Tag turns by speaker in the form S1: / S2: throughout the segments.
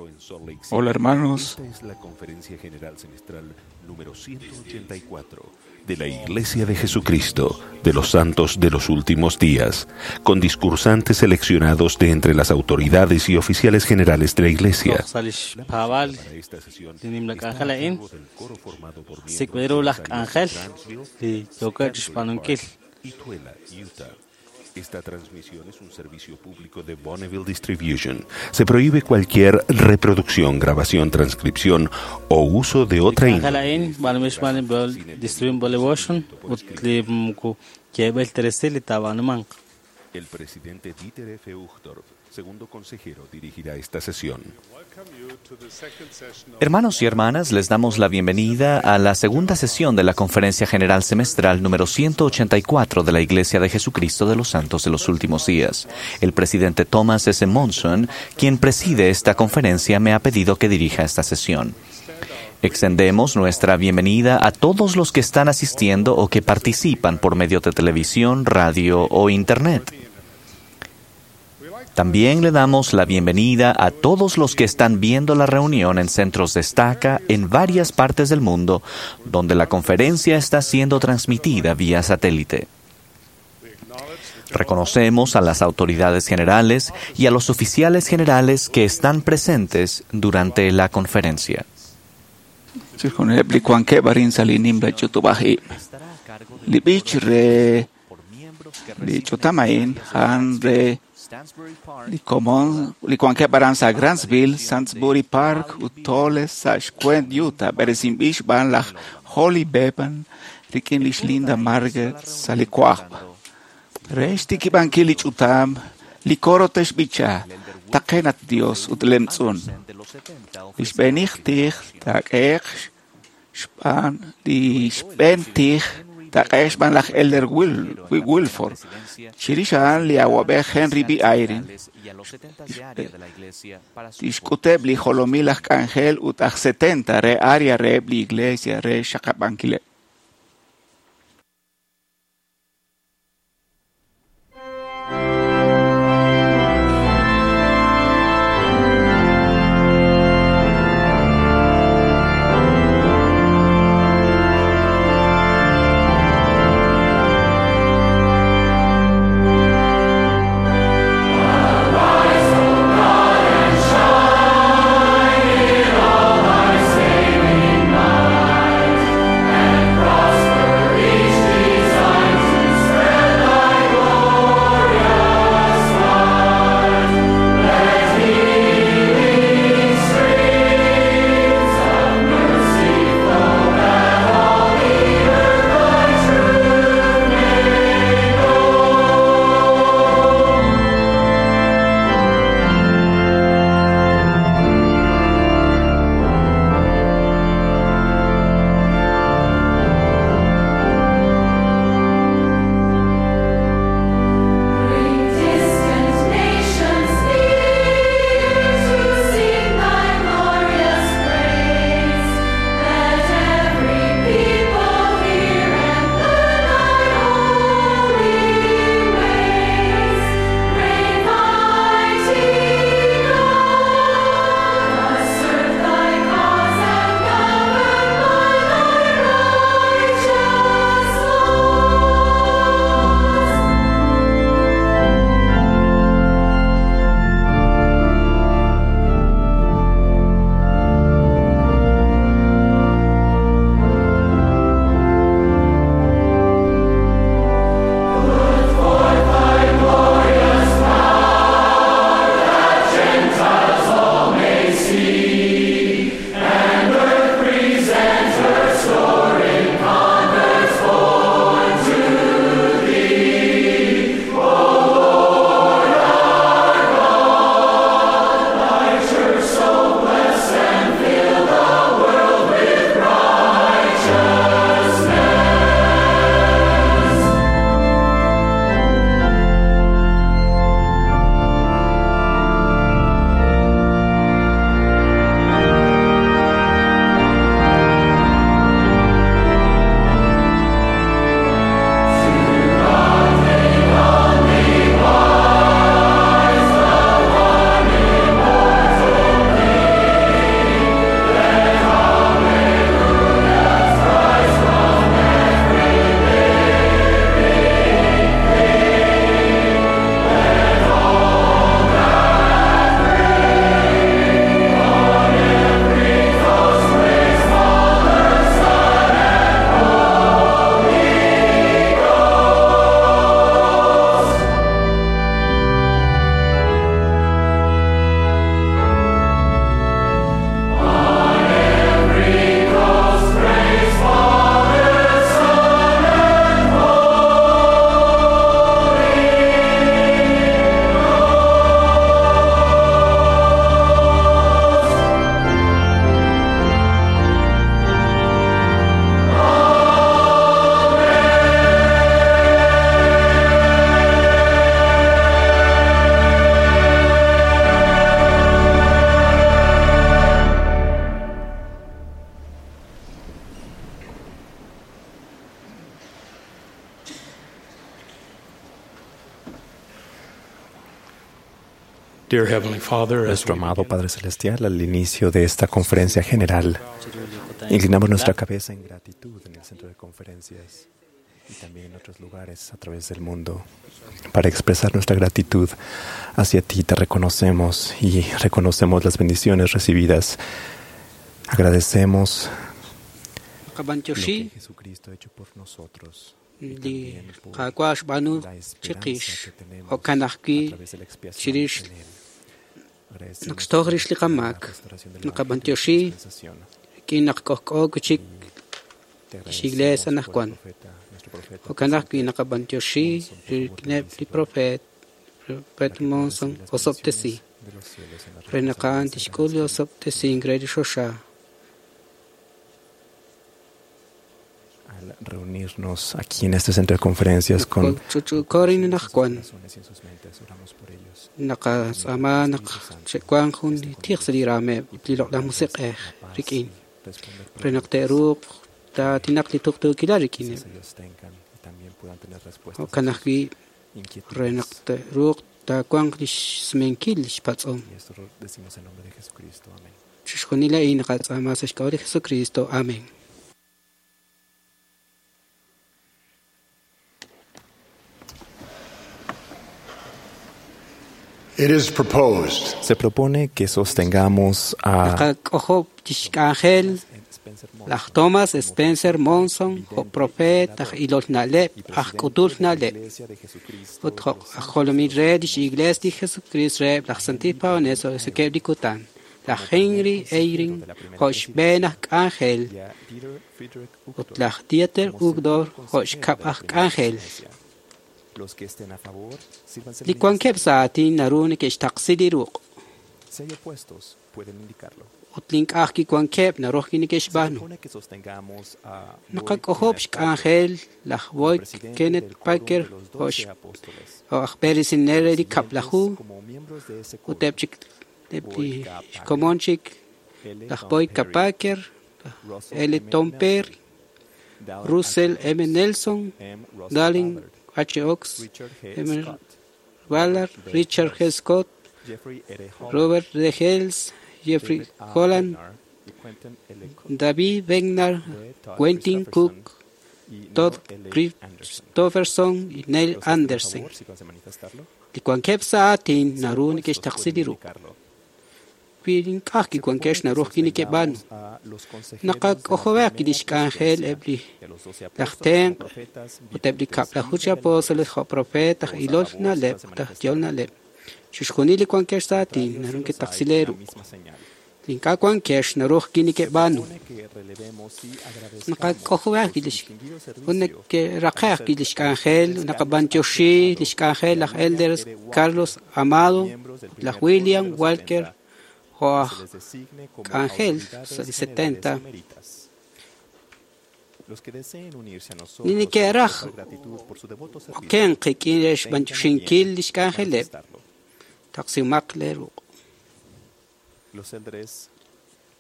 S1: templo en Salt Lake City.
S2: Hola, hermanos.
S1: Esta es la conferencia general semestral número 184 de la Iglesia de Jesucristo de los Santos de los Últimos Días, con discursantes seleccionados de entre las autoridades y oficiales generales de la Iglesia.
S3: Sa lix paab'aal
S1: Para esta sesión
S3: li nimla
S1: está a
S3: k'anjel a'in,
S1: cargo del coro formado por miembros
S3: sik'b'il ru
S1: de
S3: laj
S1: las áreas
S3: k'anjel
S1: de Grantsville,
S3: li yookeb' chixb'aanunkil.
S1: y Tooele, Utah. Esta transmisión es un servicio público de Bonneville Distribution. Se prohíbe cualquier reproducción, grabación, transcripción o uso de
S3: Li
S1: otra
S3: k'anjel
S1: índole.
S3: a'in b'aanunb'il xb'aan li Bonneville Distribution ut li moko yeeb'il ta resil li taab'aanumanq.
S1: El presidente Dieter F. Uchtdorf, segundo consejero, dirigirá esta sesión.
S4: Hermanos y hermanas, les damos la bienvenida a la segunda sesión de la Conferencia General Semestral número 184 de la Iglesia de Jesucristo de los Santos de los Últimos Días. El presidente Thomas S. Monson, quien preside esta conferencia, me ha pedido que dirija esta sesión. Extendemos nuestra bienvenida a todos los que están asistiendo o que participan por medio de televisión, radio o Internet. También le damos la bienvenida a todos los que están viendo la reunión en centros de estaca en varias partes del mundo, donde la conferencia está siendo transmitida vía satélite. Reconocemos a las autoridades generales y a los oficiales generales que están presentes durante la conferencia.
S2: Chixjunileb li wankeb' arin sa' li nimla ch'utub'aj ib'. Li b'ich re li ch'utam a'in a'an re li komon li wankeb' aran sa' Grantsville, Salisbury Park ut Tooele sa' xkwent Utah b'eresinb'il xb'aan laj Holly Bevan rik'in lix Linda Margaret sa' li wajb'. Re xtikib'ankil li ch'utam, li coro te'xb'icha Taqenat Dios ut lemtz'un. Li xb'eenij tij taak'ehe'q xb'aan li xb'een tij taak'ehe'q xb'aan laj Elder Wilford. Chirix a'an li awab'ej Henry B. Eyring tixk'uteb' li jolomil aj k'anjel ut aj 70 re área reheb' li iglesia re xaqab'ankileb'.
S5: Shine in all thy saving might, and Nuestro amado Padre Celestial, al inicio de esta conferencia general, inclinamos nuestra cabeza en gratitud en el centro de conferencias y también en otros lugares a través del mundo para expresar nuestra gratitud hacia ti. Te reconocemos y reconocemos las bendiciones recibidas. Agradecemos lo que Jesucristo ha hecho por nosotros y también por la esperanza que tenemos a través de la expiación en Él. Agradecemos la restauración del Evangelio y la dispensación. Te agradecemos por el profeta, nuestro profeta,
S6: Monson osobtesi
S5: de los cielos en la
S6: Renaqan tixkul osobtesi ingre xoxa.
S5: Al reunirnos aquí en este centro de conferencias con
S6: Chuchukorin naqwan
S5: corazones y en sus mentes, oramos por ellos.
S6: Naqas'ama naq xe'wan jun tij sa li raameb' li loq'laj musiq'ej rik'in
S5: Responder
S6: re naq te'ruuq taatinaq li tuqtuukilal rik'ineb'
S5: preguntas ellos tengan y también puedan tener respuestas
S6: jo'kan
S5: a sus
S6: ajwi' re naq
S5: inquietudes.
S6: te'ruuq taawanq lix sumenkil lix patz'om.
S5: Y esto lo decimos en nombre de Jesucristo. Amén.
S6: Chixjunil a'in naqatz'aama sa' xk'ab'a' li Jesucristo. Amén.
S7: It is proposed
S5: Se propone que sostengamos a
S6: Naqak'ojob' lix k'anjel
S5: Spencer
S6: laj
S5: Monson
S6: Thomas
S5: como
S6: Spencer Monson,
S5: vidente
S6: jo' profet aj
S5: y
S6: ilol na'leb'
S5: presidente
S6: aj k'utul
S5: de la
S6: na'leb'
S5: Iglesia de Jesucristo
S6: ut
S5: de
S6: jo'
S5: los
S6: aj
S5: Santos
S6: jolomil
S5: de
S6: re
S5: los
S6: lix
S5: Últimos
S6: Iglesia li Jesucrist reheb' laj Santil Paones sokeb' li kutan laj Henry Eyring jo' xb'een aj k'anjel
S5: y a Dieter Friedrich
S6: ut
S5: Uchtdorf
S6: laj Dieter
S5: como segundo
S6: Uchtdorf jo'
S5: consejero
S6: xkab'
S5: de la
S6: aj
S5: primera
S6: k'anjel.
S5: presidencia. Los que estén a favor, sírvanse
S6: Li wankeb' sa' aatin naru neke'xtaqsi li ruq'
S5: Si hay opuestos, pueden indicarlo.
S6: ut li ink'aj kiwankeb' naru
S5: Se
S6: neke'xb'aanu.
S5: propone que sostengamos a Boyd
S6: Naqak'ojob'
S5: Kenneth
S6: xk'anjel laj
S5: Packer,
S6: Boyd
S5: presidente
S6: Kenneth
S5: del Quórum
S6: Packer
S5: de los
S6: jo'
S5: Doce Apóstoles.
S6: jo' aj b'eresinel re li
S5: Los siguientes
S6: kab'laju
S5: como miembros de ese
S6: ut
S5: quórum:
S6: eb' chik eb' li
S5: Boyd K. Packer,
S6: xkomon chik
S5: L.
S6: laj
S5: Tom
S6: Boyd K.
S5: Perry,
S6: Packer,
S5: Russell
S6: L.
S5: M.
S6: Tom
S5: Nelson,
S6: Perry,
S5: Dallin
S6: Russell
S5: H.
S6: M. Nelson,
S5: M. Russell
S6: Dallin
S5: Ballard,
S6: H. Oaks,
S5: Richard G.
S6: M.
S5: Scott,
S6: Ballard,
S5: Robert B.
S6: Richard G.
S5: Hales,
S6: Scott,
S5: Jeffrey R. Holland,
S6: Robert D. Hales, Jeffrey
S5: David A.
S6: Holland,
S5: Bednar y Quentin L. Cook,
S6: David Bednar,
S5: D. Todd
S6: Quentin
S5: Christopherson
S6: Cook,
S5: y Neil
S6: Todd
S5: L. Anderson.
S6: Christopherson y Neil
S5: Los que estén a
S6: Anderson.
S5: favor, sírvanse a manifestarlo.
S6: Li wankeb' sa' aatin
S5: Si hay
S6: naru
S5: opuestos,
S6: neke'xtaqsi
S5: pueden
S6: li ruq'.
S5: indicarlo.
S6: Wi ink'aj
S5: Se
S6: kiwankex
S5: propone que
S6: naru kineke'b'aanu.
S5: sostengamos a los consejeros de la
S6: Naqak'ojob'aq
S5: primera
S6: lix k'anjel
S5: presidencia
S6: eb' li
S5: de los doce
S6: laj
S5: apóstoles como
S6: tenq'
S5: profetas,
S6: ut eb' li
S5: videntes
S6: kab'laju
S5: y
S6: chi apóstoles
S5: reveladores.
S6: jo' profet aj
S5: Todos a
S6: ilol
S5: favor,
S6: na'leb'
S5: sírvanse a
S6: ut aj yol
S5: manifestarlo.
S6: na'leb'. Chixjunil li wankex sa' aatin
S5: Contrarios,
S6: naru
S5: si los hay,
S6: neke'taqsi lee
S5: la
S6: ruq'.
S5: misma señal.
S6: Li ink'a' wankex naru
S5: Se
S6: kineke'b'aanu.
S5: propone que relevemos y agradezcamos
S6: Naqak'ojob'aq
S5: por su
S6: lix
S5: distinguido
S6: ut
S5: servicio a
S6: neke'raqe'aq
S5: los
S6: lix k'anjel
S5: elders Carlos H.
S6: naqab'antioxi
S5: Amado
S6: lix k'anjel
S5: y a
S6: laj
S5: William
S6: Elders
S5: R. Walker,
S6: Carlos Amado,
S5: miembros del
S6: laj
S5: primer quórum de
S6: William
S5: los
S6: Walker
S5: 70,
S6: jo'
S5: que
S6: aj
S5: se les designe como
S6: k'anjel
S5: autoridades
S6: sa' li
S5: generales
S6: 70.
S5: eméritas. Los que deseen unirse a
S6: Li
S5: nosotros para
S6: neke'raj
S5: expresar gratitud por su devoto servicio,
S6: oken qik'in re
S5: tengan a bien
S6: xb'antioxinkil lix k'anjeleb'
S5: manifestarlo.
S6: taqsimaq lee ruq'.
S5: Los elders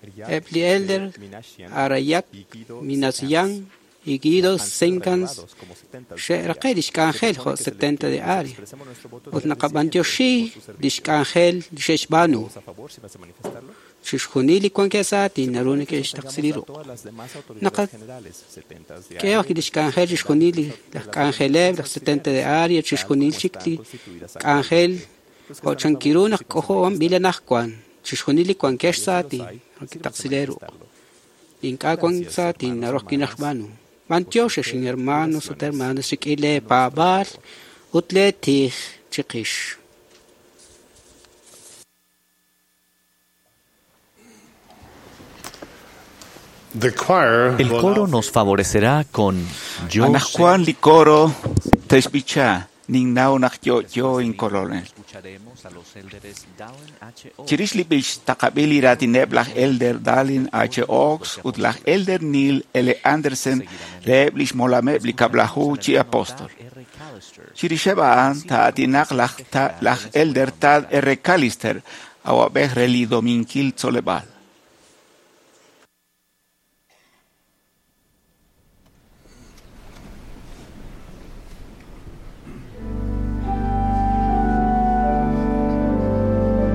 S5: Riak
S6: Eb' li
S5: B.
S6: elder
S5: Minashian
S6: Arayak
S5: y Guido
S6: Minasian
S5: Sekans
S6: y Guido
S5: han sido
S6: Senkans
S5: relevados como 70 de área.
S6: xe'raqe' lix
S5: Se
S6: k'anjel
S5: propone
S6: jo'
S5: que se les
S6: 70 de
S5: que les
S6: área.
S5: expresemos nuestro voto de
S6: Ut
S5: agradecimiento
S6: naqab'antioxi
S5: por su
S6: lix
S5: servicio.
S6: k'anjel li xe'xb'aanu.
S5: Todos a favor, sírvanse a manifestarlo.
S6: Chixjunil li wankeb' sa' aatin
S5: Se
S6: naru
S5: propone que
S6: neke'xtaqsi li
S5: sostengamos a
S6: ruq'.
S5: todas las demás autoridades
S6: Naqak'ehaq
S5: generales, 70 de área
S6: lix k'anjel chixjunil li
S5: de
S6: laj
S5: las
S6: k'anjeleb'
S5: dominicas
S6: laj 70 de
S5: auxiliares,
S6: área
S5: tal
S6: chixjunil
S5: como
S6: chik
S5: están
S6: li
S5: constituidas
S6: k'anjel
S5: actualmente. Los que
S6: jo'
S5: están a
S6: chankiru
S5: favor,
S6: naq
S5: sírvanse a
S6: k'ojo'omb'il
S5: manifestarlo.
S6: anajwan. Chixjunil li wankex
S5: Contrarios,
S6: sa'
S5: si los
S6: aatin
S5: hay,
S6: naru
S5: sírvanse a
S6: kitaqsi lee ruq'.
S5: manifestarlo.
S6: Li ink'a' wan
S5: Gracias,
S6: sa' aatin
S5: hermanos,
S6: naru
S5: hermanas,
S6: kinajb'aanu.
S5: por su
S6: B'antiox
S5: fe y
S6: hermanos ut
S5: oraciones
S6: hermanas rik'in
S5: a
S6: lee
S5: nuestro
S6: paab'aal
S5: favor.
S6: ut lee tij chiqix.
S7: The choir
S4: El
S7: will
S4: coro
S7: now
S4: nos favorecerá con Yo sé.
S2: Anajwan li coro texb'icha ninnaw naq yo'yo inkolonel.
S4: Escucharemos a los élderes Dallin H. Oaks
S2: Chirix li b'ich taqab'il li raatineb' laj Elder Dallin H. Oaks ut laj Elder Neil L. Andersen reheb' lix molameb' li kab'laju chi apóstol.
S4: R. Callister.
S2: Chirixeb' a'an taa'atinaq laj Elder Tad R. Callister awab'ej re li dominkil tzoleb'aal.
S7: Thank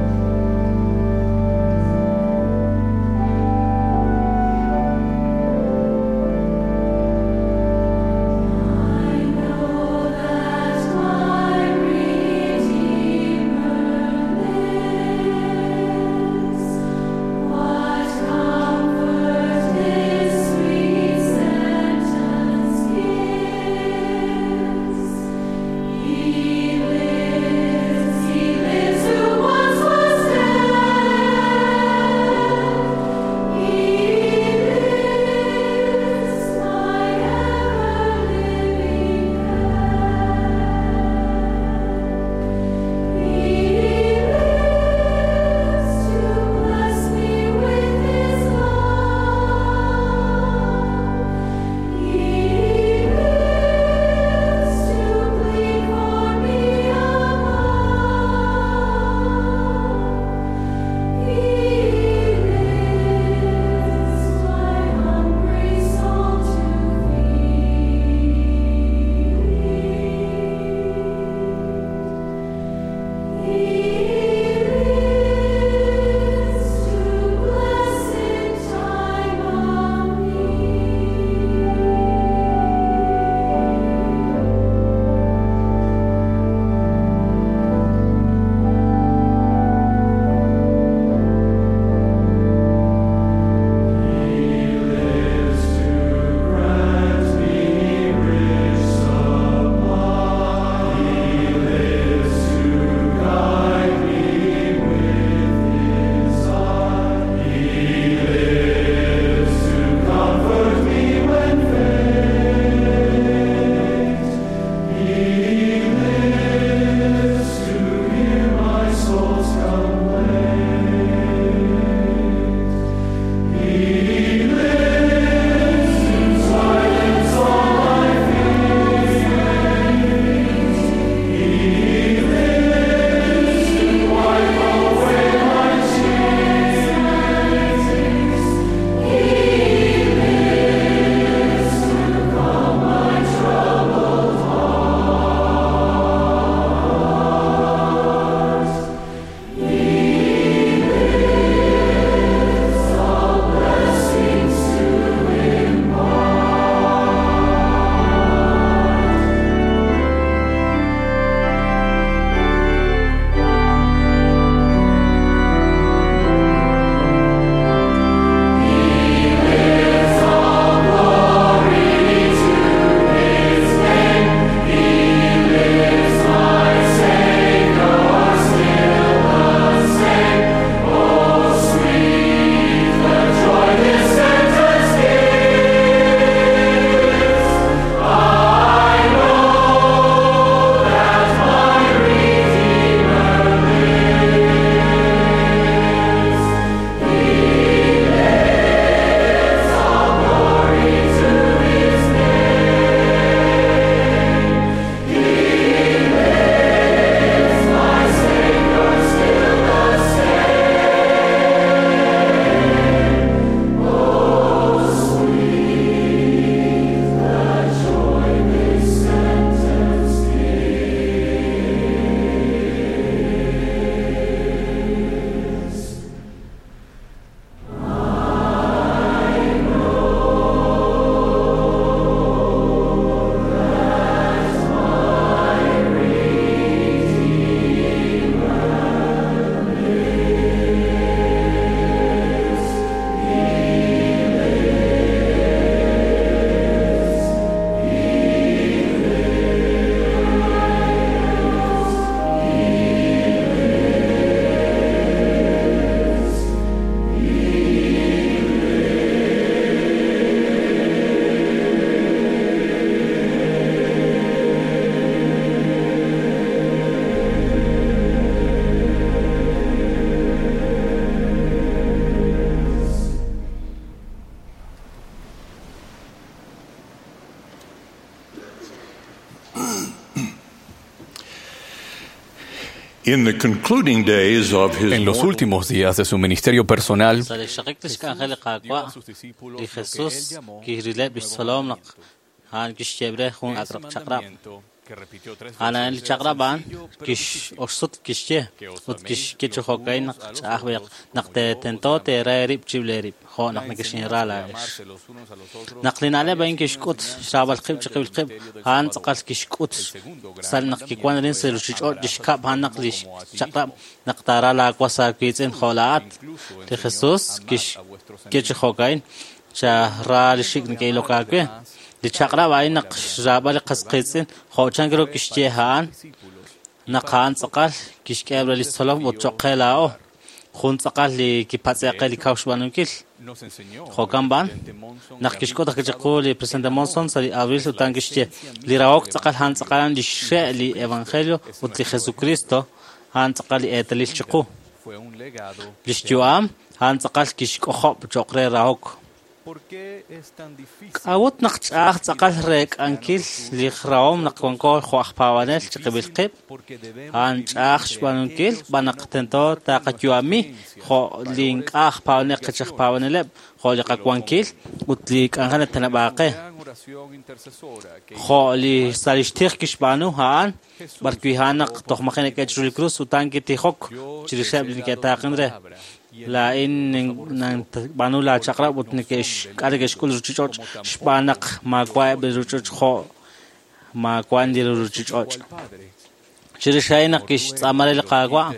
S7: In the concluding days of his
S8: En los últimos días de su ministerio personal,
S3: Sa' li xaqik lix k'anjel li Qaawa', li Jesus kirileb' lix tzolom naq a'an kixyeeb' re jun ak' chaq'rab'. A'an li chaq'rab' a'an kix-oxsut kixye ut kixye chi jo'ka'in naq ch'a'aj b'ayaq naq tento teera eerib' chirib'il eerib' jo' naq nekexinra laa'ex. Naq li na'leb' a'in kixk'ut xraab'al qib' chiqib'il qib', a'an tz'aqal kixk'ut sa' naq kiwan arin sa' ruchich'och' lix kab' a'an naq lix chaq'rab' naq taara laawas aawiitz'in jo' laa'at. Li Jesus kixye chi jo'ka'in chara li xik' neke'ilok aawe. Li chaq'rab' a'in naq xraab'al li qas qiitz'in jo' chan ru kixye a'an naq a'an tz'aqal kixk'eheb' re lix tzolom ut choq' qe laa'o. Jun tz'aqal li kipatz'e qe li kaw xb'aanunkil. Jo'kan b'an, naq kixk'ut ajwi' chiqu li presidente Monson sa' li abril ut a'an kixye li rahok tz'aqal a'an tz'aqal li xxe' li evangelio ut li Jesucristo a'an tz'aqal li eetalil chiqu. Lix yu'am a'an tz'aqal kixk'ojob' choq' re rahok. K'a'ut naq ch'a'aj tz'aqal reek'ankil li rahom naq wanko jo' aj paab'anel chiqib'il qib'? A'an ch'a'aj xb'aanunkil b'an naq tento taqayu'ami jo' li ink'a' aj paab'anel qech aj paab'aneleb', jo' li qawankil ut li k'anjel nateneb'aaq qe. Jo' li sa' lix tij kixb'aanu a'an, b'arwi' a'an naq toj maji' neke'el chiru li krus ut a'an kitijok chirixeb' li neke'taaqen re. Laa'in ninb'aanu laa chaq'rab' ut neke'xk'a neke'xk'ul ruchich'och' xb'aan naq maawa'eb' li ruchich'och' jo' maawa' li ruchich'och'. Chirix a'in naq kixtz'aama re li Qaawa',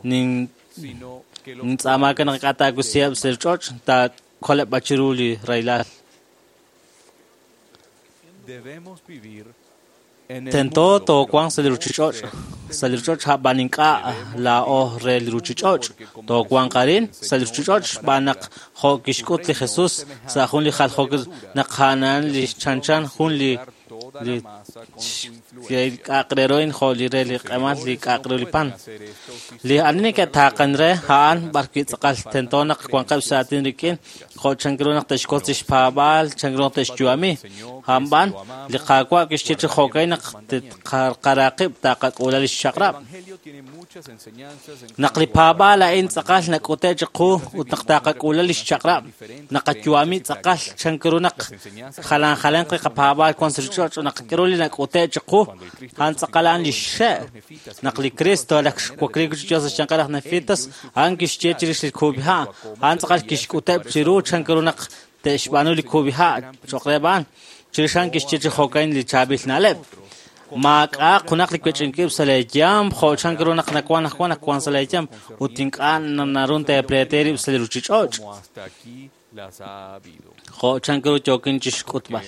S3: nintz'aama ke naq ink'a' taawisiheb' sa' ruchich'och', taakoleb' b'an chiru li rahilal. Tento toowanq sa' li ruchich'och', sa' li ruchich'och' a'b'an ink'a' laa'o re li ruchich'och'. Toowanq arin sa' li ruchich'och' xb'aan naq jo' kixk'ut li Jesus sa' jun li jaljookil naq a'an li chanchan jun li k'a'aq re ru jo' li re li q'emal li k'a'aq re li pan. Li ani neke'taaqen re a'an b'arwi' tz'aqal tento naq wanqeb' sa' aatin rik'in jo' chan ru naq te'xwotz lix paab'aal, chan ru naq te'xyu'ami. A'an b'an li Qaawa' kixye chi jo'ka'in naq tqara qib' taqak'uula lix chaq'rab'. Naq li paab'aal a'in tz'aqal nak'ute' chiqu ut naq taqak'uula lix chaq'rab', naqayu'ami tz'aqal chan ru naq jalan jalanq li qapaab'aal wan sa' ruchich'och' naq k'aru li nak'ute' chiqu, a'an tz'aqal a'an lix xe'. Naq li Cristo laj xwakliik chi Dios sa' xyanqeb' laj Nefitas, a'an kixye chirix li kub'iha', a'an tz'aqal kixk'uteb' chiru chan ru naq te'xb'aanu li kub'iha' choq' reheb' a'an. Chirix a'an kixye chi jo'ka'in li chaab'il na'leb'. Maak'a'aq junaq li wech'inkib' sa' leeyam jo' chan ru naq nawan ajwan naq wan sa' leeyam ut ink'a' naru teepleete rib' sa' li ruchich'och'. Jo' chan ru yookin chixk'utb'al.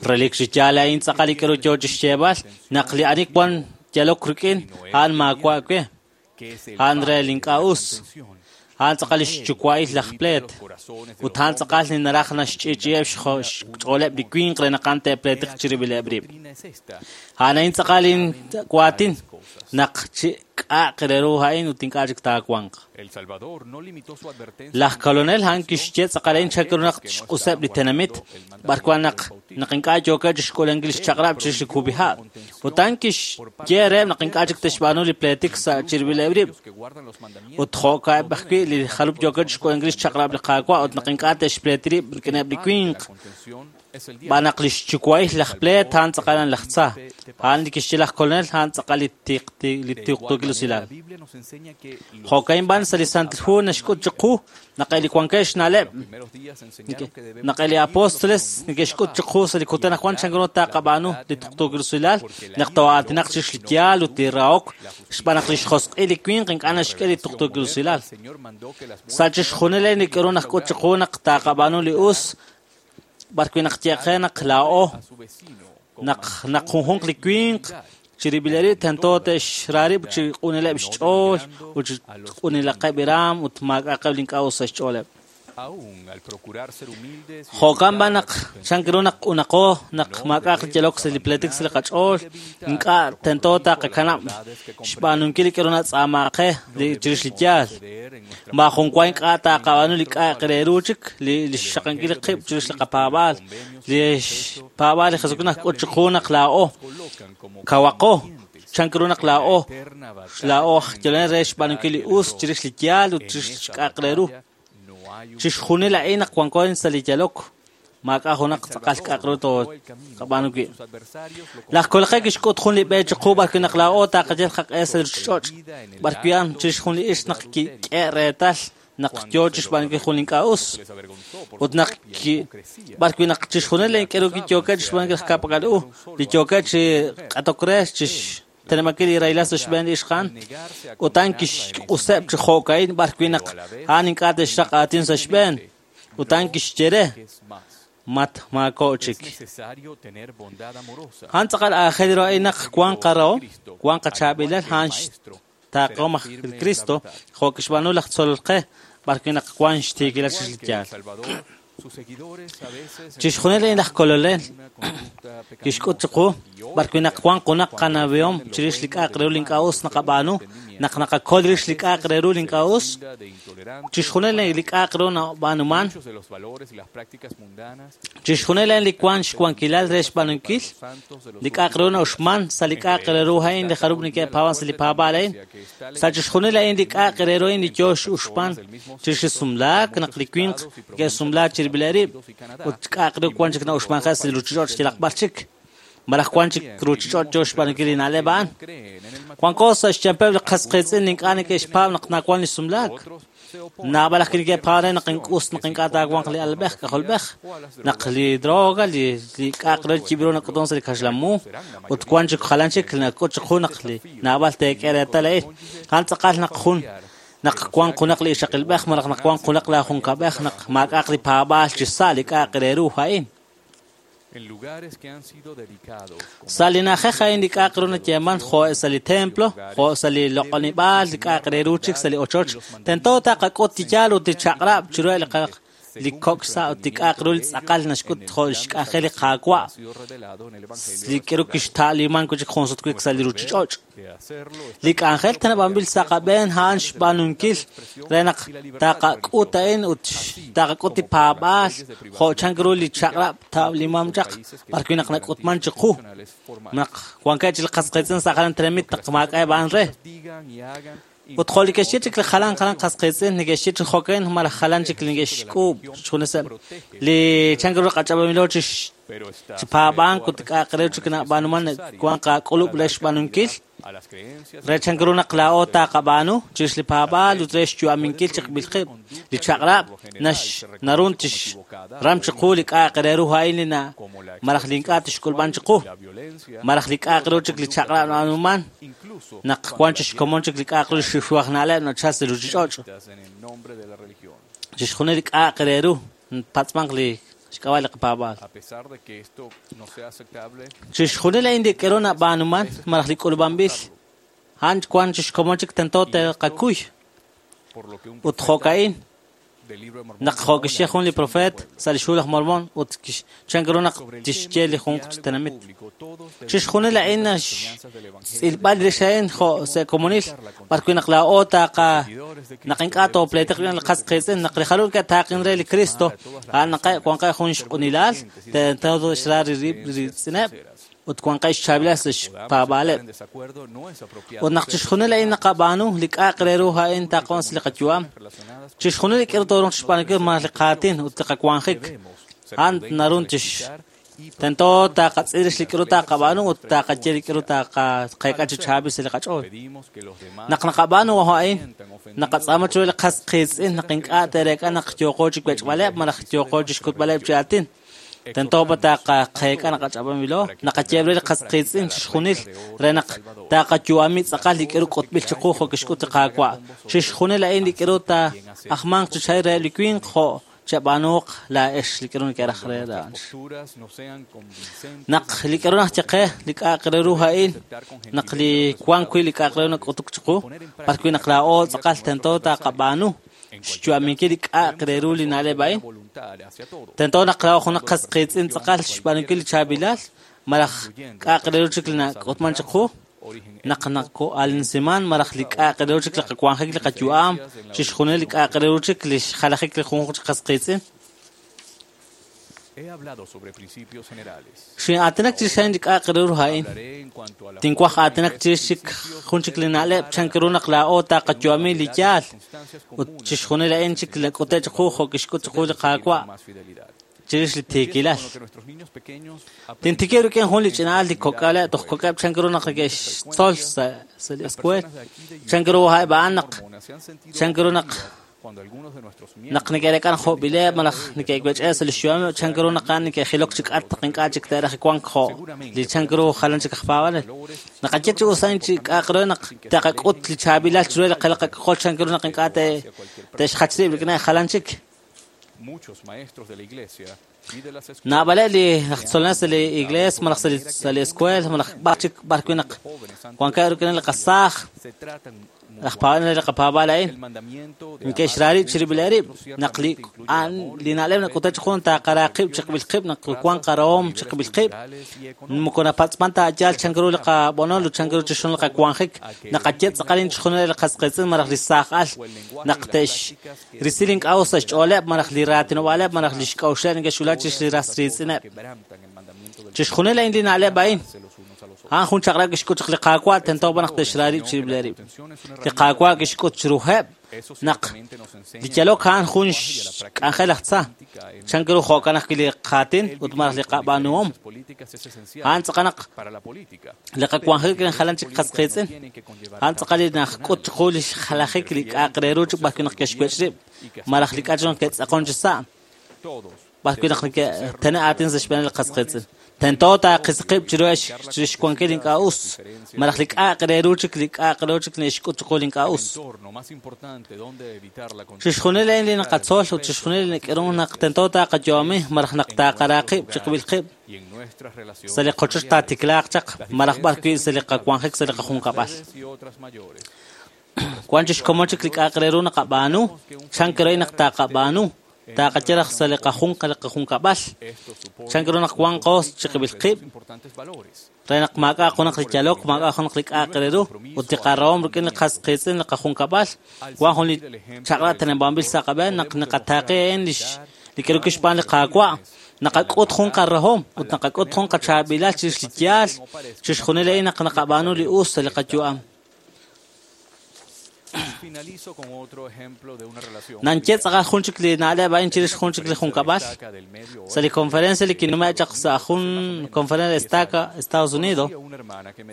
S3: Relik chi yaal a'in tz'aqal li k'aru yoo chixyeeb'al naq li ani wan yalok rik'in a'an maawa' we. A'an re li ink'a' us. A'an tz'aqal lix yuwa'il laj pleet. Ut a'an tz'aqal li naraj naxch'i'ch'i'eb' xch'ooleb' li winq re naq a'an te'pleetiq chirib'ileb' rib'. A'an a'in tz'aqal inwaatin naq chi k'a'aq re ru a'in ut ink'a' chik taawanq. Laj kolonel a'an kixye tz'aqal a'in chan ru naq xq'useb' li tenamit b'arwan naq naq ink'a' yookeb' chixk'uulankil lix chaq'rab' chirix li kub'iha'. Ut a'an kixye reheb' naq ink'a' chik te'xb'aanu li pleetik sa' chirib'ileb' rib'. Ut jo'ka'eb' ajwi' li jalub' yookeb' chixk'uulankil lix chaq'rab' li Qaawa' ut naq ink'a' te'xpleeti rib' rik'ineb' li winq. B'an naq lix yuwa'il laj pleet a'an tz'aqal laj tza. A'an li kixye laj kolonel a'an tz'aqal li tiqtuukil usilal. Jo'ka'in b'an sa' li Santil Hu naxk'ut chiqu naq li wankeb' xna'leb' naq li apóstoles neke'xk'ut chiqu sa' li kutan ajwan chan ru taqab'aanu li tuqtuukil usilal naq too'aatinaq chirix li yaal ut li rahok xb'aan naq lix josq'il li winq ink'a' naxk'e li tuqtuukil usilal. Sa' chixjunil li k'aru naxk'ut chiqu naq taqab'aanu li us b'arwi' naq yeqe naq laa'o naq naq junjunq li winq chirib'il rib' tento te'xra rib' chi q'unileb' xch'ool ut chi q'unilaqeb' raam ut maak'a'aqeb' li ink'a' us sa' xch'ooleb'. Jo'kan b'an naq chan ru naq q'unaqo naq maak'a'aq li yalok sa' li pleetik sa' li qach'ool, ink'a' tento taqakanab' xb'aanunkil li k'aru natz'aamaaq qe chirix li yaal. Maajun wa ink'a' taqab'aanu li k'a'aq re ru chik li xxaqankil qib' chirix li qapaab'aal. Li xpaab'aal li Jesucristo naxk'ut chiqu naq laa'o kawaqo. Chan ru naq laa'o aj yalonel re xb'aanunkil li us chirix li yaal ut chirix xk'a'aq re ru. Chixjunil a'in naq wanko sa' li yalok, maak'a' junaq tz'aqal k'a'aq ru tooqab'aanu wi'. Laj Kolqe kixk'ut jun li b'e chiqu b'arwi' naq laa'o taqayal qaq'e sa' ruchich'och', b'arwi' a'an chirix jun li ixq naq kik'e reetal naq yoo chixb'aanunkil jun li ink'a' us, ut naq b'arwi' naq chixjunil li k'eru kiyookeb' chixb'aanunkil ka'pak'al u, li yookeb' chi q'atok re chixteneb'ankil li rahilal sa' xb'een li ixq a'an, ut a'an kixq'useb' chi jo'ka'in b'arwi' naq a'an ink'a' te'xraq aatin sa' xb'een, ut a'an kixye re, mat maako' chik. A'an tz'aqal aajel ru a'in naq wan qarahom, wan qachaab'ilal, a'an xtaaqahom aj Cristo, jo' kixb'aanu laj tzolol qe, b'arwi' naq wan xtiikilal chix li yaal. Chixjunil a'in laj Kolonel kixk'ut chiqu b'arwi' naq wan junaq qanawihom chirix li k'a'aq re ru li ink'a' us naqab'aanu, naq naqakol rix li k'a'aq re ru li ink'a' us, chixjunil li k'a'aq re ru nab'aanuman, chixjunil a'in li wan xwankilal re xb'aanunkil, li k'a'aq re ru na'uxman sa' li k'a'aq re ru a'in li jarub' neke'paab'an sa' li paab'aal a'in, sa' chixjunil a'in li k'a'aq re ru a'in li yoo x'uxman chirix li sumlaak, naq li winq neke'sumlaak chirib'ileb' rib', ut k'a'aq re wan chik na'uxmanje' sa' li ruchich'och' yalaq b'ar chik, malaj wan chik ruchich'och' yoo xb'aanunkil li na'leb' a'an. Wanko sa' xyampeb' li qas qiitz'in li ink'a' neke'xpaab' naq nawan li sumlaak. Naab'al aj neke'paab' re naq us naq ink'a' taawanq li alab'ej k'ajolb'ej, naq li droga, li k'a'aq re yib'ru nak'utun sa' li kaxlamu, ut wan chik jalan chik nak'ut chiqu naq li naab'al teek'e reetal a'in. A'an tz'aqal naq jun naq wan junaq li ixaqilb'ej malaj naq wan junaq la junkab'ej naq maak'a'aq li paab'aal chi sa' li k'a'aq re ru a'in. Sa' li na'ajej a'in li k'a'aq ru nayeeman jo' sa' li templo, jo' sa' li loq'onib'aal, li k'a'aq re ru chik sa' li ochoch, tento taqak'ut li yaal ut li chaq'rab' chiru li kok' sa' ut li k'a'aq ru li tz'aqal naxk'ut jo' xk'anjel li Qaawa' li k'eru kixta'liman wi' chik jun sut wi' sa' li ruchich'och'. Li k'anjel teneb'anb'il sa' qab'een a'an xb'aanunkil re naq taqak'ut a'in ut taqak'ut li paab'aal jo' chan ru li chaq'rab' ta'limam chaq b'arwi' naq nak'utman chiqu naq wankeb' chik li qas qiitz'in sa' jalan tenamit naq maak'a'eb' a'an re. Ut jo' li ke'xye chik li jalan jalan qas qiitz'in neke'xye chi jo'kan malaj jalan chik li neke'xk'uub' xjuneseb' li chan ru qach'ab'amilo chi paab'ank ut k'a'aq re chik nab'aanuman wan qak'ulub' re xb'aanunkil re chan ru naq laa'o taqab'aanu chirix li paab'aal ut re xyu'aminkil chiqb'il qib' li chaq'rab' narun tixram chiqu li k'a'aq re ru a'in li malaj li ink'a' tixk'ulb'an chiqu malaj li k'a'aq ru chik li chaq'rab' nab'aanuman naq wan chi xkomon chik li k'a'aq ru li xixuaj na'leb' nachal sa' ruchich'och'. Chixjunil li k'a'aq re ru patz'manq li xk'ab'a' li qapaab'aal. Chixjunil a'in li k'eru nab'aanuman malaj li k'ulub'anb'il a'an wan chi xkomon chik tento te'qakuy. Ut jo'ka'in naq jo' kixye jun li profeet sa' li xhu laj Mormon ut chan ru naq tixye li junq chi tenamit. Chixjunil a'in xtz'ilb'al rix a'in jo' sa' komunil b'arwi' naq laa'o taqa naq ink'a' toopleetiq rik'in li qas qiitz'in naq li jalul ke'taaqin re li Cristo a'an naq wanqeb' jun xq'unilal tento te'xra rib' ritz'ineb' ut wanqeb' xchaab'ilal sa' xpaab'aaleb'. Ut naq chixjunil a'in naqab'aanu li k'a'aq re ru a'in taqoon sa' li qayu'am, chixjunil li k'eru tooruuq chixb'aanunkil malaj li qaatin ut li qawanjik, a'an narun tix tento taqatz'il rix li k'eru taqab'aanu ut taqaye li k'eru taqaqeek'a chi chaab'il sa' li qach'ool. Naq naqab'aanu a'in, naqatz'aama chiru li qas qiitz'in naq ink'a' te'reek'a naq yooqo chi wech'b'aleb' malaj yooqo chixk'utb'aleb' chi aatin. Tento pa taqaqeek'a naqach'ab'amilo, naqayeeb' re li qas qiitz'in chixjunil re naq taqayu'ami tz'aqal li k'eru k'utb'il chiqu jo' kixk'ut li Qaawa'. Chixjunil a'in li k'eru taajmanq chi chay reheb' li winq jo' chab'aanuuq laa'ex li k'eru neke'raj re a'an. Naq li k'eru najye qe li k'a'aq re ru a'in, naq li wan wi' li k'a'aq re ru nak'utuk chiqu, b'arwi' naq laa'o tz'aqal tento taqab'aanu xyu'aminkil li k'a'aq re ru li na'leb' a'in. Tento naq laa'o junaq qas qiitz'in tz'aqal xb'aanunkil li chaab'ilal malaj k'a'aq re ru chik li nak'utman chiqu, naq nako'alinsiman malaj li k'a'aq re ru chik li qawanjik li qayu'am, chixjunil li k'a'aq re ru chik li xjalajik li junjunq chi qas qiitz'in. Xin'aatinak chirix a'in li k'a'aq re ru a'in. Tinwaj aatinak chirix chik jun chik li na'leb' chan ru naq laa'o taqayu'ami li yaal ut chixjunil a'in chik nak'ute' chiqu jo' kixk'ut chiqu li Qaawa' chirix li tiikilal. Tintikib' rik'in jun li ch'ina'al li kok'aleb' toj kok'eb' chan ru naq neke'xtzol sa' li escuela chan ru a'eb' a'an naq chan ru naq naq neke'reek'a naq jo'b'ileb' malaj neke'wech'e sa' li xyu'ameb' chan ru naq a'an neke'jilok chi k'atq ink'a' chik te'raj wank jo' li chan ru jalan chik aj paab'anel. Naqaye chi us a'in chi k'a'aq re naq taqak'ut li chaab'ilal chiru li qak'ajol chan ru naq ink'a' te'xjach rib' rik'in jalan chik. Naab'aleb' li aj tzolonel sa' li iglesia malaj sa' li escuela malaj b'ar chik b'ar wi' naq wankeb' rik'in li qasaaj laj paab'anel li qapaab'al a'in neke'xra rib' chirib'ileb' rib' naq li li na'leb' nak'ute chiqu taqara qib' chiqib'il qib' naq wank qarahom chiqib'il qib' moko napatz'man ta yaal chan ru li qab'onol ut chan ru chixjunil li qawanjik naqaye tz'aqal chixjunil li qas qiitz'in malaj li saaj al naq te'xrisi li ink'a' us sa' xch'ooleb' malaj li raatinob'aaleb' malaj li xk'a'uxleb' neke'xwulak chirix li ras riitz'ineb'. Chixjunil a'in li na'leb' a'in a'an jun chaq'rab' kixk'ut chaq li Qaawa' tento b'an naq te'xra rib' chirib'ileb' rib'. Li Qaawa' kixk'ut chiruheb' naq li yalok a'an jun xk'anjel aj tza. Chan ru jo'kan ajwi' li qaatin ut malaj li qab'aanuhom. A'an tz'aqal naq li qawanjik rik'in jalan chik qas qiitz'in. A'an tz'aqal li najk'ut chiqu li xjalajik li k'a'aq re ru chik b'ar wi' naq ke'xwech' rib' malaj li k'a' naq ke'tz'aqon chi sa'. B'ar wi' naq neke'tene' aatin sa' xb'een li qas qiitz'in. Tento taaqisi qib' chiru xwankil ink'a' us malaj li k'a'aq re ru chik li k'a'aq re ru chik neke'xk'ut chiqu li ink'a' us. Chixjunil a'in li naqatzol ut chixjunil li nak'irun naq tento taqayu'ami malaj naq taqara qib' chiqib'il qib' sa' li qochoch taatiklaaq chaq malaj b'ar wi' sa' li qawanjik sa' li qajunkab'al. Wan chixkomon chik li k'a'aq re ru naqab'aanu chan ru naq taqab'aanu taqaye raj sa' li qajunqa li qajunkab'al chan ru naq wanqo chiqib'il qib' re naq maak'a' junaq li yalok maak'a' junaq li k'a'aq re ru ut li qarahom rik'in li qas qiitz'in li qajunkab'al wan jun li chaq'rab' teneb'anb'il sa' qab'een naq naqataaqe a'in li k'aru kixb'aan li Qaawa' naqak'ut jun qarahom ut naqak'ut jun qachaab'ilal chirix li yaal chixjunil a'in naq naqab'aanu li us sa' li qayu'am. Nanye tz'aqal jun chik li na'leb' a'in chirix jun chik li junkab'al. Sa' li conferencia li kinume' chaq sa' jun conferencia estaca Estados Unidos,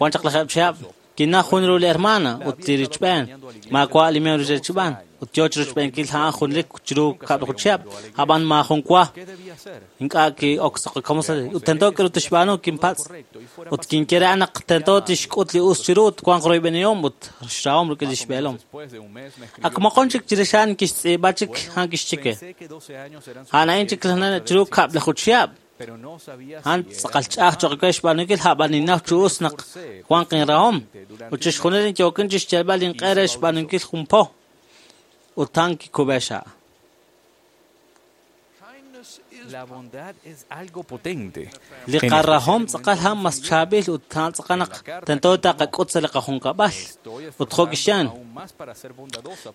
S3: wan chaq lajeb' chihab' kinaj jun ru li hermana ut li richb'een maawa' li miembro richb'aan ut yoo chirochb'eenkil a'an junlik chiru kab'laju chihab' ab'an maajun wa ink'a' ki'ok sa' qakomon ut tento k'aru tixb'aanu kinpatz' ut kinye re naq tento tixk'ut li us chiru ut wanq royb'enihom ut xrahom rik'in li xb'eelom. Ak moqon chik chirix a'an kixtz'iib'a chik a'an kixye we a'an a'in chik chiru kab'laju chihab' a'an tz'aqal ch'a'aj cho'q we xb'aanunkil ab'an ninnaw chi us naq wanq inrahom ut chixjunil yookin chixyalb'al inq'e re xb'aanunkil jun po ut a'an kikub'e xa'. Li qarahom tz'aqal a'an mas chaab'il ut a'an tz'aqal naq tento taqak'ut sa' li qajunkab'al ut jo' kixyan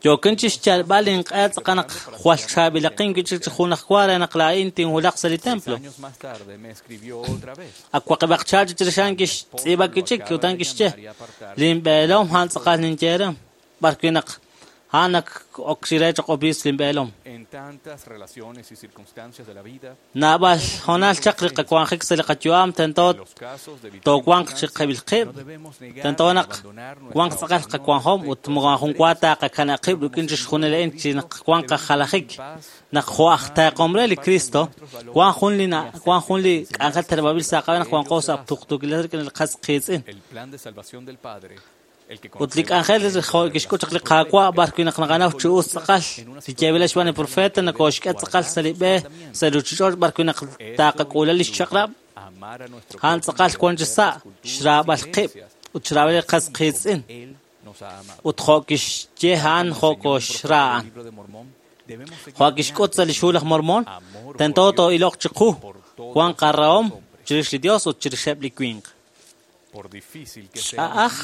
S3: yookin chixyalb'al inq'e tz'aqal naq jwal chaab'ilaqin wi' chik chi jun aj wa re naq laa'in tinwulaq sa' li templo. Ak waqib'aq chaal chirix a'an kixtz'iib'a wi' chik ut a'an kixye linb'eelom a'an tz'aqal ninye re b'ar wi' naq a'an ak ok xire choq obiisp linb'eelom. Naab'al hoonal chaq li qawanjik sa' li qayu'am tento toowanq chiqib'il qib' tento naq wanq tz'aqal qawanjom ut maajun wa taqakanab' qib' rik'in chixjunil a'in chi naq wanq qajalajik naq jo' aj taaqom re li Cristo wan jun li k'anjel teneb'anb'il sa' qab'een naq wanqo sa' tuqtuukilal rik'in li qas qiitz'in. Ut li k'anjel kixk'ut chaq li Qaawa' b'ar wi' naq naqanaw chi us tz'aqal li yeeb'il xb'aan li profeta nakooxk'e tz'aqal sa' li b'e sa' li ruuchich'och' b'ar wi' naq taqak'uula li xchaq'rab' a'an tz'aqal wan chi sa' xraab'al qib' ut xraab'al li qas qiitz'in ut jo' kixye a'an jo' koxra a'an. Jo' kixk'ut sa' li xhu laj Mormon tento too'iloq chiqu wan qarahom chirix li Dios ut chirixeb' li winq. Ch'a'aj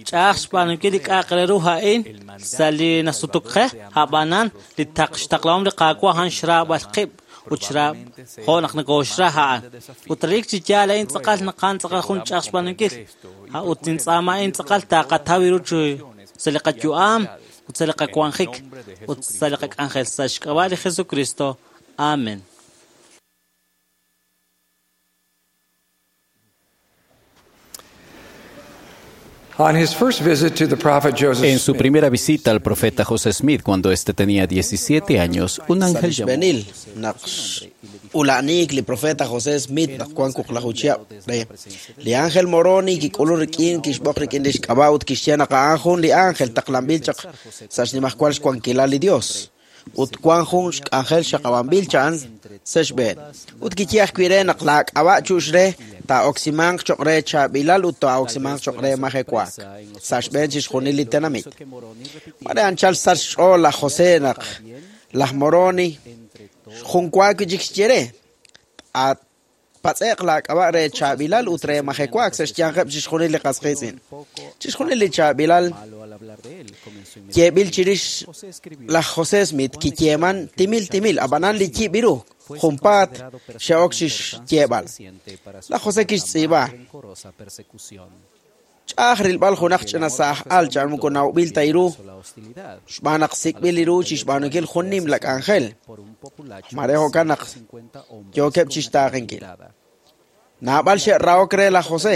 S3: ch'a'aj xb'aanunkil li k'a'aq re ru a'in sa' li nasutuk qe ab'anan li xtaqlahom li Qaawa' a'an xraab'al qib' ut jo' naq nokoxra a'an. Ut relik chi yaal a'in tz'aqal naq a'an tz'aqal jun ch'a'aj xb'aanunkil. Ut nintz'aama a'in tz'aqal taqataw ru sa' li qayu'am ut sa' li qawanjik ut sa' li qak'anjel sa' xk'ab'a' li Jesucristo. Amen.
S9: En su primera visita al profeta José Smith, cuando éste tenía 17 años, un ángel llamó
S10: Ula'nik li profeta José Smith naq wan wuqlaju chihab' re li ángel Moroni kik'ulun rik'in kixb'oq rik'in lix k'ab'a' ut kixye naq a'an jun li ángel taqlanb'il chaq sa' xnimajwal xwankilal li Dios ut wan jun xk'anjel xaqab'anb'il cha'an sa' xb'een ut kiye ajwi' re naq laak'ab'a' chu'x re taa'oksimanq choq' re chaab'ilal ut taa'oksimanq choq' re majewaak sa' xb'een chixjunil li tenamit. Mare anchal sach xch'ool laj José naq laj Moroni jun wa wi' chik xye re patz'eq laak'ab'a' re chaab'ilal ut re majewaak sa' xyanqeb' chixjunil li qas qiitz'in. Chixjunil li chaab'ilal yeeb'il chirix laj José Smith kiyeeman timil timil ab'anan li yib' ru junpaat xe'ok chixyeeb'al. Laj José kixtz'iib'a ch'a'aj rilb'al junaq ch'ina sa'aj al cha'an moko nawb'il ta iru xb'aan naq sik'b'il iru chixb'aanunkil jun nimla k'anjel. Mare jo'kan naq yookeb' chixtaaqenkil. Naab'al xe'rahok re laj José,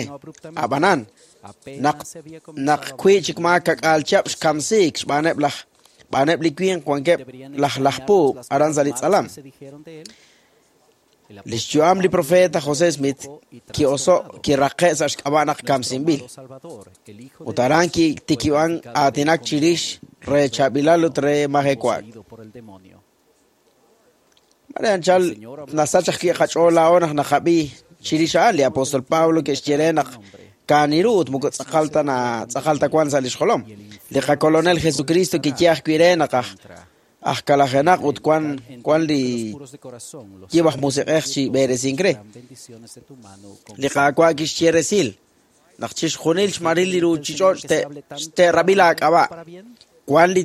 S10: ab'anan naq wi' chik maa kak'aal chihab' xkamsiik xb'aaneb' laj b'aaneb' li winq wankeb' laj laj puub' aran sa' li tz'alam. Lix yu'am li profeta José Smith ki'oso' kiraqe' sa' xk'ab'a' naq kamsinb'il. Ut aran kitikib'an aatinak chirix re chaab'ilal ut re majewaak. Mare anchal nasach ajwi' qach'ool laa'o naq naqab'i chirix a'an li apóstol Pablo ke'xye re naq kaaniru ut moko tz'aqal ta na tz'aqal ta wan sa' lix jolom. Li qakolonel Jesucristo kiye ajwi' re naq aj kalajenaq ut wan li yib' aj musiq'ej chi b'eresink re. Li Qaawa' kixye resil naq chixjunil xmaril li ruuchich'och' te'rab'i laak'ab'a'. Wan li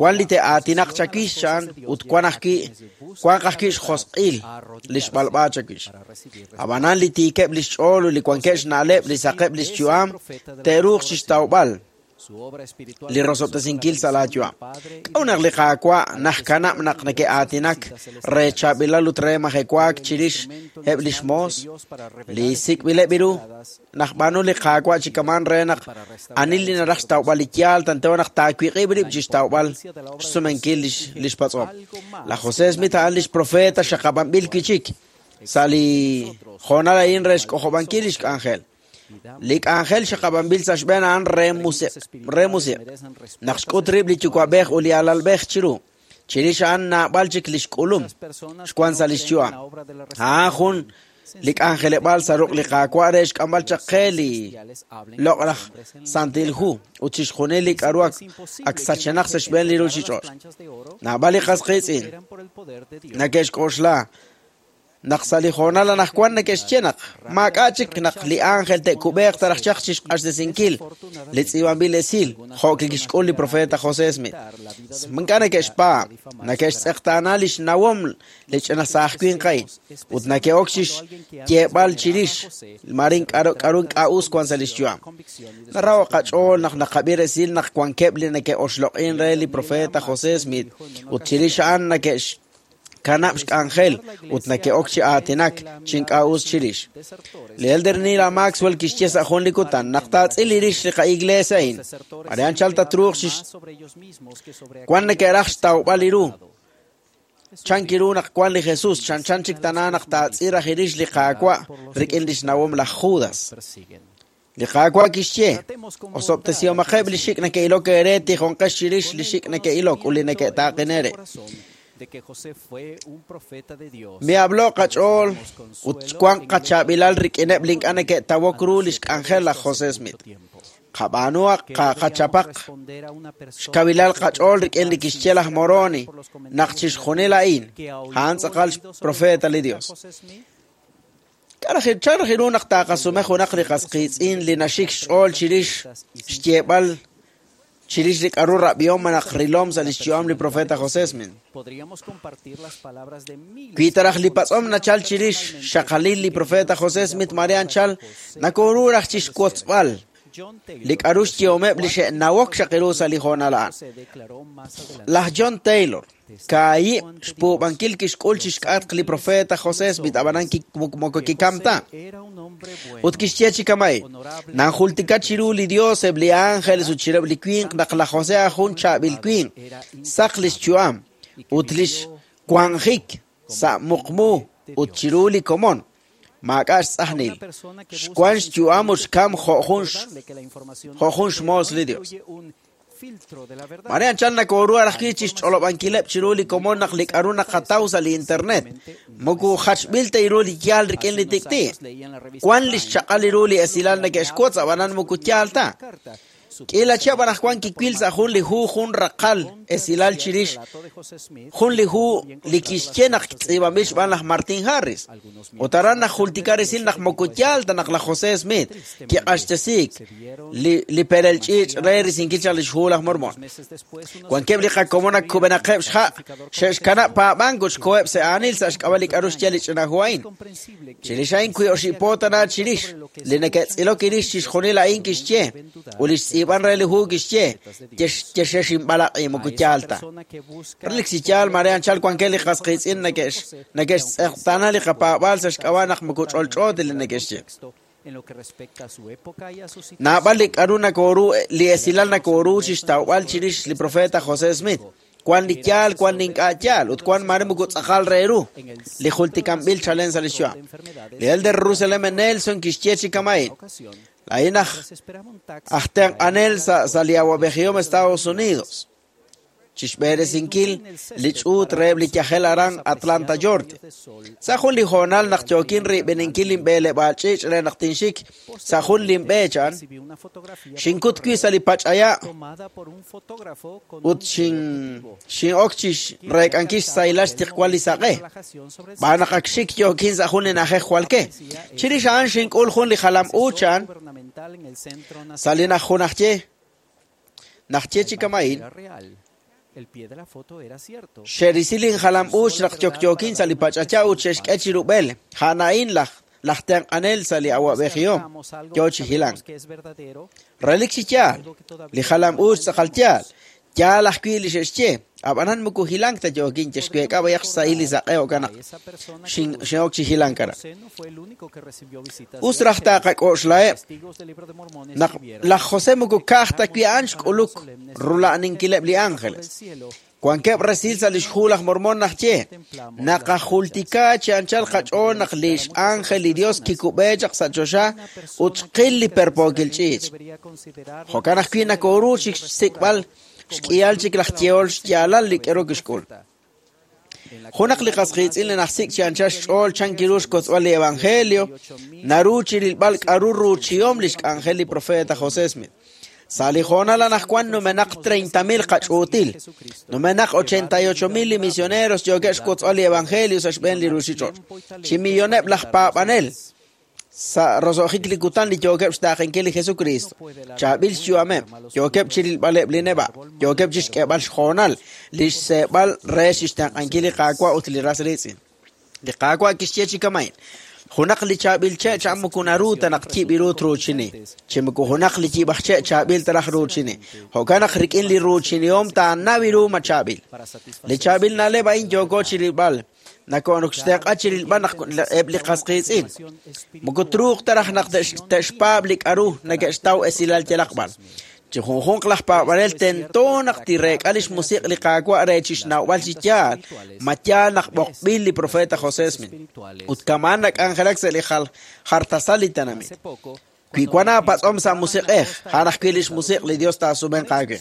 S10: wan li te'aatinaq chawix cha'an ut wan ajwi' xjosq'il li xb'alb'a chawix. Ab'anan li tiikeb' li xch'ool ut li wankeb' xna'leb' li saqeb' li xyu'am te'ruuq chixtawb'al li rosob'tesinkil sa' laayu'am. K'a'ut naq li Qaawa' najkanab' naq neke'aatinak re chaab'ilal ut re majewaak chirix eb' lix moos li sik'b'ileb' ru najb'aanu li Qaawa' chi kaman re naq anil li naraj xtawb'al li yaal tanteo naq taawiq'ib' rib' chixtawb'al xsumenkil lix patz'om. Laj José Smith a'an lix profeta xaqab'anb'il wi' chik sa' li hoonal a'in re xk'ojob'ankil lix k'anjel. Li k'anjel xaqab'anb'il sa' xb'een a'an re musiq. Naq xk'ut rib' li yuwa'b'ej ut li alalb'ej chiru. Chirix a'an naab'al chik li xk'ulum xwan sa' lix yu'am. A'an jun li k'anjeleb'aal sa' ruq' li Qaawa' re xk'amb'al chaq qe li loq'laj Santil Hu ut chixjunil li k'a'ru ak sachenaq sa' xb'een li ruuchich'och'. Naab'al li qas qiitz'in neke'xk'oxla naq sa' li hoonal anaqwan neke'xye naq maak'a' chik naq li ángel te'kub'eeq taraj chaq chixq'axtesinkil li tz'iib'anb'il esil jo' kixk'ul li profeta José Smith. Ink'a' neke'xpaab', neke'xtz'eqtaana li xnawom li ch'ina saaj winq a'in ut neke'ok chixyeeb'al chirix marin k'a'ru ink'a' us wan sa' lix yu'am. Naraho' qach'ool naq naqab'i resil naq wankeb' li neke'oxloq'in re li profeta José Smith ut chirix a'an neke'x kanab' xk'anjel ut neke'ok chi aatinak chi ink'a' us chirix. Li Elder Neal A. Maxwell kixye sa' jun li kutan naq taatz'il rix li qa'iglesia a'in. Mare anchal tatruuq chix wan neke'raj xtawb'al li ru. Chanki ru naq wan li Jesús chanchan chik tana naq taatz'il raj rix li Qaawa' rik'in lix nawom laj Judas. Li Qaawa' kixye osob'tesihomaqeb' li xik' neke'ilok eere tijonqex chirix li xik' neke'ilok ut li neke'taaqen eere. Miablo qach'ool ut wan qachaab'ilal rik'ineb' li ink'a' neke'tawok ru lix k'anjel laj José Smith. Qab'aanu qachapaq xkawilal qach'ool rik'in li kixye laj Moroni naq chixjunil a'in a'an tz'aqal xprofeta li Dios. Chan raj ru naq taaqasume junaq li qas qiitz'in li naxik xch'ool chirix xyeeb'al chirix li k'aru rab'ihom malaj rilom sa' lix yu'am li profeta José Smith. Wi ta raj li patz'om nachal chirix xxaqalil li profeta José Smith mare anchal nakoru raj chixwotzb'al li k'aru xyehomeb' li xe'nawok xaq ru sa' li hoonal a'an. Laj John Taylor kaahib' xpuub'ankil kixk'ul chixk'atq li profeta José Smith ab'anan moko kikam ta. Ut kixye chi kama'in, nanjultika chiru li Dios eb' li ángeles ut chireb' li winq naq laj José jun chaab'il winq, saq lix yu'am ut lix wanjik sa' muqmu ut chiru li komon. Maak'a' xtz'ajnil. Xwan xyu'am ut xkam jo' jun xmoos li Dios. Mare anchal nakoru raj wi' chixch'olob'ankileb' chiru li komon naq li k'aru naqataw sa' li internet. Moko jachb'il ta ru li yaal rik'in li tik'ti'. Wan li xchaq'al ru li esilal neke'xwotz ab'anan moko yaal ta. K'ila chihab' anaqwan kiwil sa' jun li hu jun raqal esilal chirix jun li hu li kixye naq tz'iib'anb'il xb'aan laj Martin Harris. Ut aran naq jultika resil naq moko yaal ta naq laj José Smith kiq'axtesiik li perel ch'iich' re risinkil chaq lix hu laj Mormon. Wankeb' li qakomon ak kub'enaqeb' xha' xe'xkanab' paab'ank ut xkoheb' sa' aanil sa' xk'ab'a' li k'aru xye li ch'ina hu a'in. Chirix a'in wi oxib' po tana chirix li neke'tz'ilok irix chixjunil a'in kixye ut li xtz'iib'an re li hu kixye yexexinb'alaq'i moko yaal ta. Relik chi yaal mare anchal wankeb' li qas qiitz'in neke'xtz'eqtaana li qapaab'aal sa' xk'ab'a' naq moko ch'olch'o ta li neke'xye. Naab'al li k'aru nakoru li esilal nakoru chixtawb'al chirix li profeta José Smith. Wan li yaal, wan li ink'a' yaal, ut wan mare moko tz'aqal re ru li jultikanb'il chalen sa' li xyu'am. Li Elder Russell M. Nelson kixye chi kama'in. La'in aj tenq'anel sa' li awab'ejihom Estados Unidos. Chixb'eresinkil li ch'uut reheb' li yajel aran Atlanta, Georgia. Sa' jun li hoonal naq yookin rib'eninkil linb'eleb'aal ch'iich' re naq tinxik sa' jun linb'e chan, xinkut wi' sa' li pach'aya' ut xin'ok chixreek'ankil xsahilal xtiqwal li saq'e. B'aan naq ak xik yookin sa' jun li na'ajej jwal ke. Chirix a'an xink'ul jun li jalam u chan sa' li najunajye. Najye chi kama'in. Xe'risi linjalam uuch naq yokyookin sa' li pach'aya ut xe'xk'e chirub'el. A'an laj tenq'anel sa' li awab'ejihom yo chi hilank. Relik chi yaal, li jalam uuch tz'aqal yaal. Yaal ajwi' li xe'xye. Ab'anan moko hilank ta yookin yexweek'a b'ayaq xsahil li saq'e jo'kan naq xin'ok chi hilank aran. Us raj taaqak'oxlaheb' naq laj José moko ka'aj ta wi' a'an xk'uluk rula'aninkileb' li ángeles. Wankeb' resil sa' lix hu laj Mormon najye naqajultika chi anchal qach'ool naq lix ángel li Dios kikub'e chaq sa' choxa ut xqil li perpookil ch'iich'. Jo'kan ajwi' nakoru chixsik'b'al xk'ihal chik laj yehol xyaalal li k'aru kixk'ul. Junaq li qas qiitz'in li najsik' chi anchal xch'ool chan kiru xkotzb'al li evangelio naru chirilb'al k'aru ruuchihom lix k'anjel li profeta José Smith. Sa' li hoonal anaqwan numenaq 30,000 qach'uutil, numenaq 88,000 li misioneros yookeb' xkotzb'al li evangelio sa' xb'een li ruuchich'och'. Chi milloneb' laj paab'anel sa' roso'jik li kutan li yookeb' xtaaqenkil li Jesucristo. Chaab'il xyu'ameb', yookeb' chirilb'aleb' li neb'a', yookeb' chixk'eeb'al xhoonal li xseeb'al re xixtenq'ankil li Qaawa' ut li ras riitz'in. Li Qaawa' kixye chi kama'in. Junaq li chaab'il che' chan moko naru ta naq yib' ru truuchini. Chi moko junaq li yib' aj che' chaab'il ta raj ruuchini. Jo'kan naq rik'in li ruuchinihom taanaw ru ma chaab'il. Li chaab'il na'leb' a'in yooko chirilb'al. Nakoonok xtenq'a chirilb'al naq eb' li qas qiitz'in. Moko truuq ta raj naq te'xpaab' li k'aru neke'xtaw esilal yalaq b'ar. Chi junjunq laj paab'anel tento naq tireek'a lix musiq' li Qaawa' re chixnawb'al chi yaal, ma yaal naq b'oqb'il li profeta José Smith. Ut kama'an nak'anjelak sa' li jartasal li tenamit. Wi wan aapatz'om sa' musiq'ej, a'an ajwi' lix musiq' li Dios taasumenq aawe.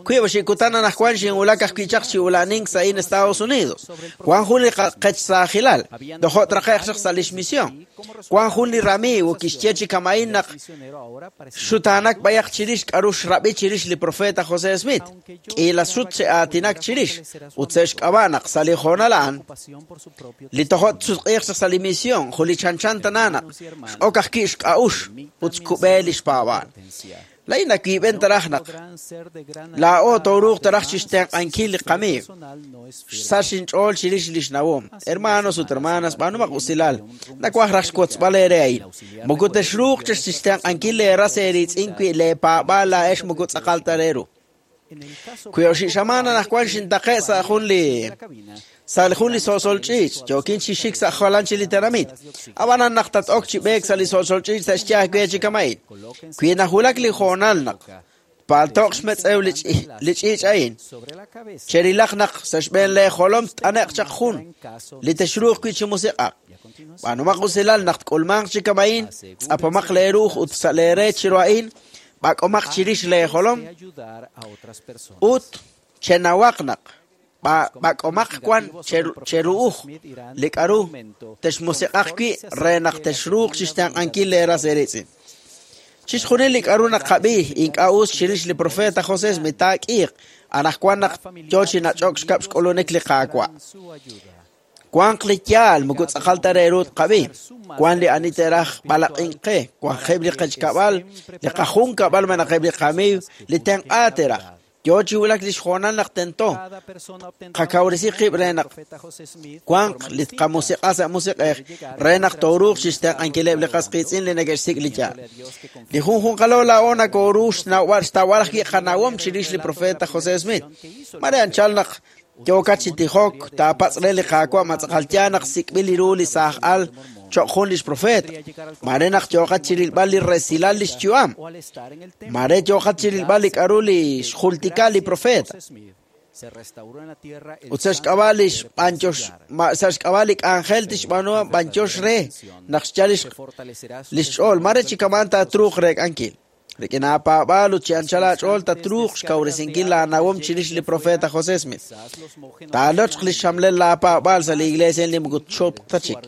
S10: Wi oxib' kutan anaqwan xinwulak ajwi' chaq chi ula'nink sa' in Estados Unidos. Wan jun li qechsaajilal, tojo' traqe'q chaq sa' lix misión. Wan jun li ramiiw kixye chi kama'in naq xutaanak b'ayaq chirix k'aru xrab'i chirix li profeta José Smith. K'iila sut xe'aatinak chirix ut sa' xk'ab'a' naq sa' li hoonal a'an li tojo' tsutq'iiq chaq sa' li misión jun li chanchan tananaq x'ok ajwi' xk'a'ux ut xkub'e li xpaab'aal. Laa'in nawiib'en taraj naq laa'o tooruuq taraj chixtenq'ankil li qamiiw. Xsach inch'ool chirix lix nawom. Hermanos ut hermanas, b'aanumaq usilal. Nawaj raj xwotzb'al eere a'in. Moko texruuq chixtenq'ankil leeras eeriitz'in wi leepaab'aal laa'ex moko tz'aqal ta re ru. Wi oxib' xamaan anaqwan xintaqe' sa' jun li sa' jun li so'sol ch'iich', yookin chi xik sa' jalan chi li tenamit. Ab'anan naq tat-ok chi b'eek sa' li so'sol ch'iich' sa' xyaab' we chi kama'in. Wi nawulak li hoonal naq paltoq xmetz'ew li ch'iich' a'in, cherilaq naq sa' xb'een leejolom t'ane'q chaq jun li texruuq wi' chi musiq'aq. B'aanumaq usilal naq tk'ulmanq chi kama'in, tz'apomaq leeruuj ut sa' leere chiru a'in, b'ak'omaq chirix leejolom ut chenawaq naq b'ak'omaq wan cheru'uj li k'aru texmusiq'aq wi' re naq texruuq chixtenq'ankil leeras eeriitz'in. Chixjunil li k'aru naqab'i ink'a' us chirix li profeta José Smith taak'iiq anaqwan naq yo chi nach'ok xkab' xk'ulunik li Qaawa'. Wanq li yaal moko tz'aqal ta re ru tqab'i. Wan li ani te'raj b'alaq'ink qe, wanqeb' li qechkab'al, li qajunkab'al malaj eb' li qamiiw, li tenq'a te'raj. Yo chi wulak li xhoonal naq tento. Qakawresi qib' re naq wanq li tqamusiq'a sa' musiq'ej re naq tooruuq chixtenq'ankileb' li qas qiitz'in li neke'xsik' li yaal. Li junjunqalo laa'o nakooru xnawb'al xtawb'al ajwi' qanawom chirix li profeta José Smith. Mare anchal naq yookat chi tijok taapatz' re li Qaawa' ma tz'aqal yaal naq sik'b'il li ru li saaj al cho'q jun lix profeta. Mare naq yooqat chi rilb'al li resilal lix yu'am. Mare yooqat chi rilb'al li k'aru li xjultika li profeta. Ut sa' xk'ab'a' li xb'anyox sa' xk'ab'a' li k'anjel tixb'aanu b'anyox re naq xyal lix ch'ool mare chi kaman taatruuq reek'ankil. Rik'in aapaab'aal ut chi anchal aach'ool tatruuq xkawresinkil laanawom chirix li profeta José Smith. Taalochq li xxamlel laapaab'aal sa' li iglesia li moko txopq ta chik.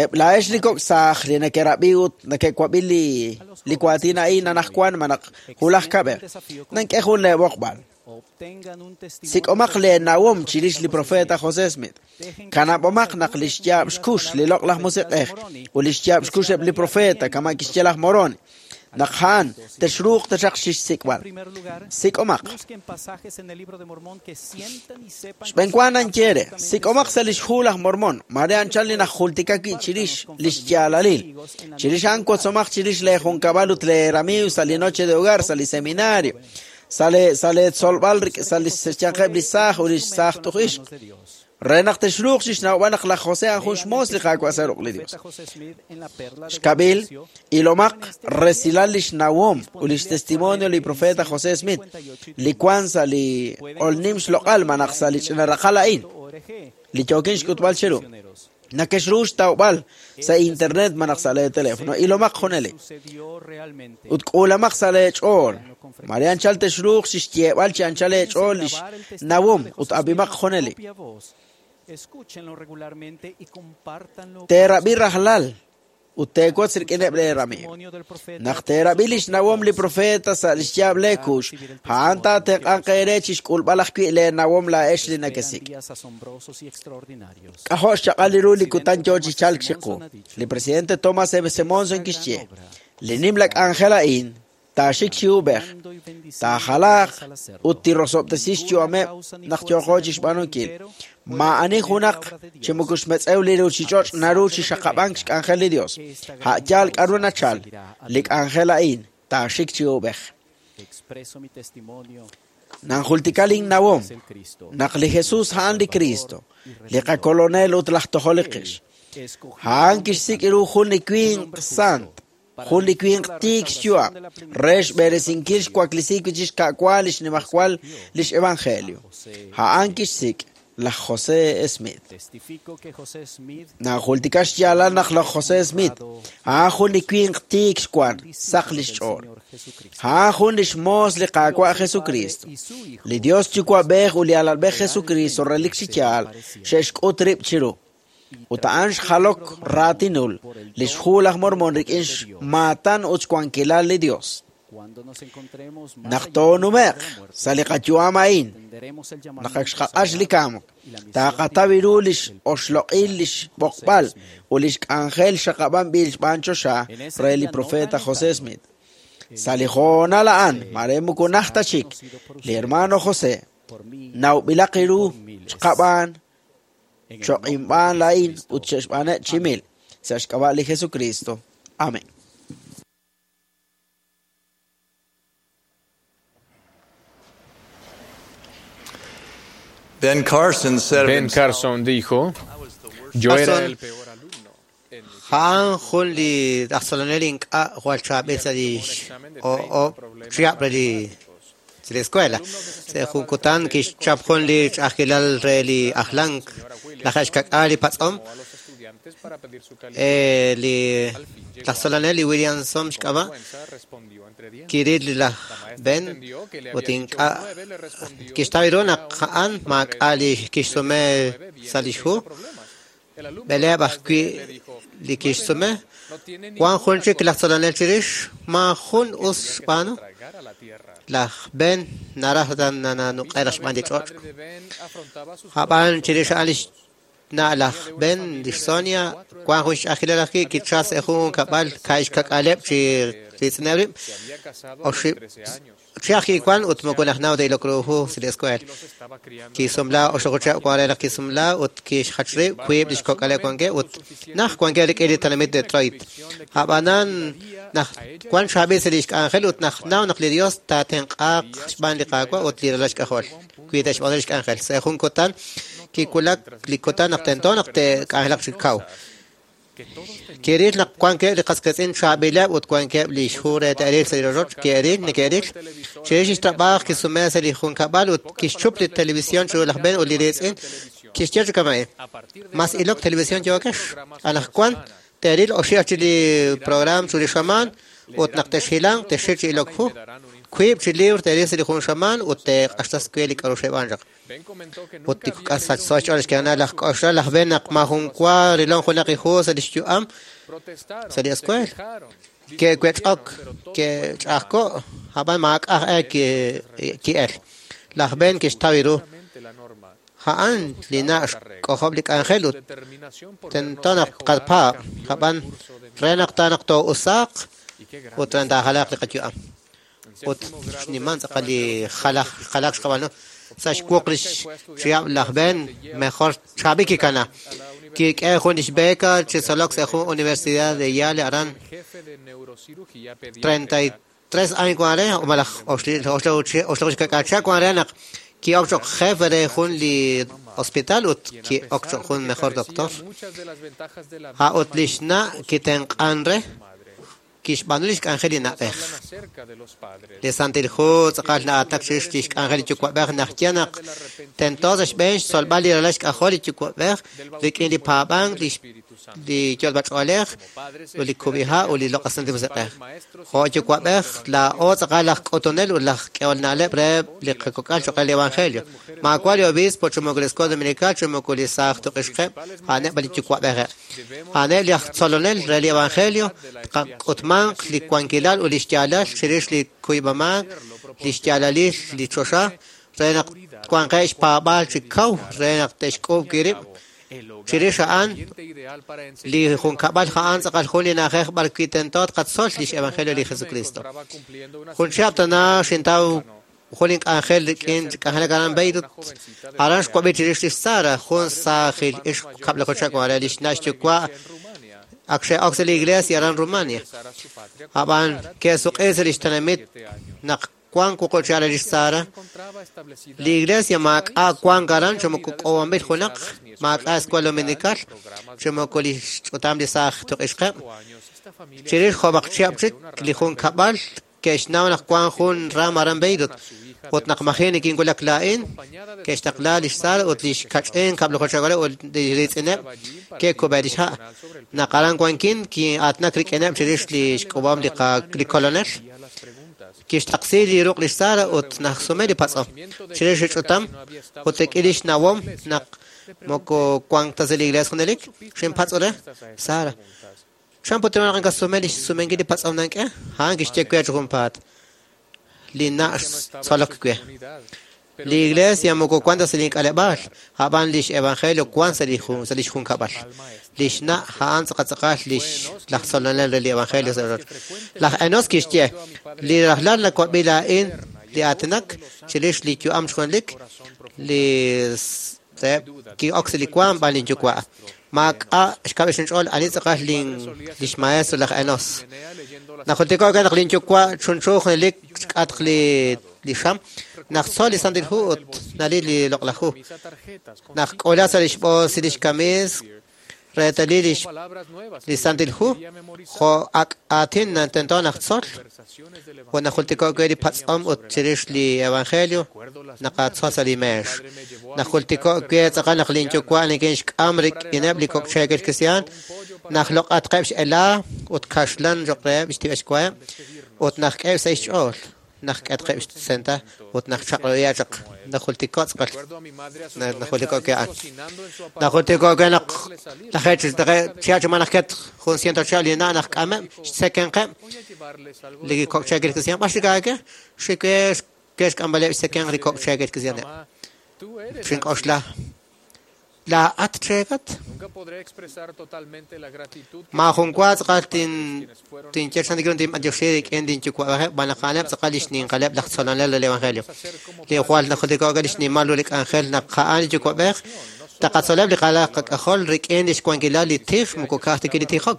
S10: Eb' laa'ex li kok' saaj li neke'rab'i ut neke'wab'i li waatin a'in anaqwan malaj wulaj kab'ej, nank'e jun leeb'oqb'al. Sik'omaq leenawom chirix li profeta José Smith. Kanab'omaq naq li xyaab' xkux li loq'laj musiq'ej ut li xyaab' xkux eb' li profeta kama' kixye laj Moroni. Naq a'an texruuq taxaq xixsik'b'al. Sik'omaq. Xb'enwa nanye re, sik'omaq sa' lix hu laj Mormon, mare anchal li najultika wi' chirix lix yaalalil. Chirix a'an wotzomaq chirix leejunkab'al ut leeramiiw sa' li noche de hogar, sa' li seminario, sa' leetzolb'al sa' li xyanqeb' li saaj ut li saaj tuj ixq. Re naq texruuq chixnawb'al naq laj José a'an jun xmoos li Qaawa' sa' ruq' li Dios. Xkab'il, ilomaq resilal lix nawom ut lix testimonio li profeta José Smith, li wan sa' li q'olnim xloq'al malaj sa' li ch'ina raqal a'in, li yookin xk'utb'al cheru. Nakexru xtawb'al sa' internet malaj sa' lee teléfono. Ilomaq junelik. Ut k'uulamaq sa' lee ch'ool. Mare anchal texruuq chixyeeb'al chi anchal eech'ool lix nawom ut ab'imaq junelik. Teerab'i rajlal ut teewotz rik'ineb' leeramiiw. Naq teerab'i lix nawom li profeta sa' lix yaab' leekux, a'an taatenq'anq eere chixk'ulb'al ajwi' leenawom laa'ex li nakesik'. K'ajo' xchaq'al li ru li kutan yoo chi chalk chiqu. Li presidente Thomas M. Monson kixye, li nimla k'anjel a'in taaxik chi ub'ej, taajalaaq ut tirosob'tesi xyu'ameb' naq yooqo chixb'aanunkil. Maa'ani junaq chi moko xmetz'ew li ruuchich'och' naru chi xaqab'ank xk'anjel li Dios. A' yaal k'aru nachal, li k'anjel a'in taaxik chi ub'ej. Nanjultika linnawom naq li Jesús a'an li Cristo, li qakolonel ut laj tojol li qix. A'an kixsik' ru jun li winq sant, jun li winq tiik xyu'am, re xb'eresinkil xwaklisi wi' chix ka'wa lix nimajwal lix evangelio. A'an kixsik' laj José Smith. Nanjultika xyaalal naq laj José Smith a'an jun li winq tiik xwan, saq lix ch'ool. A'an jun lix moos li Qaawa' Jesucristo. Li Dios Yuwa'b'ej ut li Alalb'ej Jesucristo relik chi yaal xe'xk'ut rib' chiru. Ut a'an xjalok raatinul lix hu laj Mormon rik'in xmaatan ut xwankilal li Dios. Naq toonume'q sa' li qayu'am a'in, naq ak xqaq'ax li kamk, taaqataw ru lix oxloq'il lix b'oqb'al ut lix k'anjel xaqab'anb'il xb'aan choxa re li profeta José Smith. Sa' li hoonal a'an, mare moko najt ta chik, li hermano José nawb'ilaq ru xqab'aan, choq'inb'aan laa'in ut xe'xb'aaneb' chi mil. Sa' xk'ab'a' li Jesucristo. Amén.
S7: Ben Carson said of
S11: Ben
S7: himself,
S11: Carson dijo, yo era el peor alumno.
S12: A'an jun li aj tzolonel ink'a' jwal chaab'il sa' li o chihab' re li sa' li escuela. Sa' jun kutan kixchap jun li ch'a'ajkilal re li ajlank laj xkak'al li patz'om. Li laj tzolonel li Williamson xk'ab'a' kiril laj Ben ut ink'a' kixtaw ru naq a'an maak'a' li kixsume sa' lix hu. B'eleeb' ajwi' li kixsume. Wan jun chik laj tzolonel chirix ma jun us xb'aanu. Laj Ben naraj nanuq'e laj xb'aan li ch'och'. Ab'an chirix a'an lix na' laj Ben, lix Sonia, wan jun xch'a'ajkilal ajwi' kichas jun kab'al ka'ixkak'aleb' chi ritz'ineb' rib'. Oxib' chi ajwi' wan ut moko najnaw ta ilok ru hu sa' li escuela. Kisumla oxloq'ochab' wan re naq kisumla ut kixjach rib' wiib' lix kok'aleb' wankeb' ut naj wankeb' rik'in li tenamit Detroit. Ab'anan naj wan chaab'il sa' lix k'anjel ut najnaw naq li Dios taatenq'aaq xb'aan li Qaawa' ut li ralal xk'ajol. Wi te'xb'aanu lix k'anjel. Sa' jun kutan kiwulak li kutan naq tento naq te'k'anjelaq chi kaw. Kiril naq wankeb' li qasqiitz'in chaab'ileb' ut wankeb' lix hu re te'ril sa' li rochoch ke'ril neke'ril. Chirix lix trab'aaj kisume sa' li junkab'al ut kixchup li televisión chiru laj Ben ut li riitz'in. Kixye chi kama'in, mas ilok televisión yookex. Anaqwan te'ril oxi' chi li program chu li xamaan ut naq te'xhilanq te'xil chi ilok hu. Wiib' chi libro te'ril sa' li jun xamaan ut te'q'axtas we li k'a'ru xeb'aan chaq. Ut tikuk'as sachso xch'ool xkana laj k'oxla laj Ben naq ma jun wa rilon junaq li hu sa' lix yu'am sa' li escuela. Ke'wech'ok, ke'ch'ajko', ab'an maak'aj e ki'el. Laj Ben kixtaw ru. A'an li na' xk'ojob' li k'anjel ut tento naq tqapaab', ab'an re naq taanaq too'usaaq ut re taajalaq li qayu'am. Ut xniman tz'aqal li jalaq xqab'aanu. Sa' xwuq lix chihab' laj Ben mejor chaab'il kikana. Kik'e jun lix beca chi tzolok sa' jun universidad de Yale aran 33 años wan re o malaj oxloq xkak'acha wan re naq ki'ok choq jefe re jun li hospital ut ki'ok choq jun mejor doctor. Ha' ut lix na' kitenq'an re kixb'aanu lix k'anjel li na'b'ej. Li Santil Hu tz'aqal na'atak chirix lix k'anjel li yuwa'b'ej naq ye naq tento sa' xb'een xtzolb'al li ralal xk'ajol li yuwa'b'ej rik'in li paab'ank li yolb'ach'oolej ut li kub'iha' ut li loq'aj Santil Musiq'ej. Jo' yuwa'b'ej laa'o tz'aqal laj k'utunel ut laj k'ehol na'leb' re li qakok'al choq' re li Evangelio. Maawa' li obispo chi moko li Escuela Dominical chi moko li saaj tuq'ixqeb' a'aneb' li yuwa'b'ejeb'. A'aneb' li aj tzolonel re li Evangelio tqak'utmanq li wankilal ut li xyaalal chirix li kuyb'amaak, li xyaalalil li choxa, re naq twanqeb' xpaab'aal chi kaw re naq te'xk'uub' rib'. Chirix a'an li junkab'al a'an tz'aqal jun li na'ajej b'ar wi' tento tqatzol lix Evangelio li Jesucristo. Jun chihab' tana xintaw jun li k'anjel rik'in k'anjelak aran Beirut. Aran xwab'i chirix lix Sara, jun saajil ixq kab'lakochak wan re lix na' xyuwa' ak xe'ok sa' li iglesia aran Rumania. Ab'an ke'suq'i sa' lix tenamit naq wan wuqub' lix Sara. Li iglesia maak'a' wan aran chi moko k'owanb'il junaq, maak'a' escuela dominical, chi moko li xch'utam li saaj tuq'ixqeb'. Chirix jo'b'aq chihab' chik li jun kab'al ke'xnaw naq wan jun ram aran Beirut. Ut naq maji' nikinwulak laa'in, ke'xtaqla lix Sara ut lix kach'in kab'lojochakore ut li riitz'ineb' ke'kub'e lix ha'. Naq aran wankin kin'aatnak rik'ineb' chirix li xk'ub'om li kolonel. Kixtaqsi li ruq' lix Sara ut najsume li patz'om. Chirix li ch'utam ut rik'in lix nawom naq moko wank ta sa' li iglesia junelik, xinpatz'o re, Sara, chan put naq inkasume lix sumenkil li patz'om nank'e? A'an kixye we chi junpaat. Li na' xtzolok we. Li iglesia moko wan ta sa' li k'aleb'aal, a'b'an lix evangelio wan sa' lix junkab'al. Lix na' a'an tz'aqal lix laj tzolonel re li evangelio sa' rochoch. Laj Enos kixye, li rajlal nawab'i laa'in li aatinak chirix li yu'am xjunelik, li ki'ok sa' li waam b'an linyuwa'. Maak'a' xkab' xinch'ool ani tz'aqal lix maestro laj Enos. Najultiko' naq linyuwa' chunchu junelik xk'atq li xam, naq tzol li Santil Hu ut naril li loq'laj hu. Naq k'ola sa' lix b'oos lix kamiis reetalil li Santil Hu, jo' ak' aatin tento naq tzol, ut najultiko' we li patz'om ut chirix li evangelio naqatzol sa' li meex. Najultiko' we tz'aqal naq linyuwa' nikinxk'am rik'ineb' li kok' cheekel kristiaan, naq loq'atqeb' x'elaa ut kaxlan cho'q reheb' xtib'exwaheb' ut naq k'eheb' sa' xch'ool. Naq k'etqeb' xsenta ut naq chaq'roya chaq najultiko' tz'aqal najultiko' we a'an. Najultiko' we naq laj chi manaq ket jun ciento chihab' li na' naq k'ameb' xtzekenqeb' li kok' cheekel kristiaan b'ar xikaake xike xk'amb'aleb' xtzekenq li kok' cheekel kristiaaneb'. Xink'oxla laa'at cheekat maajun wa tz'aqal tinye chan rik'in tinb'antioxi rik'in linyuwa'b'ejeb' b'an naq a'aneb' tz'aqal lix ninqaleb' laj tzolonel re li evangelio. Li jwal najultiko' we lix nimal ru li k'anjel naq a'an li yuwa'b'ej taqatzoleb' li qalaj qak'ajol rik'in lix wankilal li tij moko ka'aj ta li tijok.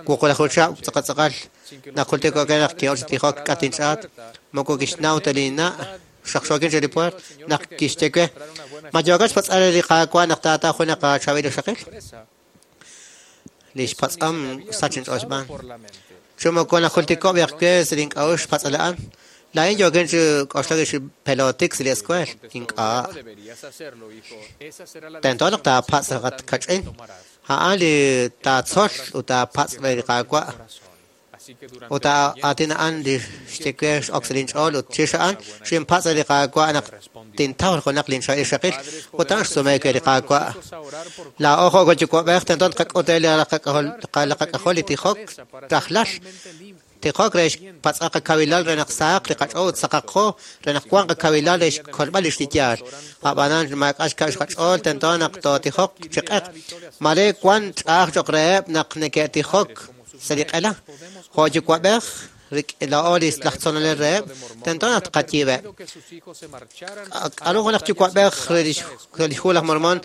S12: Wuqlaju chihab' tz'aqal tz'aqal najultiko' we naq ki'ok chi tijok k'at inch'aat moko kixnaw ta linna' xaqxookin chi li puert naq kixye we ma yookat xpatz'al li Qaawa' naq taataw junaq chaab'il ixaqil? Lix patz'om sach inch'ool xb'aan. Chi moko najultiko' b'eq we sa' link'a'uxl xpatz'al a'an. Laa'in yookin chi k'oxlak chi pelotik sa' li escuela. Ink'a'. Tento naq taapatz' kach'in. A'an li taatzol ut taapatz' re li Qaawa'. Ut aatin a'an li xye we x'ok sa' linch'ool ut chirix a'an xinpatz' li Qaawa' naq tintaw junaq linchaab'il ixaqil ut a'an xsume we li Qaawa'. Laa'o jo' yuwa'b'ej tento tqak'ut re li qak'ajol li tijok rajlal. Tijok re xpatz'a qakawilal re naq sahaq li qach'ool ut saqaqo re naq wanq qakawilal re xkolb'al lix li yaal. Ab'anan maak'a' xkab' xqach'ool tento naq tootijok chi q'eq. Mare wan ch'a'aj cho'q reheb' naq neke'tijok sa' li q'ela. Jo' yuwa'b'ej laa'o li laj tzolonel reheb' tento naq tqayiib'eb'. K'aru junaq yuwa'b'ej re lix hu laj Mormon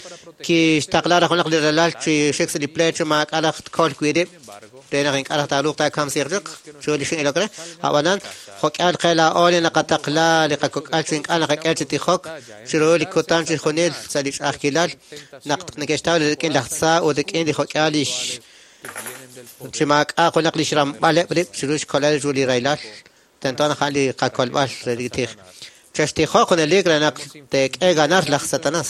S12: kixtaqla raj junaq li ralal chi xik sa' li pleet chi maak'a' raj tkol wi' rib' re naq ink'a' raj taaruuq taakamsiiq chaq chiru li xin'ilok re. Ab'anan jo'k'ihal qe laa'o li naqataqla li qakok'al chi ink'a' naqak'e chi tijok chiru li kutan chixjunil sa' li ch'a'ajkilal naq neke'xtaw rik'in laj tza ut rik'in li jo'k'ihal lix chi maak'a' junaq li xramb'aleb' rib' chiru xkolb'al ru li rahilal tento naq a'an li qakolb'al re li tij. Chextijoq junelik re naq teek'e ganar laj Satanas.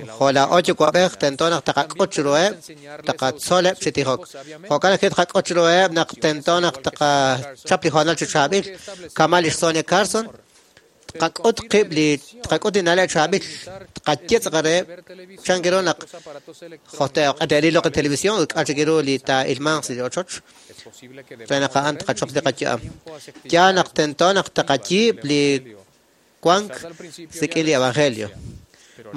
S12: Jo' laa'o yuwa'b'ej tento naq taqak'ut chiruheb', taqatzoleb' chi tijok. Jo'kan ajwi' taqak'ut chiruheb' naq tento naq taqachap li hoonal chi chaab'il. Kama' lix Sonia Carson, tqak'ut qib' li tqak'ut li na'leb' chaab'il, tqaye tz'aqal reheb' chan ru naq jo'te'ril loq' li televisión ut k'a' chik ru li taa'ilmanq sa' li ochoch re naq a'an tqachop li qayu'am. Yaal naq tento naq taqayiib' li wank rik'in li evangelio.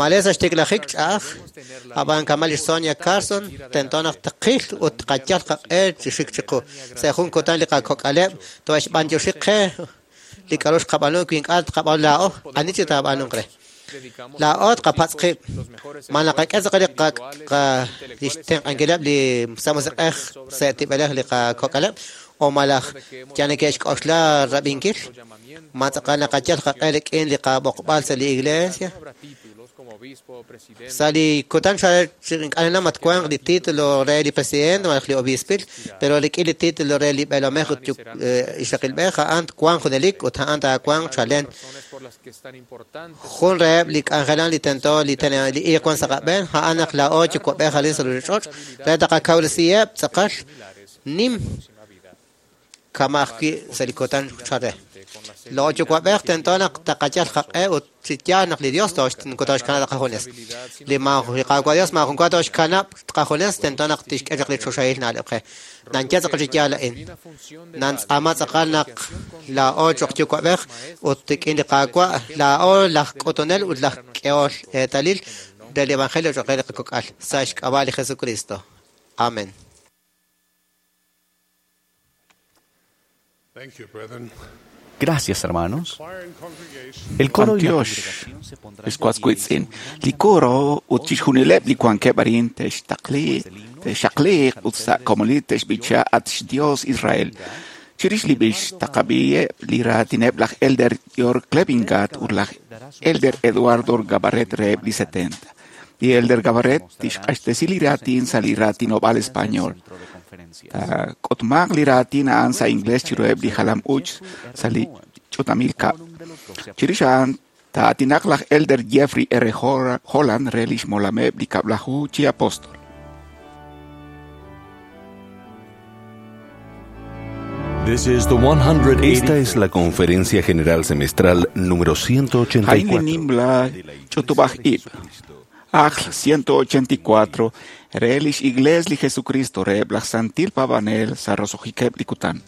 S12: Mare sa' xtiklajik ch'a'aj, ab'an kama' lix Sonia Carson tento naq tqil ut tqayal qaq'e chi xik chiqu. Sa' jun kutan li qakok'aleb' to'xb'antioxi qe li k'aru xqab'aanu wi ink'a' tqab'aanu laa'o, ani chi taab'aanunq re. Laa'o tqapatz' qib', ma naqak'e tz'aqal li xtenq'ankileb' li sa' musiq'ej sa' tib'elej li qakok'aleb' o malaj yal neke'xk'oxla rab'inkil, ma tz'aqal naqayal qaq'e rik'in li qab'oqb'al sa' li iglesia. Sa' li kutan ink'a' mat wanq li título re li presidente malaj li obispil, pero rik'in li título re li b'eelomej ut ixaqilb'ej a'an twanq junelik ut a'an taawanq chalen. Jun reheb' li k'anjelan li tento li iiq wan sa' qab'een a'an naq laa'o yuwa'b'ej arin sa' ruchich'och' re taqakawresiheb' tz'aqal nim kama' ajwi' sa' li kutan chal re. Laa'o yuwa'b'ej tento naq taqayal qaq'e ut chi yaal naq li Dios toxkanab' qajunes. Li Qaawa' Dios maajun wa toxkanab' qajunes tento naq tixk'e chaq li choxahil na'leb' qe. Nanye tz'aqal chi yaal a'in. Nantz'aama tz'aqal naq laa'o cho'q yuwa'b'ej ut rik'in li Qaawa' laa'o laj k'utunel ut laj k'ehol eetalil del Evangelio cho'q re li qakok'al sa' xk'ab'a' li Jesucristo. Amén.
S4: Gracias, hermanos. El coro y la congregación se pondrán
S2: Escuascuitzin. Li coro ut chixjunileb' li wankeb' arin te'xaqliiq ut sa' komonil te'xb'icha at xDios Israel. Chirix li b'ix taqab'iheb' li raatineb' laj Elder Georg Klevingat ut laj Elder Eduardo Gabarret reheb' li 70. Li Elder Gabarret tixq'axtesi li raatin sa' li raatinob'aal español. Taak'utmaq li raatin a'an sa' inglés chiruheb' li jalam-uuch sa' li ch'utamil kab'. Chirix a'an taatinaq laj Elder Jeffrey R. Holland re lix molameb' li kab'laju chi apóstol.
S1: Esta es la Conferencia General Semestral número 184.
S2: Jaime Nimbla Chutubaj Ib. Ajl 184, Relish Igles li Jesucristo, Reb laj Santil Pavanel, Sarrosojikeb Likutan.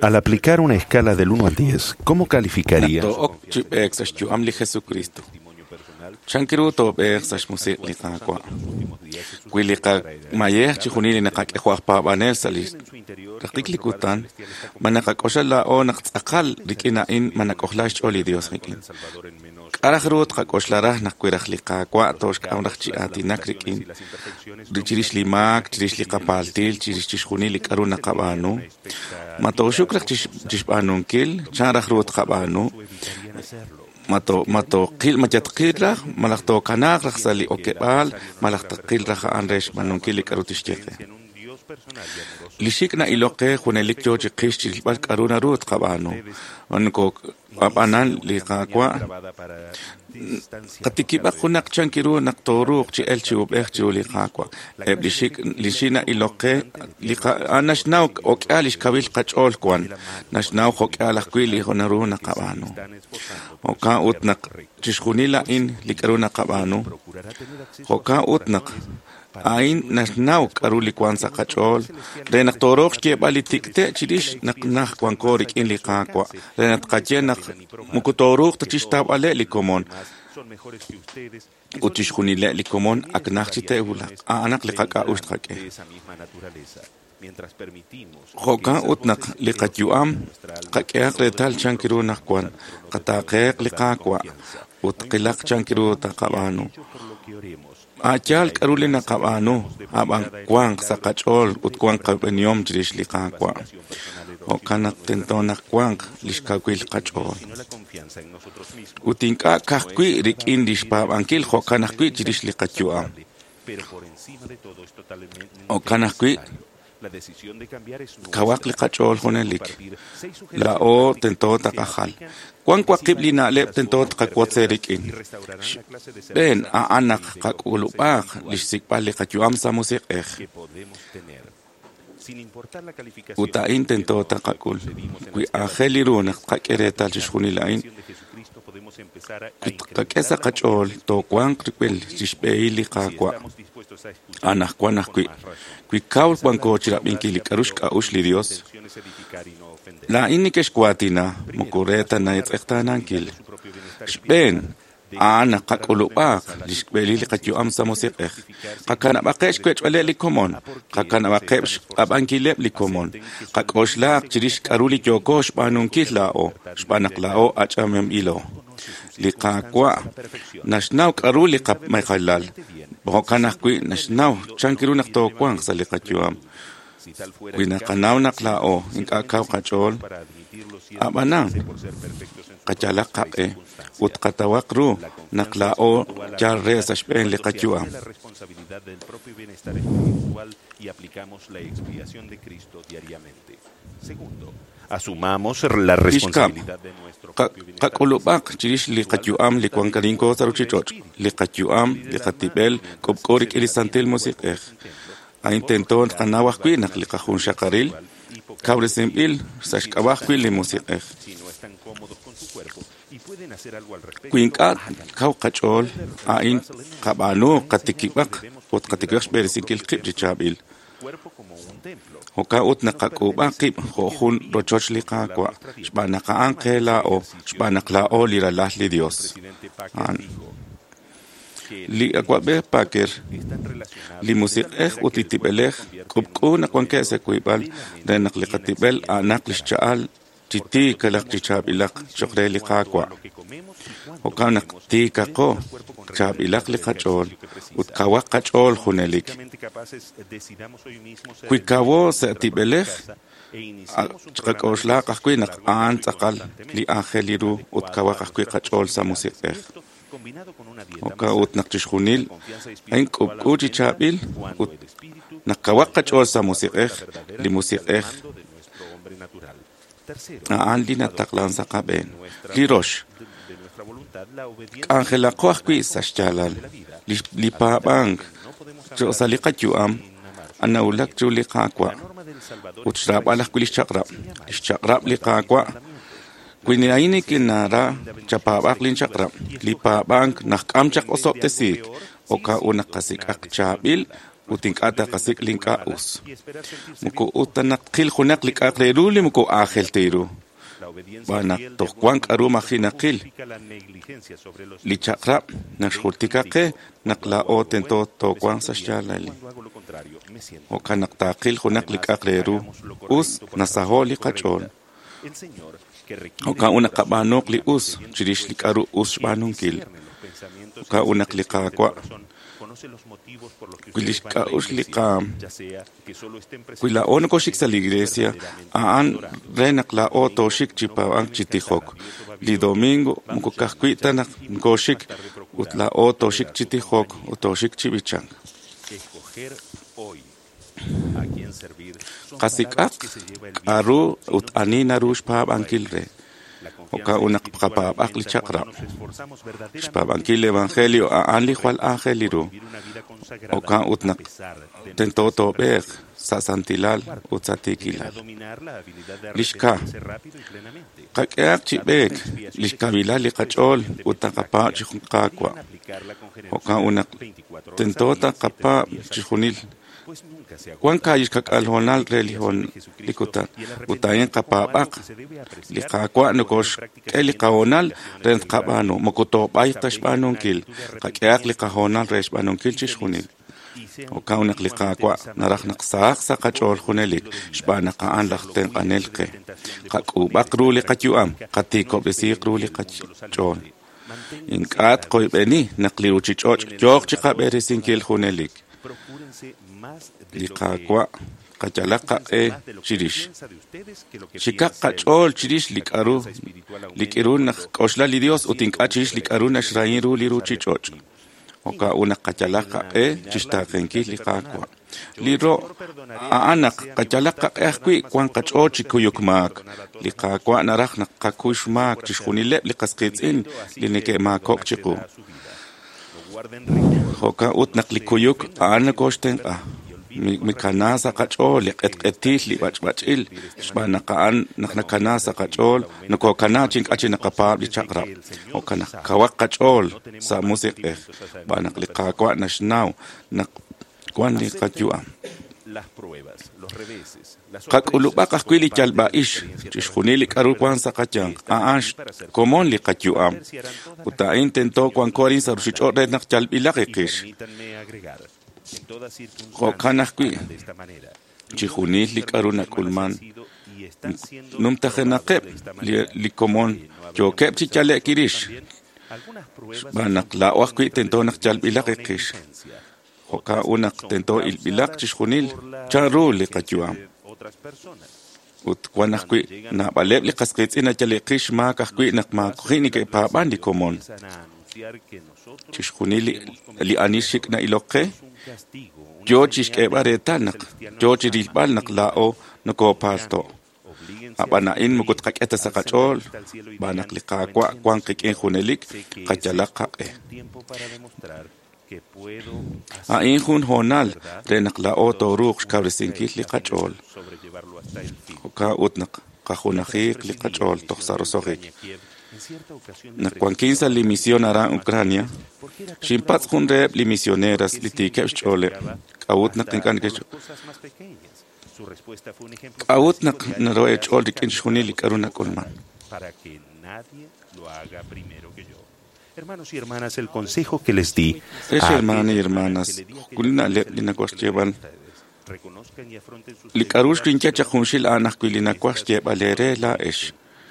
S1: Al aplicar una escala del 1 al 10, ¿cómo calificaría?
S13: Chankiru toob'eeq sa' xmusiq li Qaawa'. Wi li qamayej chixjunil li naqak'e paab'anel sa' li raqik li kutan, ma naqak'oxla laa'o naq tz'aqal rik'in a'in ma nak'ojla xch'ool li Dios rik'in. K'araj ru tqak'oxla raj naq wi raj li Qaawa' tooxk'am raj chi aatinak rik'in chirix li maak, chirix li qapaaltil, chirix chixjunil li k'aru naqab'aanu. Ma tooxuk raj chixb'aanunkil, chan raj ru tqab'aanu. Ma tooqil ma yatqil raj malaj tookanaaq raj sa' li okeb'aal malaj taqil raj a'an re xb'aanunkil li k'aru tixye qe. Li xik' na'ilok qe junelik yo chiqix chirilb'al k'aru naru tqab'aanu. Ab'anan li Qaawa' qatikib'aq junaq chankiru naq tooruuq chi elk chi uub'ej chiru li Qaawa'. Eb' li xik' li xik' na'ilok qe a'an naxnaw jo'k'ihal li xkawil qach'ool wan, naxnaw jo'k'ihal ajwi' li naru naqab'aanu. Jo'kan ut naq chixjunil a'in li k'aru naqab'aanu, jo'kan ut naq a'in naxnaw k'aru li wank sa' qach'ool re naq tooruuq xyeeb'al li tik'ti' chirix naq naj wanko rik'in li Qaawa', re naq tqaye naq moko tooruuq ta chixtawb'aleb' li komon ut chixjunileb' li komon ak naj chi te'wulaq. A'anaq li qak'a'uxl tqak'e. Jo'kan ut naq li qayu'am qak'ehaq reetal chankiru naq wan, qataaqehaq li Qaawa' ut qilaq chankiru taqab'aanu. A' yaal k'aru li naqab'aanu, ab'an wanq sa' qach'ool ut wanq qab'enihom chirix li Qaawa'. Jo'kan naq tento naq wanq li xkawil qach'ool. Ut ink'a' ka'ajwi' rik'in li xpaab'ankil, jo'kan ajwi' chirix li qayu'am. Jo'kan ajwi' kawaq li qach'ool junelik. Laa'o tento taqajal. Wank waqib' li na'leb' tento tqawotz eerik'in. Xb'een a'an naq qak'ulub'aaq li xsik'b'al li qayu'am sa' musiq'ej. Ut a'in tento taqak'ul. Wi aajel ru naq tqak'e reetal chixjunil a'in, wi tqak'e sa' qach'ool toowanq rik'in li xb'ehil li Qaawa'. Anaqwan ajwi', wi kaw wanko chirab'inkil li k'aru xk'a'uxl li Dios, laa'in nekexwaatina moko re ta naetz'eqtaanankil. Xb'een a'an naq qak'ulub'aaq li xb'ehil li qayu'am sa' musiq'ej. Qakanab'aqeb' xwech'b'aleb' li komon, qakanab'aqeb' xq'ab'ankileb' li komon, qak'oxlaaq chirix k'aru li yooko xb'aanunkil laa'o, xb'aan naq laa'o ach'amenb'ilo. Li Qaawa' naxnaw k'aru li qamejalal, jo'kan ajwi' naxnaw chankiru naq toowanq sa' li qayu'am. Wi naqanaw naq laa'o ink'a' kaw qach'ool, ab'anan qayalaq qaq'e ut qatawaq ru naq laa'o yal re sa' xb'een li qayu'am.
S1: Asumamos la responsabilidad de nuestro propio bienestar.
S13: Qak'ulub'aq chirix li qayu'am li wank arinko sa' ruchich'och', li qayu'am, li qatib'el, k'ub'k'u rik'in li Santil Musiq'ej. A'in tento tqanaw ajwi' naq li qajunxaqaril kawresinb'il sa' xk'ab'a' ajwi' li Musiq'ej. Wi ink'a' kaw qach'ool, a'in qab'aanu qatikib'aq ut qatikib'aq xb'eresinkil qib' chi chaab'il. Jo'kan ut naq qak'uub'a qib' jo' jun rochoch li Qaawa', xb'aan naq a'an qe laa'o, xb'aan naq laa'o li ralal li Dios. A'an. Li awa'b'ej Packer, li musiq'ej ut li tib'elej k'ub'k'u naq wankeb' sa' wiib'al re naq li qatib'el a'anaq li xcha'al chi tiikalaq chi chaab'ilaq cho'q re li Qaawa'. Jo'kan naq tiikaqo, chaab'ilaq li qach'ool ut kawaq qach'ool junelik. Wi kawo sa' tib'elej, chiqak'oxlaaq ajwi' naq a'an tz'aqal li aajel ru ut kawaq ajwi' qach'ool sa' musiq'ej. Jo'kan ut naq chixjunil a'in k'ub'k'u chi chaab'il ut naq kawaq qach'ool sa' musiq'ej, li musiq'ej a'an li nataqlan sa' qab'een. Li rox, k'anjelaqo ajwi' sa' xyaalal li paab'ank cho'q sa' li qayu'am anawulak chiru li Qaawa' ut xraab'al ajwi' li xchaq'rab'. Li xchaq'rab' li Qaawa' wi a'in nikinara chapaab'aq linchaq'rab'. Li paab'ank naqk'am chaq osob'tesiik, jo'kan ut naq qasik'aq chaab'il ut ink'a' taqasik' li ink'a' us. Moko ut ta naq tqil junaq li k'a'aq re ru li moko aajel ta ru. Xb'aan naq toj wank k'aru maji' naqil. Li chaq'rab' naxjultika qe naq laa'o tento toowanq sa' xyaalal. Jo'kan naq taaqil junaq li k'a'aq re ru us nasaho' li qach'ool. Jo'kan ut naq qab'aanuuq li us chirix li k'aru us xb'aanunkil. Jo'kan ut naq li Qaawa' wi li xk'a'uxl li qaam, wi laa'o nokoxik sa' li iglesia, a'an re naq laa'o tooxik chi paab'ank chi tijok. Li domingo moko ka'ajwi' ta naq nokoxik ut laa'o tooxik chi tijok ut tooxik chi b'ichank. Qasik'aq k'a'ru ut ani naru xpaab'ankil re. Jo'kan ut naq qapaab'aq li chaq'rab'. Xpaab'ankil li evangelio a'an li jwal aajel ru. Jo'kan ut naq tento toob'eeq sa' santilal ut sa' tiikilal. Li xka, qak'ehaq chi b'eek li xkawilal li qach'ool ut taqapaab' chi Qaawa'. Jo'kan ut naq tento taqapaab' chixjunil. Wan kaahib' xka'k'aal hoonal re li kutan, ut a'in qapaab'aq. Li Qaawa' nokoxk'e li qahoonal re tqab'aanu, moko toob'ayq ta xb'aanunkil. Qak'ehaq li qahoonal re xb'aanunkil chixjunil. Jo'kan naq li Qaawa' naraj naq sahaq sa' qach'ool junelik, xb'aan naq a'an laj tenq'anel qe. Qak'uub'aq ru li qayu'am, qatiikob'resiiq ru li qach'ool. Ink'a' tqoyb'eni naq li ruuchich'och' yooq chiqab'eresinkil junelik. Li Qaawa' qayalaq qaq'e chirix. Xikaq qach'ool chirix li k'a'ru li k'iru naq k'oxla li Dios ut ink'a' chirix li k'a'ru naxrahin ru li ruuchich'och'. Jo'kan ut naq qayalaq qaq'e chixtaaqenkil li Qaawa'. Li ro' a'an naq qayalaq qaq'e ajwi' wan qach'ool chi kuyuk maak. Li Qaawa' naraj naq qakuy xmaak chixjunileb' li qas qiitz'in li neke'maakok' chiqu. Jo'kan ut naq li kuyuk a'an nokoxtenq'a. Mikana sa' qach'ool li q'etq'etil li b'ach'b'ach'il, xb'aan naq a'an naq nakana sa' qach'ool nokokana chi ink'a' chi naqapaab' li chaq'rab'. Jo'kan naq kawaq qach'ool sa' musiq'ej, xb'aan naq li Qaawa' naxnaw naq wan li qayu'am. Qak'ulub'aq ajwi' li yalb'a'ix, chixjunil li k'a'ru wan sa' qayanq, a'an xkomon li qayu'am. Ut a'in tento wanko arin sa' ruuchich'och' re naq yalb'ilaq iqix. Jo'kan ajwi' chixjunil li k'a'ru nak'ulman numtajenaqeb' li komon yookeb' chi yale'k irix, xb'aan naq laa'o ajwi' tento naq yalb'ilaq iqix. Jo'kan ut naq tento ilb'ilaq chixjunil chanru li qayu'am. Ut wan ajwi' naab'aleb' li qas qiitz'in nayale'qix maak ajwi' naq maajo'qi neke'paab'an li komon. Chixjunil li ani xik' na'ilok qe yoo chixk'eeb'al reetal naq yoo chirilb'al naq laa'o nokopaalto'. Ab'an a'in moko tqak'e ta sa' qach'ool, xb'aan naq li Qaawa' wan qik'in junelik, qayalaq qaq'e. A'in jun hoonal re naq laa'o tooruuq xkawresinkil li qach'ool. Jo'kan ut naq qajunajiiq li qach'ool toj sa' roso'jik. Naq wankin sa' li misión aran Ucrania, xinpatz' jun reheb' li misioneras li tiikeb' xch'ooleb'. K'a'ut naq ink'a' K'a'ut naq naro'eech'ool rik'in chixjunil li k'a'ru nak'ulman?
S1: Hermanos y hermanas, el consejo que les di
S13: Ex hermanos y hermanas, jun li na'leb' li nawaj xyeeb'al. Li k'a'ru xkinye chaq junxil a'an ajwi' li nawaj xyeeb'al eere laa'ex.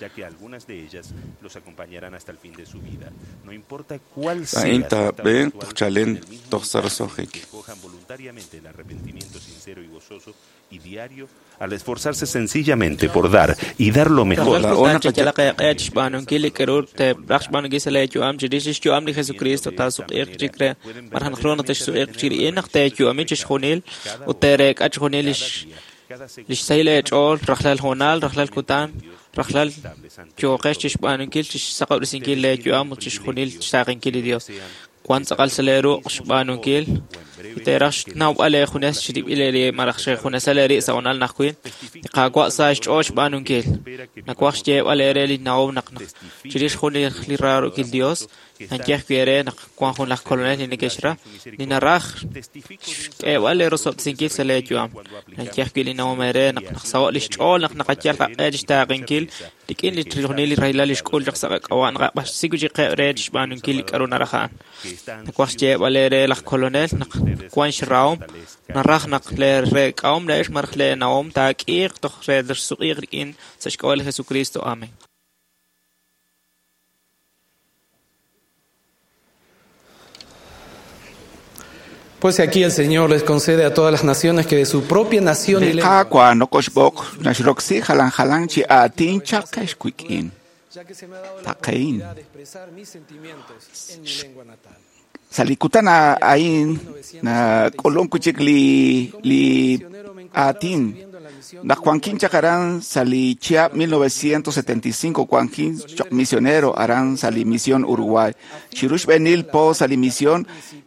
S1: ya que algunas de ellas los acompañarán hasta el fin de su vida. No importa cuál
S13: A'in
S1: sea su estado
S13: taab'een
S1: actual,
S13: toj chalen
S1: en el mismo
S13: toj sa'
S1: instante
S13: roso'jik.
S1: que escojan voluntariamente el arrepentimiento sincero y gozoso y diario al esforzarse sencillamente por dar y dar lo mejor.
S2: Rajlal kutan cheyalaq eeq'e chixb'aanunkil li k'a'ru teeraj xb'aanunkil sa' leeyu'am chirix lix yu'am li Jesucristo taasuq'iiq chik re maraj naq ru naq texsuq'iiq chirix naq teeyu'ami chixjunil ut teereek'a chixjunil lix sahil eech'ool rajlal hoonal rajlal kutan rajlal yooqex chixb'aanunkil chixsaqob'resinkil leeyu'am ut chixjunil xtaaqenkil li Dios. Wan tz'aqal sa' leeruq' xb'aanunkil y teeraj xnawb'al eejunes chirib'il eeri' malaj xejunesal eeri' sa' hoonal najwi' li Qaawa' sa xch'ool xb'aanunkil. Nawaj xyeeb'al eere li nawom naq chirix jun li raarukil Dios naye ajwi' eere naq wan jun laj kolonel li nekexra li naraj xk'eeb'al eerosob'tesinkil sa' leeyu'am. Naye ajwi' li nawom eere naq naqsaho' lix ch'ool naq naqayal qaq'e chixtaaqenkil rik'in li chixjunil li rahilal li xk'ul chaq sa' qak'ab'a' naqaq'axtesi wi' chik qib' re chixb'aanunkil li k'a'ru naraj a'an. Nawaj xyeeb'al eere laj kolonel naq wan xrahom naraj naq leereek'ahom laa'ex malaj leenawom taak'iiq toj re texsuq'iiq rik'in sa' xk'ab'a' li Jesucristo. Amén.
S14: Pues aquí el Señor les concede a todas las naciones que de su propia nación y
S2: Li
S14: lengua
S2: Qaawa' nokoxb'oq naxroksi jalan jalan chi aatin chaqex wik'in.
S14: ya que se me ha dado la
S2: Taqein.
S14: oportunidad de expresar mis sentimientos en mi lengua natal.
S2: Sa' li kutan a'in nak'ulunk wi' chik li aatin. Naq wankin chaq aran sa' li chihab' 1975 wankin choq' misionero aran sa' li misión Uruguay. Chiru xb'eenil po sa' li misión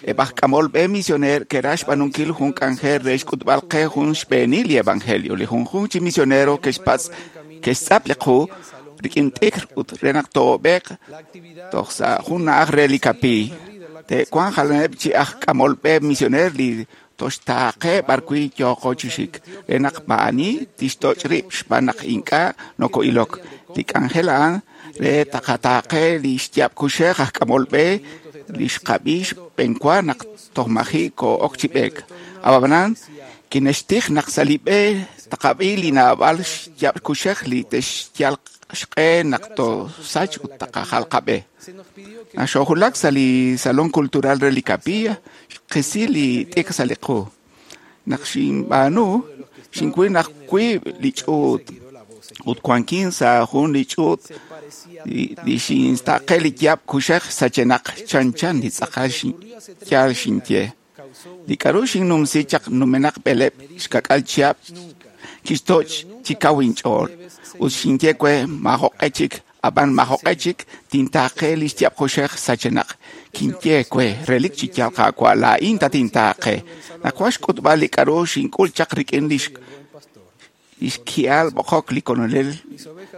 S2: eb' aj k'amol b'e misioner ke'raj xb'aanunkil jun k'anjel re xk'utb'al qe jun xb'eenil li evangelio. Li junjunq chi misionero ke'xpatz' ke'xtz'ap li qu rik'in t'ikr ut re naq toob'eq toj sa' jun na'aj re li kapiiy. Te'wanq jalaneb' chi aj k'amol b'e misioner li toxtaaqe b'arwi' yooqo chi xik, re naq maa'ani tixtoch' rib' xb'aan naq ink'a' noko'ilok. Li k'anjel a'an re taqataaqe li xyaab' kuxej aj k'amol b'e li xqab'i xb'enwa naq toj maji' koo'ok chi b'eek. Ab'anan kinextij naq sa' li b'e taqab'i li naab'al xyaab' kuxej li te'xyal xq'e naq toosach ut taqajal qab'e. Naq xoojulak sa' li Salón Cultural re li Capilla, xqisi li t'ikr sa' li qu. Naq xinb'aanu, xinwil naq wiib' li ch'uut ut wankin sa' jun li ch'uut li xintaaqe li yaab' kuxej sachenaq chanchan li tz'aqal yaal xinye. Li k'a'ru xinnumsi chaq numenaq b'eleb' xka'k'aal chihab' kixtoch' chi kaw inch'ool ut xinye we maajoq'e chik ab'an maajoq'e chik tintaaqe li xyaab' kuxej sachenaq. Kinye we relik chi yaal Qaawa' laa'in tatintaaqe. Nawaj xk'utb'al li k'a'ru xink'ul chaq rik'in li xki'al b'oqok li Kolonel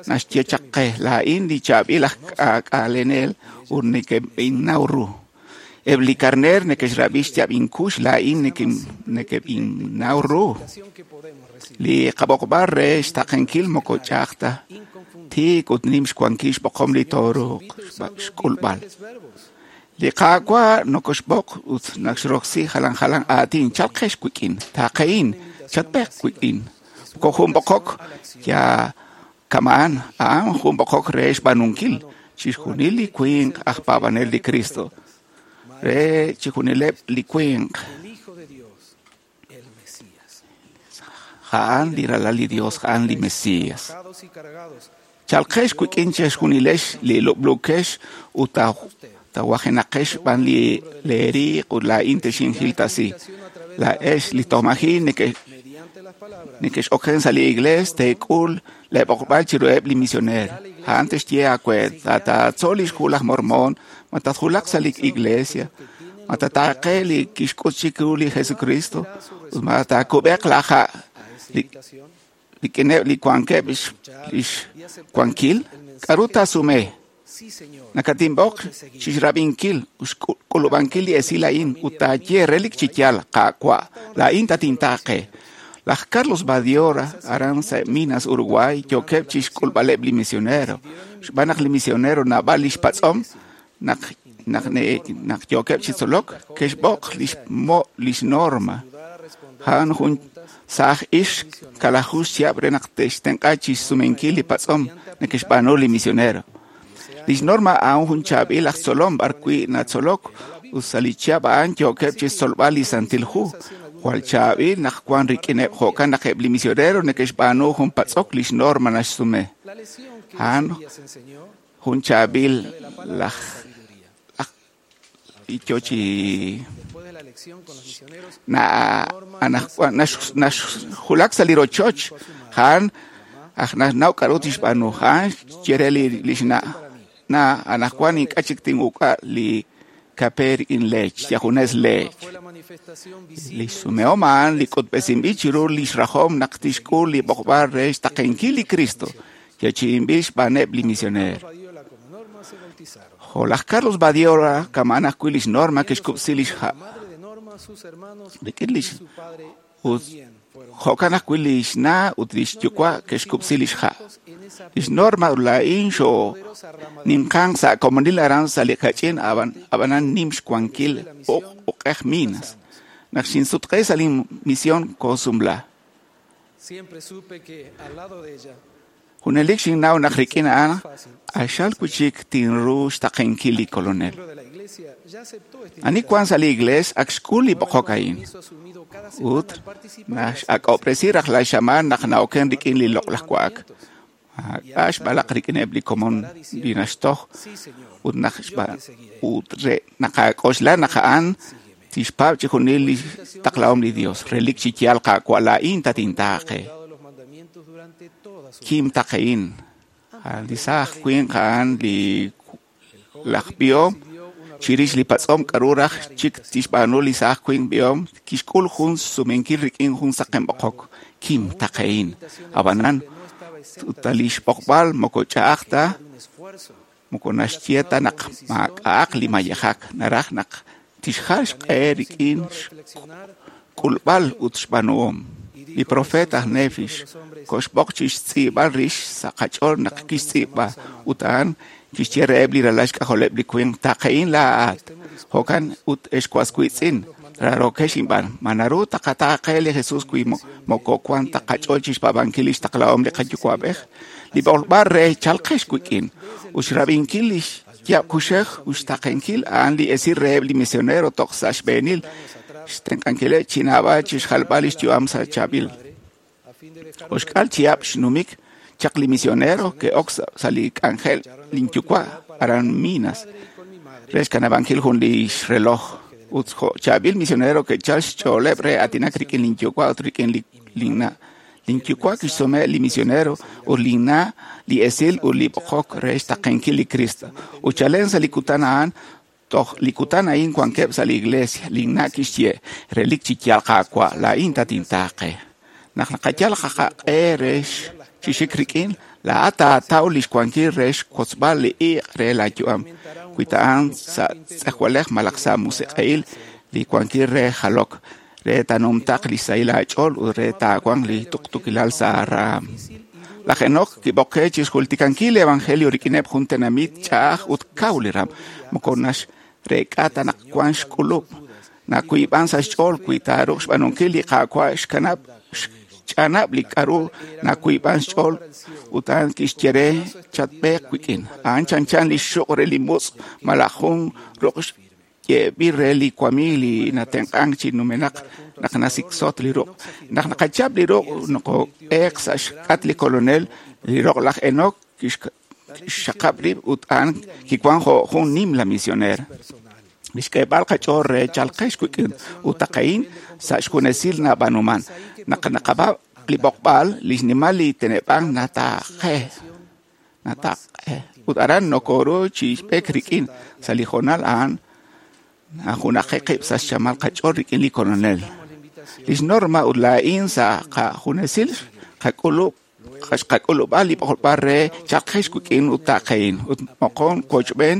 S2: naxye chaq qe laa'in li chaab'il aj k'aak'alenel ut nekeb'innaw ru. Eb' li karneer neke'xrab'i xyaab' inkux laa'in nekeb'innaw ru. Li qab'oqb'al re xtaqenkil moko ch'a'aj ta tiik ut nim xwankil xb'oqom li tooruuq xk'ulb'al. Li Qaawa' nokoxb'oq ut naxroksi jalan jalan aatin chalqex wik'in, taaqehin, chatb'eq wik'in. Moko jun b'oqok ya kama'an, a'an jun b'oqok re xb'aanunkil chixjunil li winq aj paab'anel li Cristo. Re chixjunileb' li winq. A'an li ralal li Dios, a'an li Mesías. Chalqex wik'in chixjunilex li lub'lukex ut tawajenaqex b'an li leeriiq ut laa'in texinjiltasi. Laa'ex li toj maji' nekex'oken sa' li iglees teek'ul leeb'oqb'al chiruheb' li misioneer. A'an texye aawe taatzol li xhu laj Mormón, ma tatjulaq sa' li iglesia, ma tataaqe li kixk'ut chiru li Jesucristo ut ma taakub'eq laaha' rik'ineb' li wankeb' lix wankil. K'a'ru taasume? Nakatinb'oq chixrab'inkil ut xk'ulub'ankil li esil a'in ut taaye relik chi yaal Qaawa' laa'in tatintaaqe. Laj Carlos Badiora aran sa' Minas, Uruguay, yookeb' chixk'ulb'aleb' li misionero. Xb'aan naq li misionero naab'al li xpatz'om naq yookeb' chi tzolok, ke'xb'oq lix norma. A'an jun saaj ixq kalaju xchihab' re naq te'xtenq'a chixsumenkil li patz'om neke'xb'aanu li misionero. Lix norma a'an jun chaab'il aj tzolom b'arwi' natzolok ut sa' li chihab' a'an yookeb' chixtzolb'al li Santil Hu. Jwal chaab'il naq wan rik'ineb' jo'kan naq eb' li misionero neke'xb'aanu jun patz'ok lix norma naxsume. A'an jun chaab'il laj yo chi naxjulak sa' li rochoch. A'an aj naxnaw k'a'ru tixb'aanu. A'an xye re lix na' na anaqwan ink'a' chik tin'uk'a li kape rik'in leech, yajunes leech. Li xsumehom a'an li k'utb'esinb'il chiru lix rajom naq tixk'ul li b'oqb'al re xtaqenkil li Cristo, yeechi'inb'il xb'aaneb' li misioneer. Jo' laj Carlos Badiora kama'an ajwi' lix norma ke'xkub'si lix ha' rik'in lix ut jo'kan ajwi' lix na' ut lix yuwa' ke'xkub'si lix ha'. Lix norma ut laa'in xooninqanq sa' komonil aran sa' li kach'in ab'anan nim xwankil uq'ej Minas. Naq xinsutq'e sa' lin misión koosumla. Junelik xinnaw naq rik'in a'an q'axal wi' chik tinru xtaqenkil li Kolonel. Ani wan sa' li iglees ak xk'ul li b'oqok a'in ut nax'ak'ob'resi rajlal xamaan naq na'oken rik'in li loq'laj wa'ak. Maak'a' xb'alaq rik'ineb' li komon li naxtoj ut naq ut re naqak'oxla naq a'an tixpaab' chi junil li taqlahom li Dios. Relik chi yaal Qaawa' laa'in tatintaaqe. Kim taqe'in. Li saaj winq a'an li laj b'ihom chirix li patz'om k'aru raj chik tixb'aanu li saaj winq b'ihom kixk'ul jun sumenkil rik'in jun saqen b'oqok. Kim taqe'in. Ab'anan ut li xb'oqb'al moko ch'a'aj ta moko naxye ta naq maak'a'aq li mayejak naraj naq tixjal xq'e rik'in xk'ulb'al ut xb'aanuhom. Li profeet aj Nefi koxb'oq chi xtz'iib'al rix sa' qach'ool naq kixtz'iib'a ut a'an kixye reheb' li ralal xk'ajoleb' li winq taqe'in laa'at. Jo'kan ut ex was wiitz'in raarokex inb'aan ma naru taqataaqe li Jesus wi moko wan ta qach'ool chi xpaab'ankil li xtaqlahom li qayuwa'b'ej. Li b'oqb'al re chalqex wik'in ut xrab'inkil li xyaab' kuxej ut xtaqenkil a'an li esil reheb' li misionero toj sa' xb'eenil xtenq'ankileb' chi naab'al chi xjalb'al li xyu'am sa' chaab'il. Oxk'al chihab' xnumik chaq li misionero ke'ok sa' li k'anjel linyuwa' aran Minas re xkanab'ankil jun li xreloj ut jo' chaab'il misionero ke'chal xch'ooleb' re aatinak rik'in linyuwa' ut rik'in linna'. Linyuwa' kixsume li misionero ut linna' li esil ut li b'oqok re xtaqenkil li Cristo. Ut chalen sa' li kutan a'an toj li kutan a'in wankeb' sa' li iglesia. Linna' kixye relik chi yaal Qaawa' laa'in tatintaaqe. Naq naqayal qaq'e re xik rik'in laa'at taataw li xwankil re xkotzb'al li iq' re laayu'am. Wi ta'an sa' tz'ejwalej malaj sa' musiq'ehil li wankil re jalok re taanumtaq li xsahil aach'ool ut re taawanq li tuqtuukilal sa' raam. Laj Enoc kib'oqe chi xjultikankil li evangelio rik'ineb' jun tenamit ch'a'aj ut kaw li ram. Moko naxreek'a ta naq wan xk'ulub'. Nawiib'an sa' xch'ool wi taaruuq xb'aanunkil li Qaawa' xkanab' xch'anab' li k'aru nawiib'an xch'ool ut a'an kixye re chatb'eeq wik'in. A'an chanchan li xuq' re li mutz' malaj jun ruq' yeeb'il re li wamiig li natenq'ank chi numenaq naq nasiksot li ruq'. Naq naqachap li ruq' nokob'eeq sa' xk'at li Kolonel, li roq laj Enoc kixxaqab' rib' ut a'an kiwan jo' jun nimla misioneer. Li xk'eeb'al qach'ool re chalqex wik'in ut taqe'in sa' xjunesil nab'aanuman. Naq naqab'ab' li b'oqb'al, li xnimal li teneb'ank nataaqe. Ut aran nokoru chi xb'eek rik'in sa' li hoonal a'an najunaqe qib' sa' xchamal qach'ool rik'in li Kolonel. Lix Norma ut laa'in sa' qajunesil xqak'ulub'a li b'oqb'al re chalqex wik'in ut taqe'in ut moqon wochb'een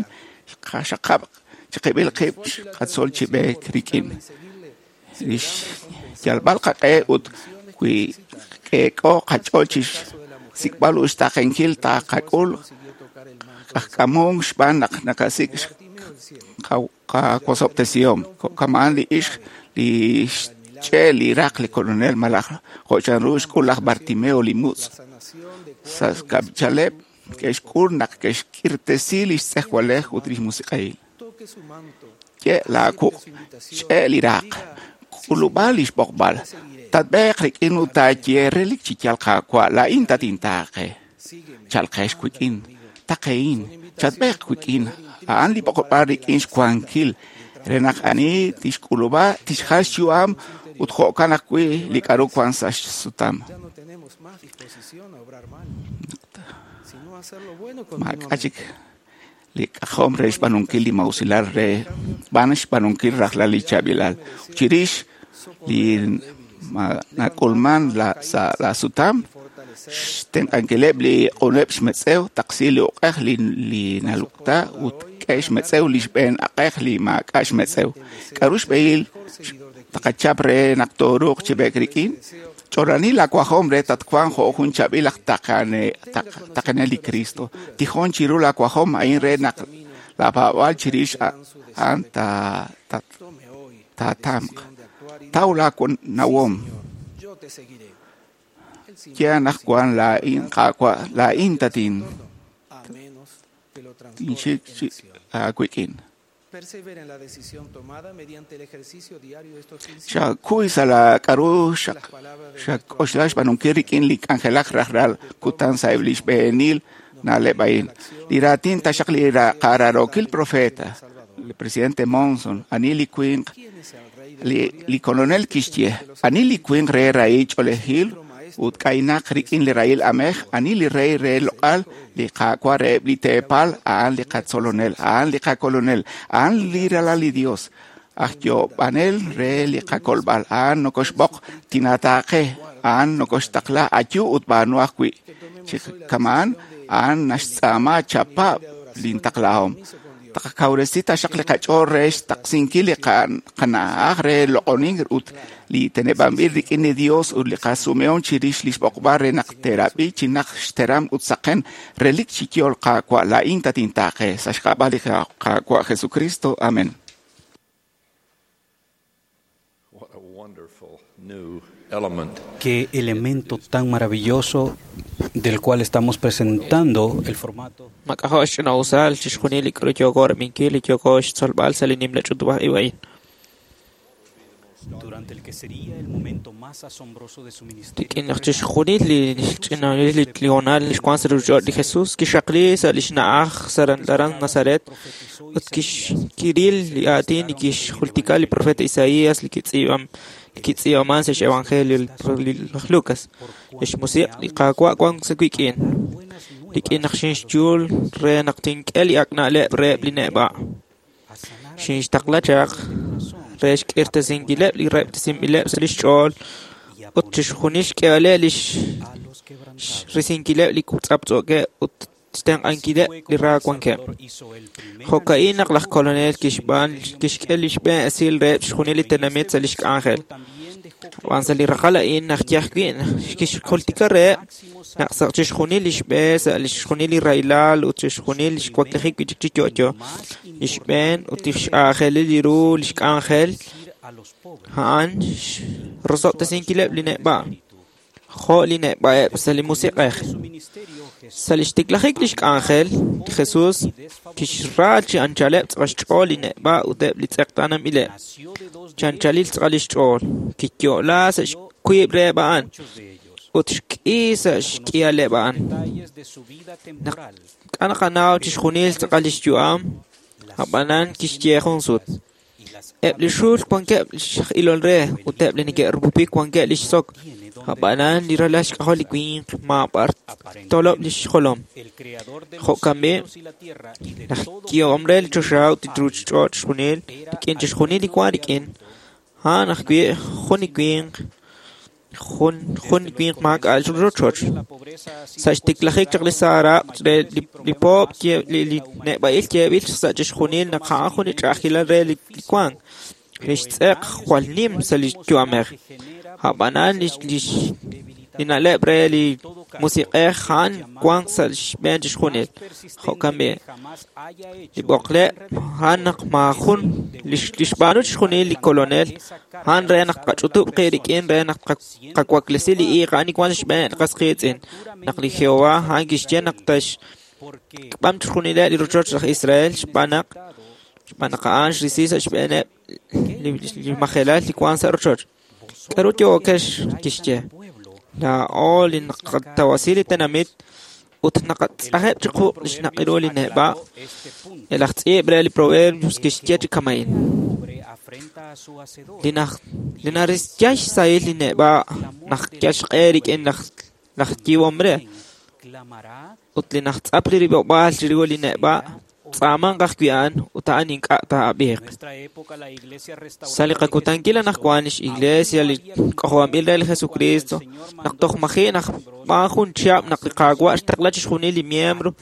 S2: xqaxaqab' chiqib'il qib' xqatzol chi b'eek rik'in. Li xyalb'al qaq'e ut wi k'eek'o qach'ool chi xsik'b'al ut xtaqenkil taqak'ul qajk'amunk xb'aan naq naqasik' qawosob'tesihom. Kama'an li ixq li xch'e li raq li Kolonel malaj jo' chanru xk'ul laj Bartimeo li mutz'. Sa' xkab'ichaleb' ke'xk'ul naq ke'xk'irtesi li xtz'ejwalej ut li xmusiq'ehil. Ye laawuq' ch'e li raq k'ulub'a li xb'oqb'al. Tatb'eeq rik'in ut taaye relik chi yaal Qaawa' laa'in tatintaaqe. Chalqex wik'in, taqe'in, chatb'eeq wik'in. A'an li b'oqb'al rik'in xwankil re naq ani tixk'ulub'a tixjal xyu'am ut jo'kan ajwi' li k'aru wan sa' xsutam. Maak'a' chik li k'ajom re xb'aanunkil li mausilal re b'an xb'aanunkil rajlal li chaab'ilal. Chirix li nak'ulman sa' la sutam xtenq'ankileb' li q'uneb' xmetz'ew taqsi li uq'ej li nalukta ut k'e xmetz'ew li xb'een aq'ej li maak'a' xmetz'ew. K'aru xb'ehil taqachap re naq tooruuq chi b'eek rik'in? Ch'olani laawajom re tatwanq jo' jun chaab'il aj taqenel li Cristo. Tijon chiru laawajom a'in re naq laapaab'aal chirix a'an taatamq. Taw laanawom. Ye anaqwan laa'in Qaawa' laa'in tatin tinxik aawik'in. Xakuy sa' la k'a'ru xak'oxla xb'aanunkil rik'in li k'anjelak rajlal kutan sa'eb' li xb'eenil na'leb' a'in. Li raatin taxaq li qararokil profeta, el presidente Monson, ani li winq, li kolonel kixye, ani li winq re rahil ch'oolejil ut k'aynaq rik'in li rahil amej, ani li rey re loq'al, li Qaawa' reheb' li teepal, a'an li qatzolonel, a'an li qakolonel, a'an li ralal li Dios, aj yoob'anel re li qakolb'al, a'an nokoxb'oq tinataaqe, a'an nokoxtaqla ayu ut b'aanu ajwi'. Chi kama'an, a'an naxtz'aama chapab' lintaqlahom. Taqakawresi taxaq li qach'ool re xtaqsinkil li qana'aj re loq'onink ut li teneb'anb'il rik'in li Dios ut li qasumehom chirix li xb'oqb'al re naq teerab'i chi naq xteram ut saqen relik chi yool Qaawa' laa'in tatintaaqe sa' xk'ab'a' li Qaawa' Jesucristo. Amén.
S14: Qué elemento tan maravilloso del cual estamos presentando el formato.
S15: Mak'ajo' xch'ina'usal chixjunil li k'aru yooko rab'inkil li yooko xtzolb'al sa' li nimla ch'utub'aj-ib' a'in.
S14: Durante el que sería el momento más asombroso de su ministerio.
S15: Rik'in naq chixjunil li xch'ina'il li hoonal li xwank sa' ruuchich'och' li Jesús kixxaqli sa' li xna'aj aran Nazaret ut kiril li aatin li kixjultika li profeta Isaías li kitz'iib'aman sa' xevangelio laj Lucas. Li xmusiq' li Qaawa' wank sa' wik'in, rik'in naq xinxyul re naq tink'e li ak' na'leb' reheb' li neb'a'. Xinxtaqla chaq re xk'irtasinkileb' li rahob'tesinb'ileb' sa' li xch'ool ut chixjunil xk'eeb'aleb' li xrisinkileb' li tz'aptz'ookeb' ut xtenq'ankileb' li ra wankeb'. Jo'ka'in naq laj kolonel kixk'e li xb'een esil reheb' chixjunil li tenamit sa' li xk'anjel. Ab'an sa' li raqal a'in naq yaj wi' kixjultika reheb' naq sa' chixjunil li xb'e sa' chixjunil li rahilal ut chixjunil li xwaklijik wi' chik chi yo'yo, li xb'een ut li x'aajelil ru li xk'anjel a'an rosob'tesinkileb' li neb'a', jo' li neb'a'eb' sa' li musiq'ej. Sa' li xtiklajik li xk'anjel, li Jesús kixra chi anchaleb' tz'aqal xch'ool li neb'a' ut eb' li tz'eqtaananb'ileb'. Chi anchalil tz'aqal li xch'ool, kiyo'la sa' xwiib' reheb' a'an ut xk'i sa' xk'ihaleb' a'an. Naq k'a naqanaw chixjunil tz'aqal li xyu'am, ab'anan kixye jun sut. Eb' li xul wankeb' x'ilol re ut eb' li neke'rupupik wankeb' li xsok. Ab'anan li ralal xk'ajol li winq maab'ar tolob' li xjolom. Jo'kan b'i' laj ki'om re li choxa ut li ruuchich'och' chixjunil rik'in chixjunil li wank rik'in, a'an ajwi' jun li winq jun winq maak'a' rochoch. Sa' xtiklajik chaq li saaraq' re li poob' li neb'a'il yeeb'il sa' chixjunil naq a'an jun li ch'a'ajkilal re li wank. Li xtz'eq jwal nim sa' li yu'amej. Ab'anan li na'leb' re li musiq'ej a'an wank sa' xb'een chixjunil. Jo'kan b'i' li b'oqleb' a'an naq maajun li xb'aanu chixjunil li kolonel a'an re naq qach'utub' qib' rik'in re naq qawaklesi li iiq a'an li wank sa' xb'een li qas qiitz'in. Naq li Jehová a'an kixye naq taxk'am chixjunileb' li rochoch laj Israel xb'aan naq a'an xrisi sa' xb'eeneb' li majelal li wank sa' rochoch. K'aru yookex kixye? Laa'o li naqatawasi li tenamit ut naqatz'ajeb' chiqu li xnaq'iru li neb'a'. El aj tz'iib' re li Proverbios kixye chi kama'in. Li narisya xsahil li neb'a' naq yal xq'e rik'in laj yiib'om re. Ut li najtz'ap li rib'ob'aal chiru li neb'a' tz'aamanq ajwi' a'an ut a'an ink'a' taa'ab'iiq. Sa' li qakutankil anaqwan li x'iglesia li k'ojob'anb'il re li Jesucristo, naq toj maji' naq b'aan jun chihab' naq li Qaawa' xtaqla chixjunil li miembro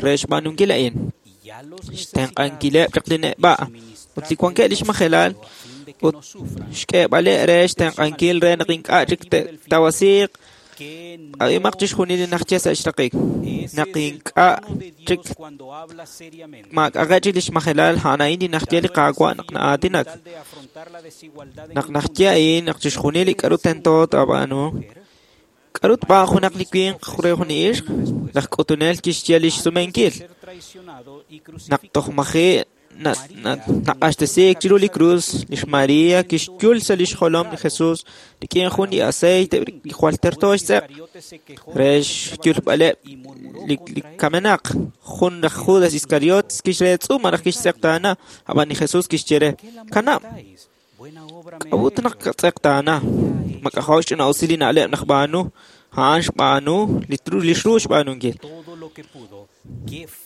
S15: re xb'aanunkil a'in. Xtenq'ankileb' chaq li neb'a' ut li wankeb' li xmajelal ut xk'eeb'aleb' re xtenq'ankil re naq ink'a' chik te'tawasiiq. Ab'imaq chixjunil li najye sa' xraqik. Naq ink'a' chik maak'aqe' chik li xmajelal a'an a'in li najye li Qaawa' naq na'aatinak. Naq najye a'in naq chixjunil li k'aru tento taab'aanu. K'aru tb'aan junaq li winq re jun li ixq? Laj k'utunel kixye li xsumenkil. Naq toj maji' naq'axtesiik chiru li krus, lix Maria kixyul sa' lix jolom li Jesus rik'in jun li aceite li jwal terto xtz'eq re xyulb'aleb' li kamenaq. Jun laj Judas Iscariot kixreetz'u malaj kixtz'eqtaana, ab'an li Jesus kixye re: Kanab', k'a'ut naq katz'eqtaana? Mak'ajo' xch'ina'usil li na'leb' naq b'aanu, a'an xb'aanu li xru xb'aanunkil.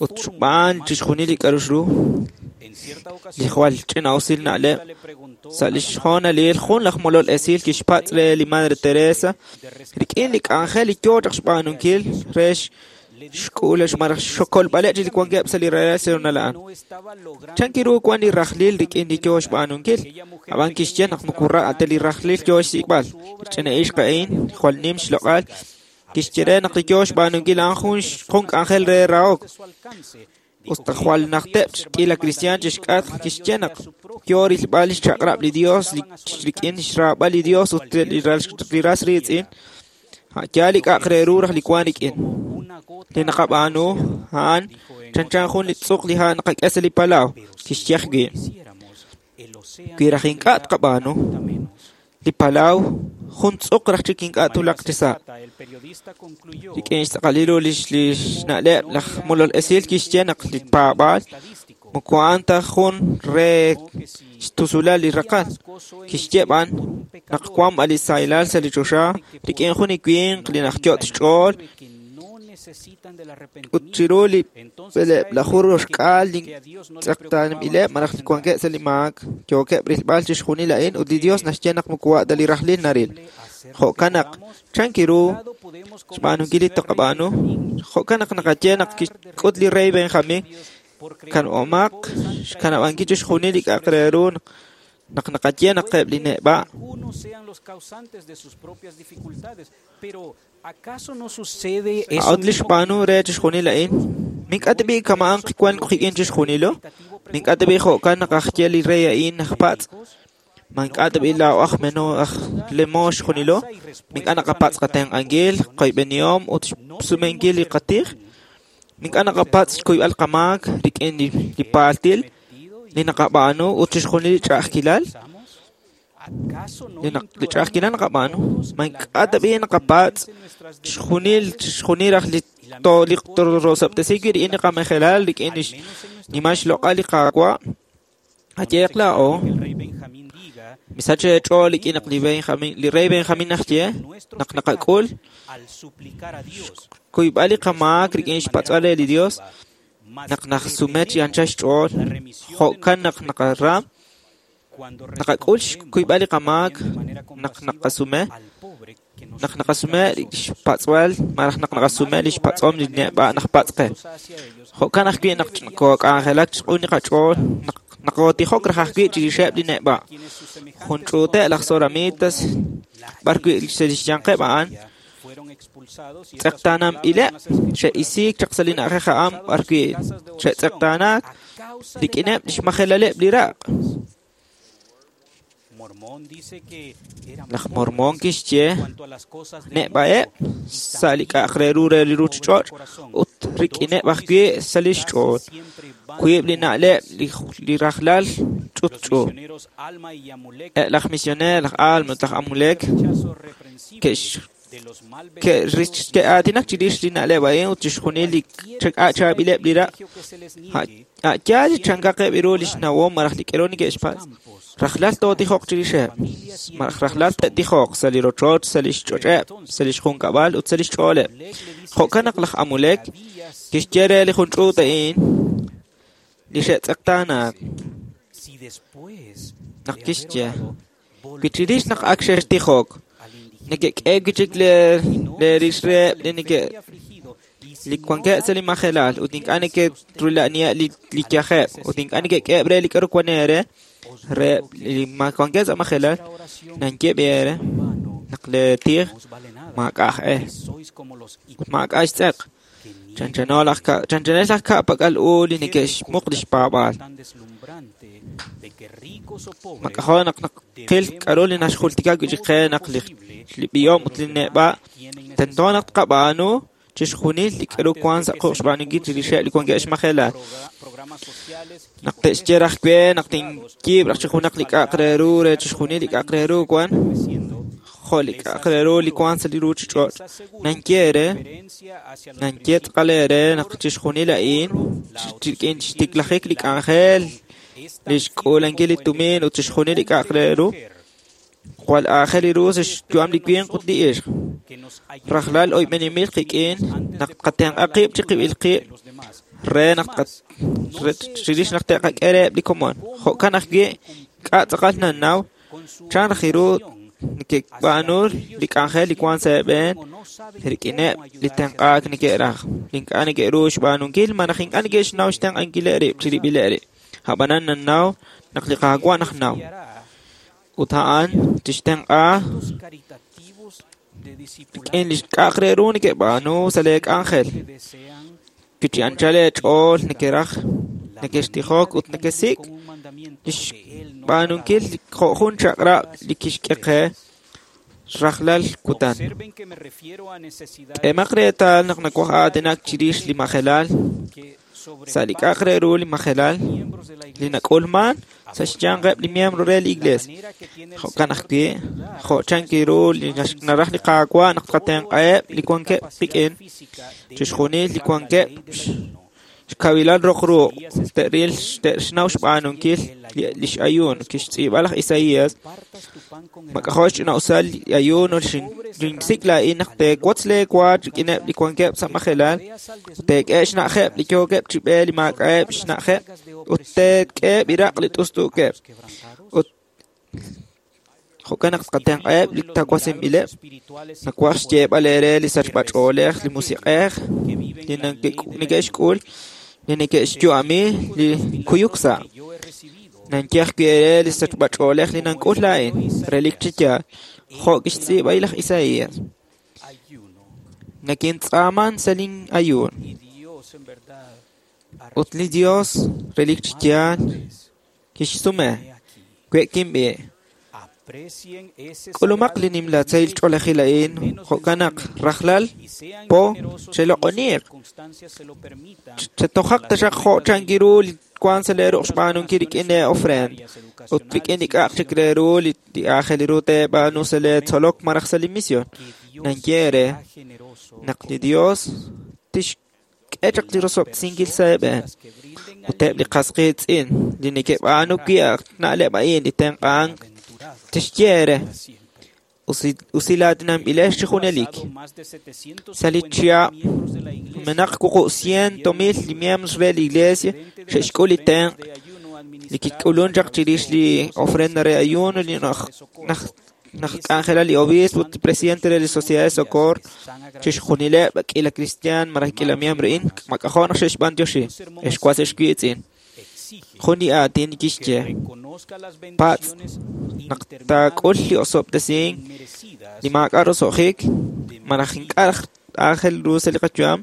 S15: Ut xb'aan chixjunil li k'a'ru xru, li jwal ch'ina'usil na'leb'. Sa' lix hoonalil, jun laj molol esil kixpatz' re li Madre Teresa rik'in li k'anjel li yoo chaq xb'aanunkil re xk'uulax malaj xkolb'aleb' li wankeb' sa' li rahilal sa' a'an. Chan kiru wan li rajlil rik'in li yoo xb'aanunkil? Ab'an kixye naq moko ra' ta li rajlil yoo xsik'b'al. Li ch'ina ixq a'in jwal nim xloq'al kixye re naq li yoo xb'aanunkil a'an jun k'anjel re rahok. Ut jwal najteb' k'iila kristiaan chixk'atq kixye naq yoo rilb'al li xchaq'rab' li Dios rik'in xraab'al li Dios ut li ras riitz'in. Yaal li k'a'aq re ru raj li wan rik'in. Li naqab'aanu a'an chanchan jun li tz'uq li ha' naqak'e sa' li palaw, kixye ajwi'. Wi raj ink'a' tqab'aanu, li palaw jun tz'uq raj chik ink'a' tulaq chi sa'. Rik'in xtz'aqalil ru lix na'leb' laj molol esil kixye naq li paab'aal moko a'an ta jun re xtusulal li raqal. Kixye b'an naq wan b'an li sahilal sa' li choxa rik'in jun li winq li najyot' xch'ool ut chiru li b'eleb'laju roxk'aal li tz'eqtaanb'ileb' malaj li wankeb' sa' li maak yookeb' rilb'al chixjunil a'in ut li Dios naxye naq moko wa' ta li rajlil naril. Jo'kan naq chan kiru xb'aanunkil li taqab'aanu, jo'kan naq naqaye naq kixk'ut li rey Benjamin kan'omaq xkanab'ankil chixjunil li k'a'aq re ru naq naqaye naq eb' li neb'a'. A'ut li xb'aanu re chixjunil a'in, mink'a' tib'i kama'an wan qik'in chixjunilo, mink'a' tib'i jo'kan naq ajye li rey a'in aj patz', mank'a' tib'i laa'o aj meno aj lemo xjunilo, mink'a' naqapatz' qatenq'ankil, qoyb'enihom ut xsumenkil li qatij, mink'a' naqapatz' xkuyb'al qamaak rik'in li paaltil li naqab'aanu ut chixjunil li ch'a'ajkilal. Li ch'a'ajkilal naqab'aanu, mank'a' tib'i naqapatz' chixjunil raj li torosab'tesi wi' rik'in li qamejelal rik'in li xnimal xloq'al li Qaawa'. Ayeeq laa'o, misach eech'ool rik'in naq li rey Benjamin naxye naq naqak'ul xkuyb'al li qamaak rik'in xpatz'b'al re li Dios naq najsume chi anchal xch'ool, jo'kan naq naqaram naqak'ul xkuyb'al li qamaak naq naqasume xpatz'b'al malaj naq naqasume li xpatz'om li neb'a' naq patz' qe. Jo'kan ajwi' naq kook'anjelak chiq'un li qach'ool naq naqootijok raj ajwi' chirixeb' li neb'a'. Jun ch'uute' laj Zoramitas b'ar wi' sa' lix yanqeb' a'an tz'eqtaananb'ileb' xe'isiik chaq sa' li na'ajej a'an b'ar wi' xe'tz'eqtaanaak rik'ineb' lix majelaleb' li raq'. Laj Mormon kixye neb'a'eb' sa' li k'a'aq re ru re li ruchich'och' ut rik'ineb' ajwi' sa' lix ch'ool. Wiib' li na'leb' li rajlal ch'utch'u. Eb' laj misioneer laj Alma ut laj Amulek ke'aatinak chirix li na'leb' a'in ut chixjunil li chaab'ileb' li raq'. A'yaal li chankaqeb' ru li xnawom malaj li k'ero neke'xpatz'. Rajlal tootijoq chirixeb', malaj rajlal te'tijoq sa' li rochoch, sa' li xch'och'eb', sa' li xjunkab'al ut sa' li xch'ooleb'. Jo'kan naq laj Amulek kixye re li jun ch'uut a'in li xe'tz'eqtaanaak. Naq kixye, wi chirix naq ak xextijok, neke'k'e wi' chik leerix reheb' li neke' li wankeb' sa' li majelal ut ink'a' neke'rula'aniheb' li yajeb' ut ink'a' neke'k'eheb' re li k'a'ru wan eere reheb' li wankeb' sa' majelal, nanyeb' eere naq leetij maak'a' aj e ut maak'a' xtz'eq. Chanchanel laj ka'pak'al u li neke'xmuq lix paab'aal. Mak'ajo' naq naqil k'a'ru li naxjultika wi' chik qe naq li b'ihom ut li neb'a' tento naq tqab'aanu Chixjunil li k'aru wank sa' quq' xb'aanunkil chirixeb' li wankeb' xmajelal. Naq te'xye raj we naq tinyiib' raj chi junaq li k'a'aq re ru re chixjunil li k'a'aq re ru wan, jo' li k'a'aq re ru li wank sa' li ruuchich'och', nanye eere, nanye tz'aqal eere naq chixjunil a'in rik'in xtiklajik li k'anjel, li xk'uulankil li tumin ut chixjunil li k'a'aq re ru, jwal aajel ru sa' xyu'am li winq ut li ixq. Rajlal oyb'eninb'il qik'in naq tqatenq'a qib' chiqib'il qib' re naq chirix naq te'qak'e reheb' li komon. Jo'kan ajwi' k'a' tz'aqal nannaw chan raj ru neke'b'aanu li k'anjel li wank sa' eeb'een rik'ineb' li tenq'aak neke'raj, li ink'a' neke'ru xb'aanunkil malaj ink'a' neke'xnaw xtenq'ankileb' rib' chirib'ileb' rib'. Ab'anan nannaw naq li Qaawa' najnaw. Ut a'an tixtenq'a rik'in li k'a'aq re ru neke'b'aanu sa' lee k'anjel. Wi chi anchal eech'ool nekeraj, nekextijok ut nekesik' li xb'aanunkil jo' jun chaq'rab' li kixk'e qe rajlal kutan. K'emaq reetal naq nawaj aatinak chirix li majelal, sa' li k'a'aq re ru li majelal li nak'ulman sa' xyanqeb' li miembro re li Iglees. Jo'kan ajwi', jo' chan ru li naraj li Qaawa' naq tqatenq'aheb' li wankeb' qik'in, chixjunil li wankeb' xkawilal roq ruq' te'ril te'xnaw xb'aanunkil li x'ayuun kixtz'iib'a laj Isaías. Mak'ajo' xch'ina'usal li ayuun xinsik' laa'in naq teewotz leewa rik'ineb' li wankeb' sa' majelal, ut teek'e xna'ajeb' li yookeb' chi b'e li maak'a'eb' xna'ajeb', ut teek'eheb' iraq' li t'ust'uukeb'. Ut jo'kan naq tqatenq'aheb' li tawasinb'ileb'. Nawaj xyeeb'al eere li sachb'ach'oolej, li musiq'ej li neke'xk'ul, li neke'xyu'ami li kuyuk sa'. Nanye ajwi' eere li sachb'ach'oolej li nank'ul laa'in, relik chi yaal, jo' kixtz'iib'a laj Isaías. Nakintz'aaman sa' lin ayuun. Ut li Dios, relik chi yaal, kixsume, we'kinb'i'. K'ulumaq li nimla tzahil ch'oolejil a'in, jo'kan naq rajlal po cheloq'oniiq. Chetojaq taxaq jo' chan ru li wank sa' lee ruq' xb'aanunkil rik'in lee ofrenda ut rik'in li k'a'aq chik re ru li aajel ru teeb'aanu sa' lee tzolok malaj sa' li mision. Nanye eere naq li Dios tixk'e chaq li rosob'tesinkil sa' eeb'een. Ut eb' li qas qiitz'in li neke'b'aanu wi' na'leb' a'in li tenq'ank tixye eere usilaatinanb'ilex chi junelik. Sa' li chihab' numenaq 400,000 li miembros re li Iglesia xe'xk'ul li tenq' li kik'ulun chaq chirix li ofrenda re ayuno li naj k'anjela li obispo ut li presidente re li Sociedad de Socorro chixjunileb' k'ila cristian malaj k'ila miembro a'in mak'ajo' naq xe'xb'antioxi ex was ex wiitz'in. Jun li aatin kixye patz' naq taak'ul li osob'tesink li maak'a' roso'jik malaj ink'a' aajel ru sa' li qayu'am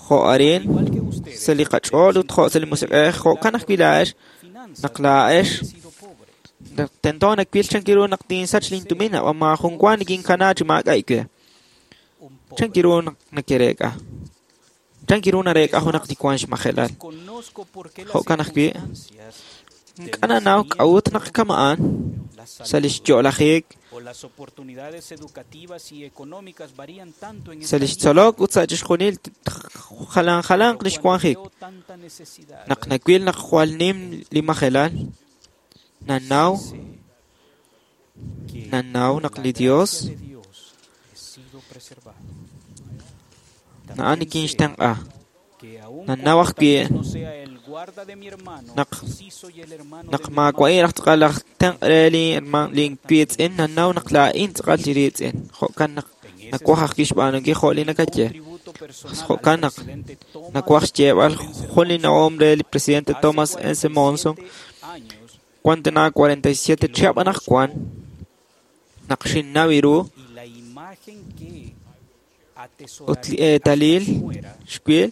S15: jo' arin sa' li qach'ool ut jo' sa' li musiq'ej jo'kan ajwi' laa'ex naq laa'ex tento nawil chan ru naq tinsach lintumin ab'an maajun wa nikinkana chi maak'a' we. Chan ru naq nakereek'a. Chan ru nareek'a junaq li wank xmajelal. Jo'kan ajwi' ink'a' nanaw k'a'ut naq kama'an sa' li xyo'lajik, sa' li xtzolok ut sa' chixjunil jalan jalanq li xwanjik. Naq nawil naq jwal nim li majelal, nanaw naq li Dios na'an nikinxtenq'a. Nanaw ajwi' naq maawa'in raj tz'aqal laj tenq' re lin wiitz'in, nanaw naq laa'in tz'aqal li riitz'in. Jo'kan naq nawaj ajwi' xb'aanunkil jo' li nakaye. Jo'kan naq nawaj xyeeb'al jun li nawom re li presidente Thomas S. Monson wan tana 47 chihab' anaqwan naq xinnaw ru ut li eetalil xwil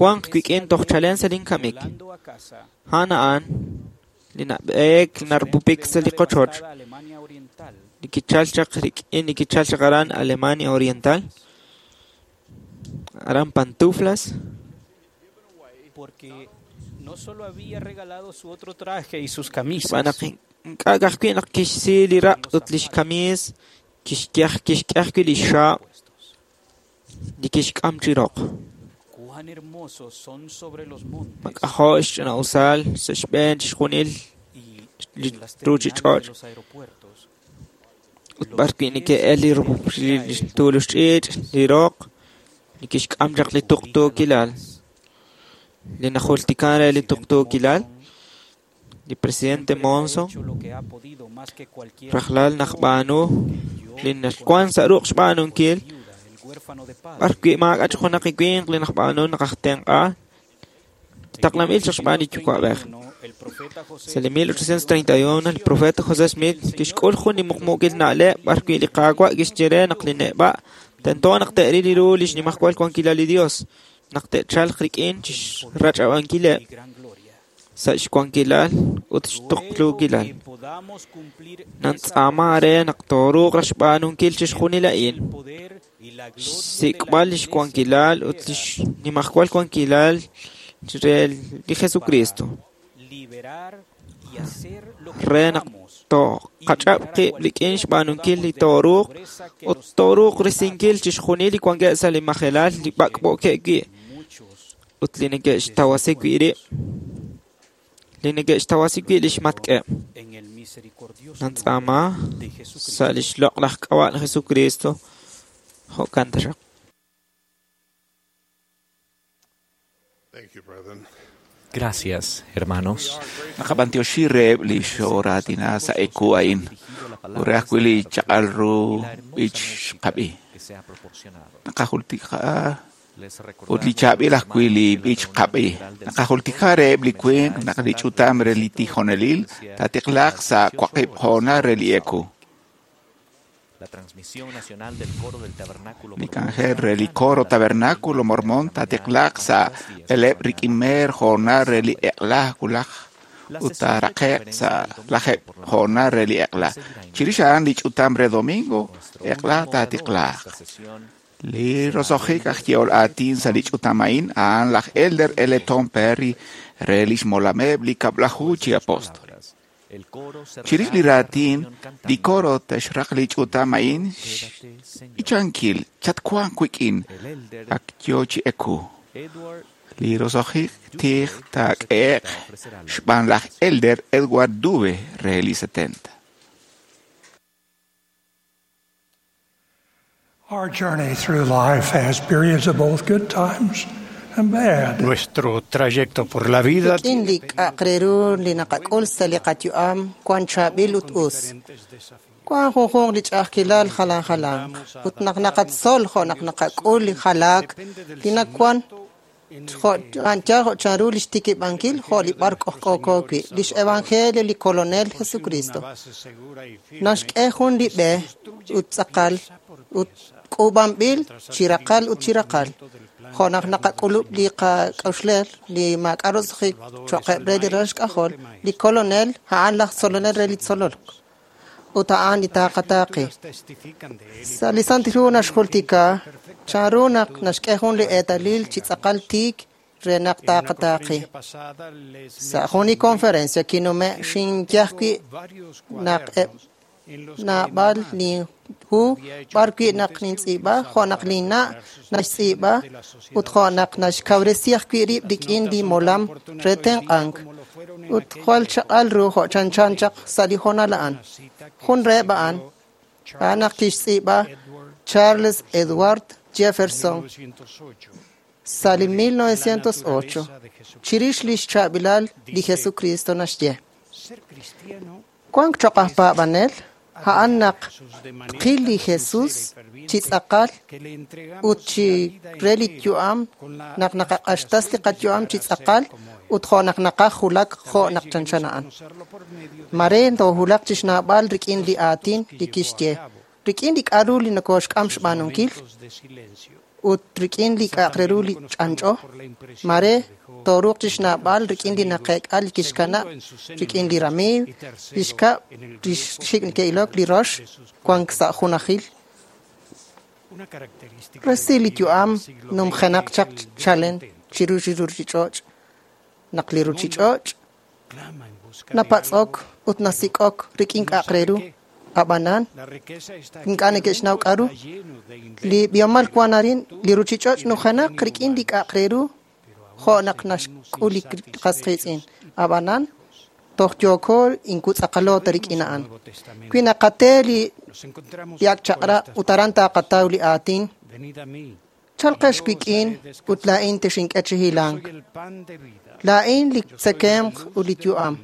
S15: wanq wik'in toj chalen sa' linkamik. A'an a'an li nab'eek li narupupik sa' li qochoch. li kichalk chaq rik'in li kichalk chaq aran Alemania Oriental, aran Pantuflas.
S16: Porque no solo había regalado su otro traje y sus camisas,
S15: Xb'aan naq ink'a' ka'ajwi' naq kixsi li raq' ut lix kamiis, kixk'e ajwi' li xxaab' li kixk'am chi roq.
S16: Cuán hermosos son sobre los montes
S15: Mak'ajo' xch'ina'usal sa' xb'een chixjunil li
S16: y en las terminales de
S15: ruuchich'och'
S16: los aeropuertos.
S15: ut b'arwi' neke'el li tuulux ch'iich' li roq li kixk'am chaq li tuqtuukilal. Li najultikan re li tuqtuukilal, li presidente Monson
S16: Hecho lo que ha podido más que cualquier
S15: rajlal naqb'aanu li naxwan sa' ruq' xb'aanunkil
S16: el huérfano de padre.
S15: b'arwi' maak'a' chaq junaq li winq li naqb'aanu naqajtenq'a taqlanb'il chaq xb'aan li yuwa'b'ej.
S16: El profeta José
S15: Sa' li 1831, el profeta José Smith kixk'ul jun li muqmuukil na'leb' b'arwi' li Qaawa' kixye re naq li neb'a' tento naq te'ril ru li xnimajwal wankilal li Dios, naq te'chalq rik'in chixrach'ab'ankileb' sa' xwankilal ut xtuqtuukilal.
S16: podamos cumplir
S15: Nantz'aama re naq tooruuq raj xb'aanunkil chixjunil a'in.
S16: poder y la gloria
S15: Xsik'b'al lix wankilal ut lix nimajwal wankilal re li Jesucristo.
S16: liberar y hacer lo que
S15: Re naq toqach'ab' qib' rik'in xb'aanunkil li tooruuq ut tooruuq risinkil chixjunil li wankeb' sa' li majelal li b'ak'b'ookeb' wi' ut li neke'xtawasi wi' rib', li neke'xtawasi wi' lix matk'eb'.
S16: en el misericordioso
S15: Nantz'aama sa' lix loq'laj k'ab'a' li Jesucristo, jo'kan taxaq.
S4: Gracias, hermanos.
S2: Naqab'antioxi reheb' li xooratina sa' eku a'in. Ut re ajwi' li chaq'al ru b'ich xqab'i.
S4: Que se ha proporcionado.
S2: Naqajultika
S4: Les
S2: ut li chaab'il ajwi' li b'ich qab'i. Naqajultika reheb' li winq naq li ch'utam re li tijonelil taatiqlaq sa' waqib' hoonal re li eku.
S4: La transmisión nacional del coro del tabernáculo
S2: Li k'anjel re li coro tabernáculo mormón taatiqlaq sa' b'eleb' rik'in meer hoonal re li eq'la wulaj ut taaraqe'q sa' lajeb' hoonal re li eq'la. Chirix a'an li ch'utam re domingo eq'la taatiqlaq. Li roso'jik aj yehol aatin sa' li ch'utam a'in a'an laj Elder L. Tom Perry re lix molameb' li kab'laju chi apóstol.
S4: El coro
S2: Chirix li raatin, li coro te'xraq li ch'utam a'in ichankil chatwanq wik'in ak yo chi eku.
S4: Edward
S2: Li roso'jik tij taak'e'q xb'aan laj Elder Edward Dube re li 70.
S7: Our journey through life has periods of both good times and bad.
S17: Nuestro trayecto por la vida
S12: Rik'in li k'a'aq re ru li naqak'ul sa' li qayu'am wan chaab'il ut us. Wan junjunq li ch'a'ajkilal jalan jalanq ut naq naqatzol jo' naq naqak'ul li jalaak li nawan jo' anchal jo' chanru li xtikib'ankil jo' li b'ar k'ojk'ooko wi' lix evangelio li Kolonel Jesucristo. Naxk'e jun li b'e ut tz'aqal ut k'uub'anb'il chi raqal ut chi raqal. Jo' naq naqak'ulub' li qak'a'uxlel li maak'a' roso'jik cho'qeb' re li ralal xk'ajol, li Kolonel a'an laj tzolonel re li tzolok ut a'an li taaqataaqi. Sa' li Santil Hu naxjultika chanru naq naxk'e jun li eetalil chi tz'aqal tiik re naq taaqataaqi. Sa' jun li conferencia kinume' xinye ajwi' naq eb' naab'al li hu b'arwi' naq nintz'iib'a jo' naq linna' naxtz'iib'a ut jo' naq naxkawresi ajwi' rib' rik'in li molam re tenq'ank ut jwal chaq'al ru jo' chanchan chaq sa' li hoonal a'an. Jun reheb' a'an, a'an naq kixtz'iib'a Charles Edward Jefferson sa' li 1908 chirix lix chaab'ilal li Jesucristo naxye. Wank choq' aj paab'anel a'an naq tqil li Jesus chi tz'aqal ut chi re li yu'am naq naqaq'axtas li qayu'am chi tz'aqal ut jo' naq naqaj julak jo' naq chanchan a'an. Mare toojulaq chi xnaab'al rik'in li aatin li kixye, rik'in li k'a'ru li nokoxk'am xb'aanunkil
S18: ut rik'in li k'a'aq re ru li ch'anch'o. Mare tooruuq chixnawb'al rik'in li naqeek'a li kixkanab' rik'in li ramiiw, li xkab', li xik' neke'ilok, li rox, wank sa' junajil. Resil li yu'am numjenaq chaq chalen chiru li ruchich'och'. Naq li ruchich'och' napatz'ok ut nasik'ok rik'in k'a'aq re ru, ab'anan ink'a' neke'xnaw k'a'ru. Li b'ihomal wan arin, li ruchich'och' nujenaq rik'in li k'a'aq re ru jo' naq naxk'ul li qas qiitz'in. Ab'anan toj yooko inkutz'aqalo ta rik'in a'an. Wi naqate li ak' chaq'rab' ut aran taqataw li aatin, chalqex wik'in ut laa'in texink'e chi hilank. Laa'in li tzekemq ut li yu'am.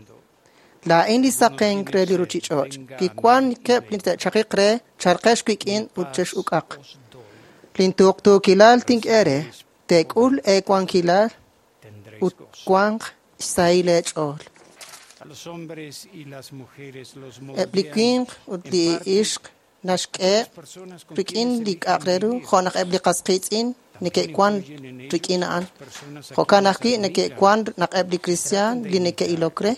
S18: Laa'in li saqenk re li ruchich'och'. Li wankeb' li te'chaqiq re, chalqex wik'in ut chex'uk'aq. Lintuqtuukilal tink'e re, teek'ul eewankilal ut wanq xsahil eech'ool. Eb' li winq ut li ixq naxk'e rik'in li k'a'aq re ru jo' naq eb' li qas qiitz'in neke'wan rik'in a'an. Jo'kan ajwi' neke'wan naq eb' li kristiaan li neke'ilok re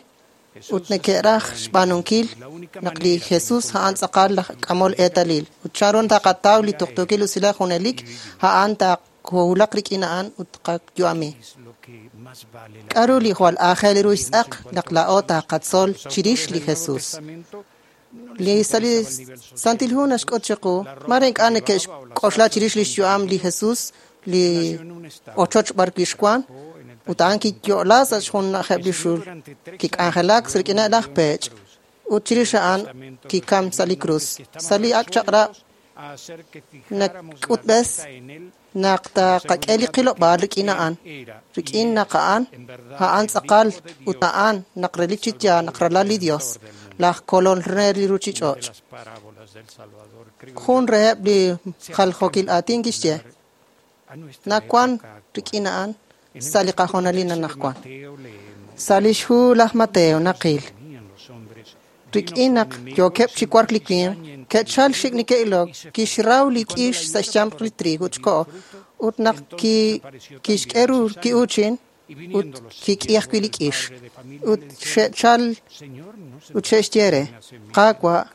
S18: ut neke'raj xb'aanunkil naq li Jesus a'an tz'aqal laj k'amol eetalil. Ut chanru taqataw li tuqtuukil usilal junelik, a'an taqowulaq rik'in a'an ut qayu'ami. K'a'ru li jwal aajel ru xtz'aq naq laa'o taqatzol chirix li Jesus? Li sa' li Santil Hu naxk'ut chiqu, mare ink'a' neke'xk'oxla chirix lix yu'am li Jesus, li ochoch b'ar wi' xwan, ut a'an kiyo'la sa' xjunajeb' li xul, kik'anjelak rik'ineb' laj peech', ut chirix a'an kikam sa' li krus. Sa' li ak' chaq'rab' nak'utb'es naq taqak'e li qilob'aal rik'in a'an, rik'in naq a'an, a'an tz'aqal ut a'an naq relik chi yaal naq ralal li Dios, laj kolol re li ruchich'och'. Jun reheb' li jaljokil aatin kixye, nawan rik'in a'an sa' li qajonalil anaqwan. Sa' lix hu laj Mateo naqil, rik'in naq yookeb' chi wark li winq, ke'chal xik' neke'ilok, kixraw li k'ix sa' xyanq li trigo ut xko'o, ut naq kixk'e ru ki'uuchin, ut kik'i ajwi' li k'ix. Ut xe'chal ut xe'xye re, Qaawa',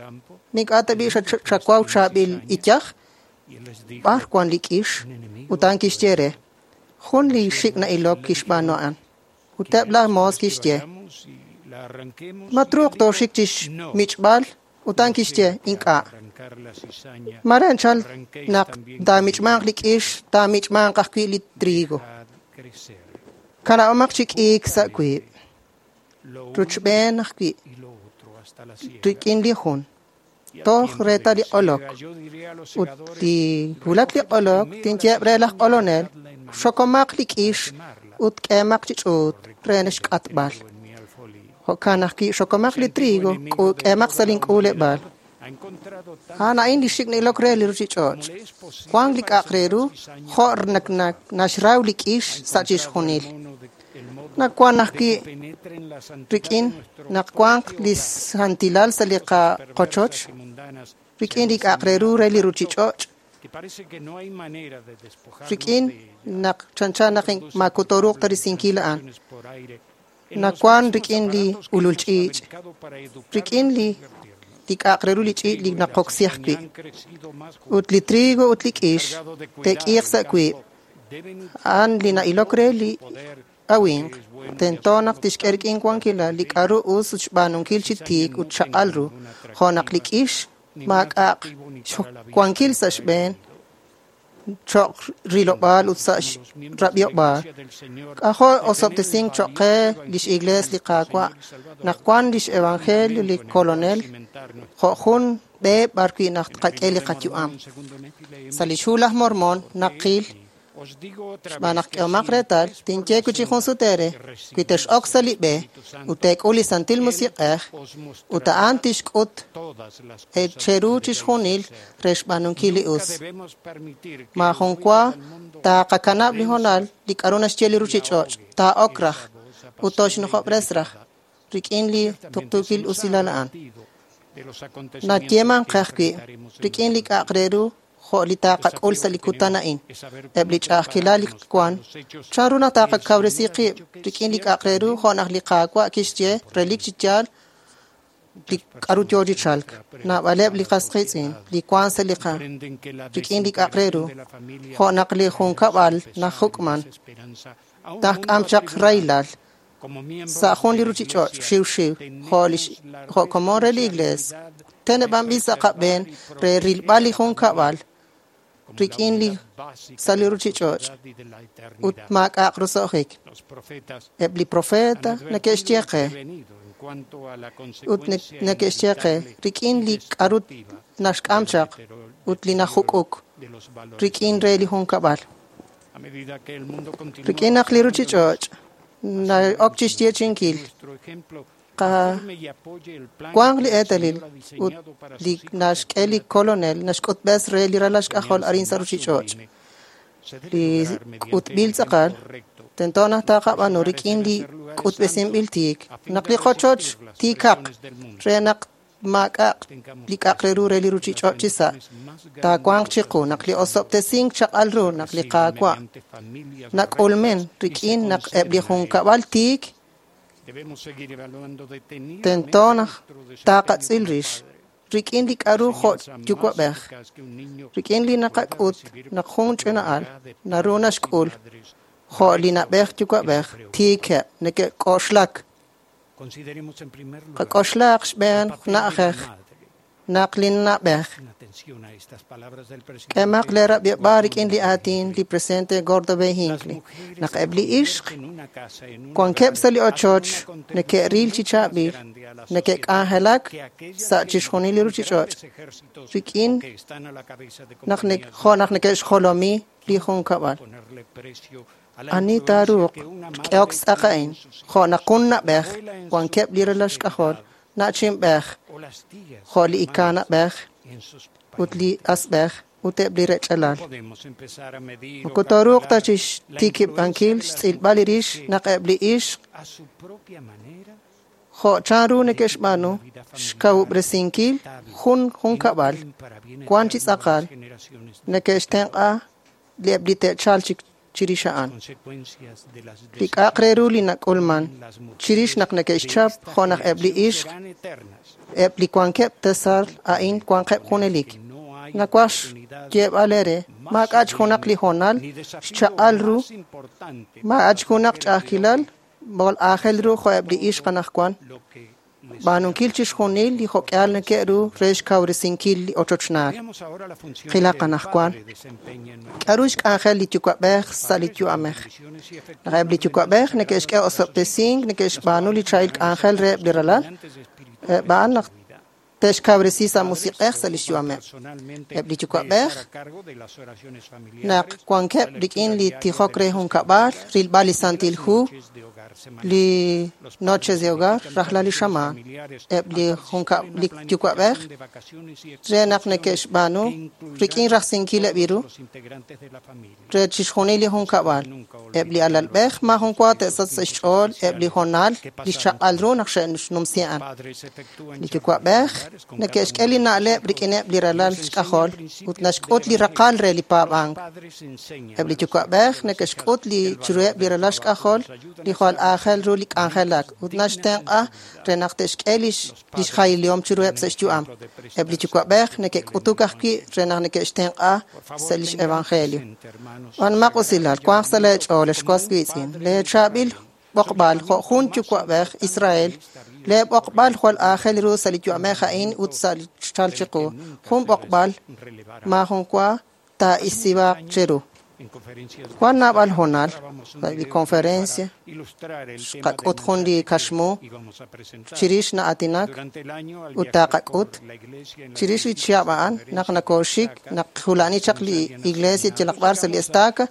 S18: ink'a' tab'i' xawaw chaab'il iyaj, b'ar wan li k'ix? Ut a'an kixye re, jun li xik' na'ilok kixb'aanu a'an. Ut eb' laj moos kixye, ma truuq tooxik chi xmich'b'al? Ut a'an kixye, ink'a'. Mare anchal naq taamich'manq li k'ix, taamich'manq ajwi' li trigo. Kanab'omaq chi k'iik sa' wiib', ruchb'een ajwi' rik'in li jun. Toj reetal li q'olok. Ut li wulak li q'olok, tinyeb' re laj q'olonel, xokomaq li k'ix ut k'eemaq chi ch'uut re xk'atb'al. Jo'kan ajwi' xokomaq li trigo, k'eemaq sa' link'uuleb'aal. A'an a'in li xik' na'ilok re li ruchich'och'. Wank li k'a'aq re ru jo' naxraw li k'ix sa' chixjunil. Nawan ajwi' rik'in naq wanq li santilal sa' li qochoch, rik'in li k'a'aq re ru re li ruchich'och', rik'in naq chanchan naq makutoruuq ta risinkil a'an. Nawan rik'in li ulul ch'iich', rik'in li k'a'aq re ru li ch'iich' li naqoksi ajwi'. Ut li trigo ut li k'ix te'k'iiq sa' wiib'. A'an li na'ilok re li awinq, tento naq tixk'e rik'in wankilal li k'a'ru us ut xb'aanunkil chi tiik ut chaq'al ru, jo' naq li k'ix maak'a'aq xwankil sa' xb'een cho'q rilob'aal ut sa' xrab'iob'aal. K'ajo' osob'tesink cho'q qe lix Iglees li Qaawa' naq wan lix Evangelio li Kolonel jo' jun b'e b'ar wi' naq tqak'e li qayu'am. Sa' lix hu laj Mormon naqil xb'aan naq k'ehomaq reetal, tinye wi' chi jun sut eere, wi tex'ok sa' li b'e ut teek'ul li Santil Musiq'ej, ut a'an tixk'ut cheru chixjunil re xb'aanunkil li us. Maajun wa taqakanab' li hoonal li k'a'ru naxye li ruchich'och', taa'ok raj ut toxnujob'res raj rik'in li tuqtuukil usilal a'an. Nayeeman qe ajwi' rik'in li k'a'aq re ru jo' li taqak'ul sa' li kutan a'in. Eb' li ch'a'ajkilal li wan, chan ru naq taqakawresi qib' rik'in li k'a'aq re ru jo' naq li Qaawa' kixye relik chi yaal li k'a'ru yoo chi chalk. Naab'aleb' li qas qiitz'in li wan sa' li qa rik'in li k'a'aq re ru, jo' naq li junkab'al najuk'man, tajk'am chaq rahilal sa' jun li ruchich'och' xiwxiw jo' komon re li Iglees. Teneb'anb'il sa' qab'een re rilb'al li junkab'al rik'in li sa' li ruchich'och' ut maak'a'aq roso'jik. Eb' li profeta neke'xye qe ut neke'xye qe rik'in li k'a'ru naxk'am chaq ut li najuk'uk rik'in re li junkab'al. Rik'in naq li ruchich'och' na'ok chixyeechi'inkil wanq li eetalil ut li naxk'e li Kolonel naxk'utb'es re li ralal xk'ajol arin sa' ruchich'och'. Li k'utb'il tz'aqal tento naq taqab'aanu rik'in li k'utb'esinb'il tiik, naq li qochoch tiikaq re naq maak'a'aq li k'a'aq re ru re li ruchich'och' chi sa' taawanq chiqu naq li osob'tesink chaq'al ru naq li Qaawa' nak'ulmen rik'in naq eb' li junkab'al tiik tento naq taqatz'il rix rik'in li k'a'ru jo' yuwa'b'ej, rik'in li naqak'ut naq jun ch'ina'al naru naxk'ul jo' li na'b'ej yuwa'b'ej tiikeb' neke'k'oxlak. Qak'oxlaq xb'een na'ajej naq li na'b'ej. K'emaq lee rab'ib'aal rik'in li aatin li presidente Gordon B. Hinckley. Naq eb' li ixq wankeb' sa' li ochoch neke'ril chi chaab'il, neke'k'anjelak sa' chixjunil li ruchich'och' rik'in naq jo' naq neke'xjolomi li junkab'al. Ani taaruuq k'ehok tz'aq a'in jo' naq jun na'b'ej wankeb' li ralal xk'ajol na'chinb'ej jo' li ika na'b'ej ut li asb'ej ut eb' li rech'alal. Moko tooruuq ta chixtikib'ankil xtz'ilb'al li rix naq eb' li ixq jo' chanru neke'xb'aanu xkawub'resinkil jun junkab'al wan chi tz'aqal neke'xtenq'a li eb' li te'chalq chirix a'an. Li k'a'aq re ru li nak'ulman chirix naq neke'xchap jo' naq eb' li ixq eb' li wankeb' tasal a'in wanqeb' junelik. Nawaj xyeeb'al eere maak'a' junaq li hoonal xchaq'al ru, maak'a' junaq ch'a'ajkilal b'ol aajel ru jo' eb' li ixq anaqwan. B'aanunkil chixjunil li jo'k'ihal neke'ru re xkawresinkil li ochochnaal. Qilaq anaqwan k'a'ru xk'anjel li yuwa'b'ej sa' li yu'amej. Naq eb' li yuwa'b'ej neke'xk'e osob'tesink, neke'xb'aanu li chaab'il k'anjel reheb' li ralal, eb' a'an naq te'xkawresi sa' musiq'ej sa' lix yu'ameb'. Eb' li yuwa'b'ej naq wankeb' rik'in li tijok re junkab'al, rilb'al li Santil Hu, li noches de hogar, rajlal li xamaan. Eb' li yuwa'b'ej re naq neke'xb'aanu rik'in rajsinkileb' ru re chixjunil li junkab'al. Eb' li alalb'ej maajun wa te'sachq sa' xch'ool eb' li hoonal li xchaq'al ru naq xe'xnumsi a'an. Li yuwa'b'ej neke'xk'e li na'leb' rik'ineb' li ralal xk'ajol ut naxk'ut li raqal re li paab'ank. Eb' li yuwa'b'ej neke'xk'ut li chiruheb' li ralal xk'ajol li jwal aajel ru li k'anjelak ut naxtenq'a re naq te'xk'e lix jailihom chiruheb' sa' xyu'am. Eb' li yuwa'b'ej neke'k'utuk ajwi' re naq neke'xtenq'a sa' lix evangelio. B'anmaq usilal, wanq sa' lee ch'ool, ex was wiitz'in, lee chaab'il b'oqb'al jo' jun yuwa'b'ej Israel, lee b'oqb'al jwal aajel ru sa' li yu'amej a'in ut sa' li xchal chiqu. Jun b'oqb'al maajun wa taa'isibaaq cheru. Wan naab'al hoonal sa' li conferencia xqak'ut jun li kaxmu chirix na'aatinak ut taqak'ut chirix li chihab' a'an naq nakooxik naq jula'ani chaq li iglesia yalaq b'ar sa' li estaca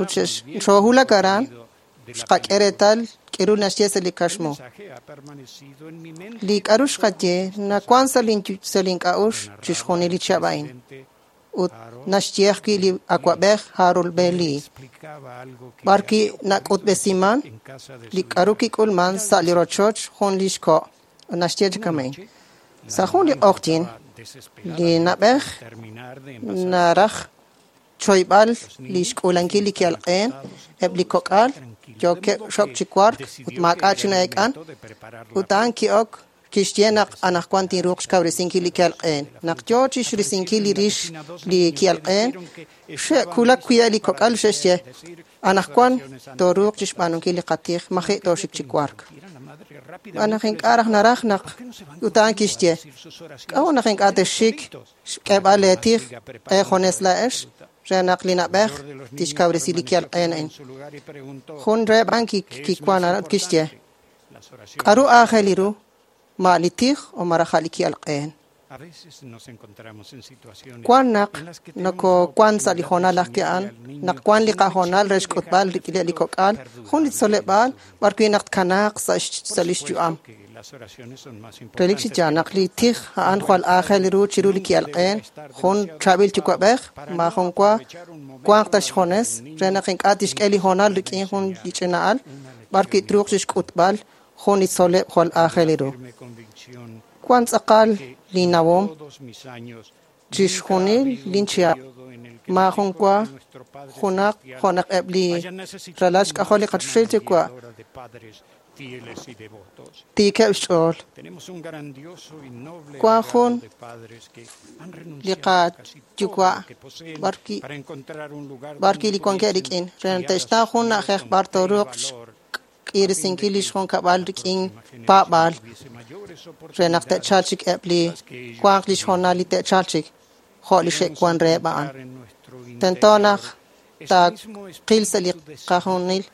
S18: ut xoohulak aran xqak'e reetal k'eru naxye sa' li kaxmu. Li k'a'ru xqaye nawan sa' link'a'uxl chixjunil li chihab' a'in. Ut naxye ajwi' li awa'b'ej Harold B. Lee. B'ar ki nak'utb'esiman li k'a'ru kik'ulman sa' li rochoch jun li xko' naxye chi kama'in. Sa' jun li q'oqyin Li na'b'ej naraj choyb'al li xk'uulankil li ki'alq'een, eb' li kok'al yookeb' xok chi wark ut maak'a' chi na'eek'an, ut a'an ki'ok kixye naq anaqwan tinruuq xkawresinkil li ki'alq'een. Naq yoo chixrisinkil li rix li ki'alq'een, xe'kulak wi'eb' li kok'al xe'xye, anaqwan tooruuq chixb'aanunkil li qatij, maji' tooxik chi wark. Xb'aan naq ink'a' raj naraj naq ut a'an kixye, k'a'ut naq ink'a' texxik xk'eeb'al leetij eejunes laa'ex re naq li na'b'ej tixkawresi li ki'alq'een a'in. Jun reheb' a'an kiwan aran ut kixye, k'aru aajel ru, ma li tij o malaj a' li ki'alq'een. Wan naq nokowan sa' li hoonal ajwi' a'an, naq wan li qahoonal re xk'utb'al rik'ineb' li kok'al, jun li tzoleb'aal b'ar wi' naq tkanaaq sa' lix yu'am. Relik chi yaal naq li tij a'an jwal aajel ru chiru li ki'alq'een, jun chaab'il yuwa'b'ej maajun wa wanq ta xjunes re naq ink'a' tixk'e li hoonal rik'in jun li ch'ina'al b'ar wi' truuq chixk'utb'al jun li tzoleb' jwal aajel ru. Wan tz'aqal li nawom chixjunil linchihab', maajun wa junaq jo' naq eb' li ralal xk'ajol li qachoxahil yuwa' tiikeb' xch'ool. Wan jun li qayuwa' b'ar wi' li wankeb' rik'in re naq te'xtaw jun na'ajej b'ar tooruuq xk'irisinkil lix junkab'al rik'in paab'aal re naq te'chalq chik eb' li wanq lix hoonal li te'chalq chik jo' li xe'wan reheb' a'an. Tento naq taaqil sa' li qajunil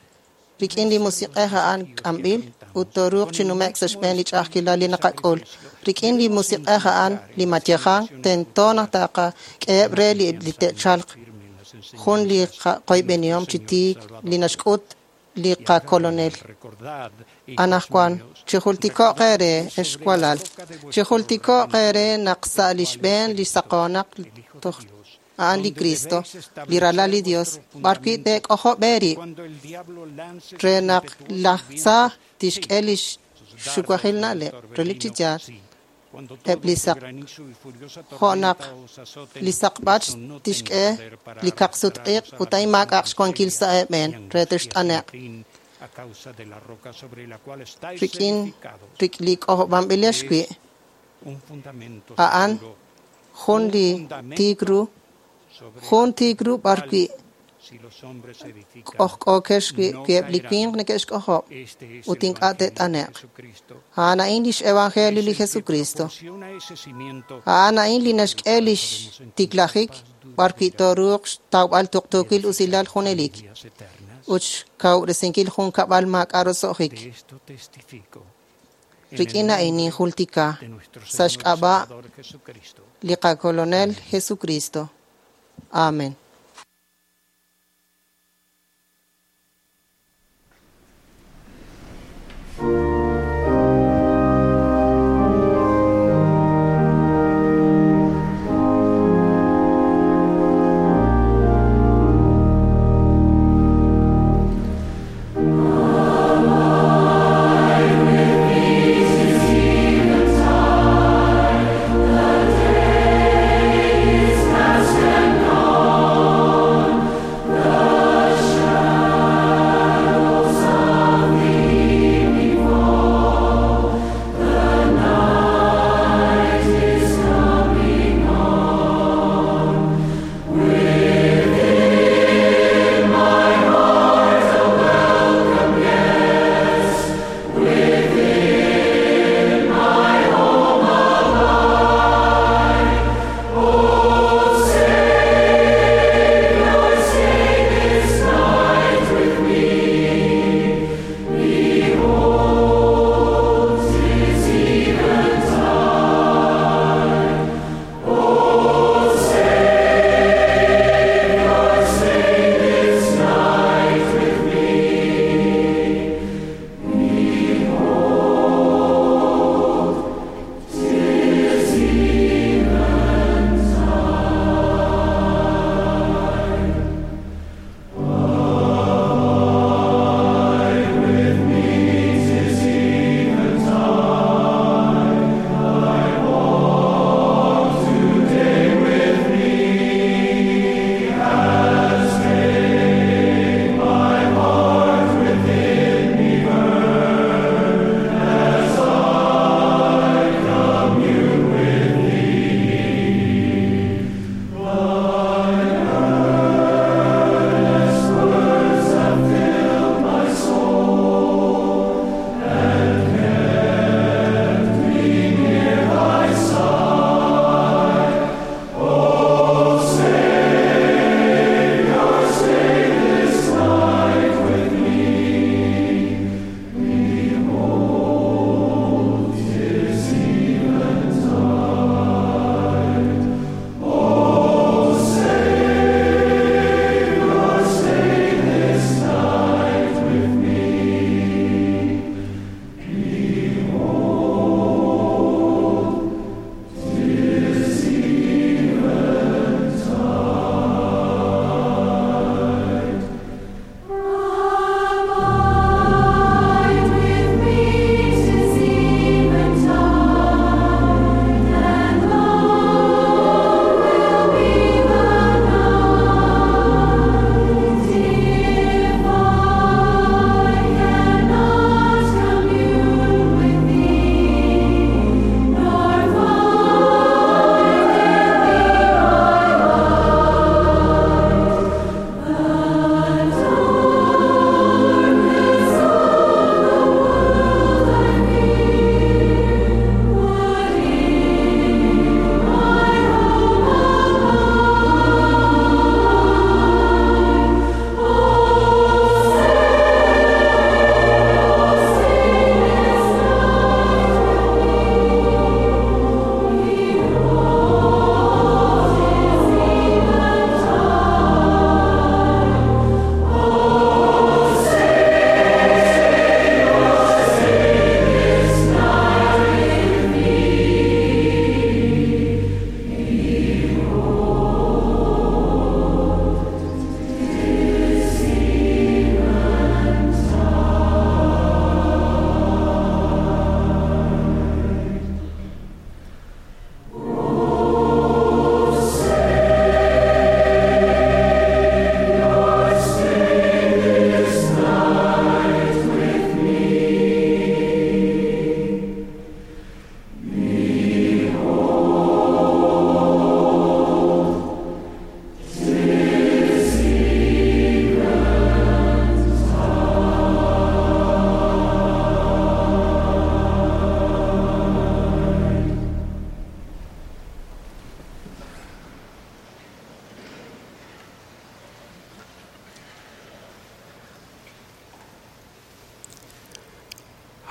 S18: rik'in li musiq'ej a'an k'amb'il ut tooruuq chi nume'k sa' xb'een li ch'a'ajkilal li naqak'ul. Rik'in li musiq'ej a'an li mayejan, tento naq taqak'eheb' re li te'chalq jun li qoyb'enihom chi tiik li naxk'ut li qakolonel. Anaqwan, chijultiko'q eere, ex walal, chijultiko'q eere naq sa' li xb'een li saqoonaq toj a'an li Cristo, li ralal li Dios, b'ar wi' teek'ojob' eerib' re naq laj tza tixk'e lix xuwajil na'leb', relik chi yaal, eb' li saq jo' naq li saqb'ach tixk'e li kaqsut-iq' ut a'in maak'a'aq xwankil sa' eeb'een re text'ane'q. Rik'in li k'ojob'anb'ilex wi' a'an jun li tiik ru, jun tiik ru b'ar wi' k'ojk'ookex wi' eb' li winq neke'xk'ojob' ut ink'a' te't'ane'q. A'an a'in lix evangelio li Jesucristo. A'an a'in li naxk'e lix tiklajik b'ar wi' tooruuq xtawb'al tuqtuukil usilal junelik ut xkawresinkil jun kab'al maak'a' roso'jik. Rik'in a'in ninjultika sa' xk'ab'a' li qakolonel Jesucristo. Amen.
S19: The day is past and gone.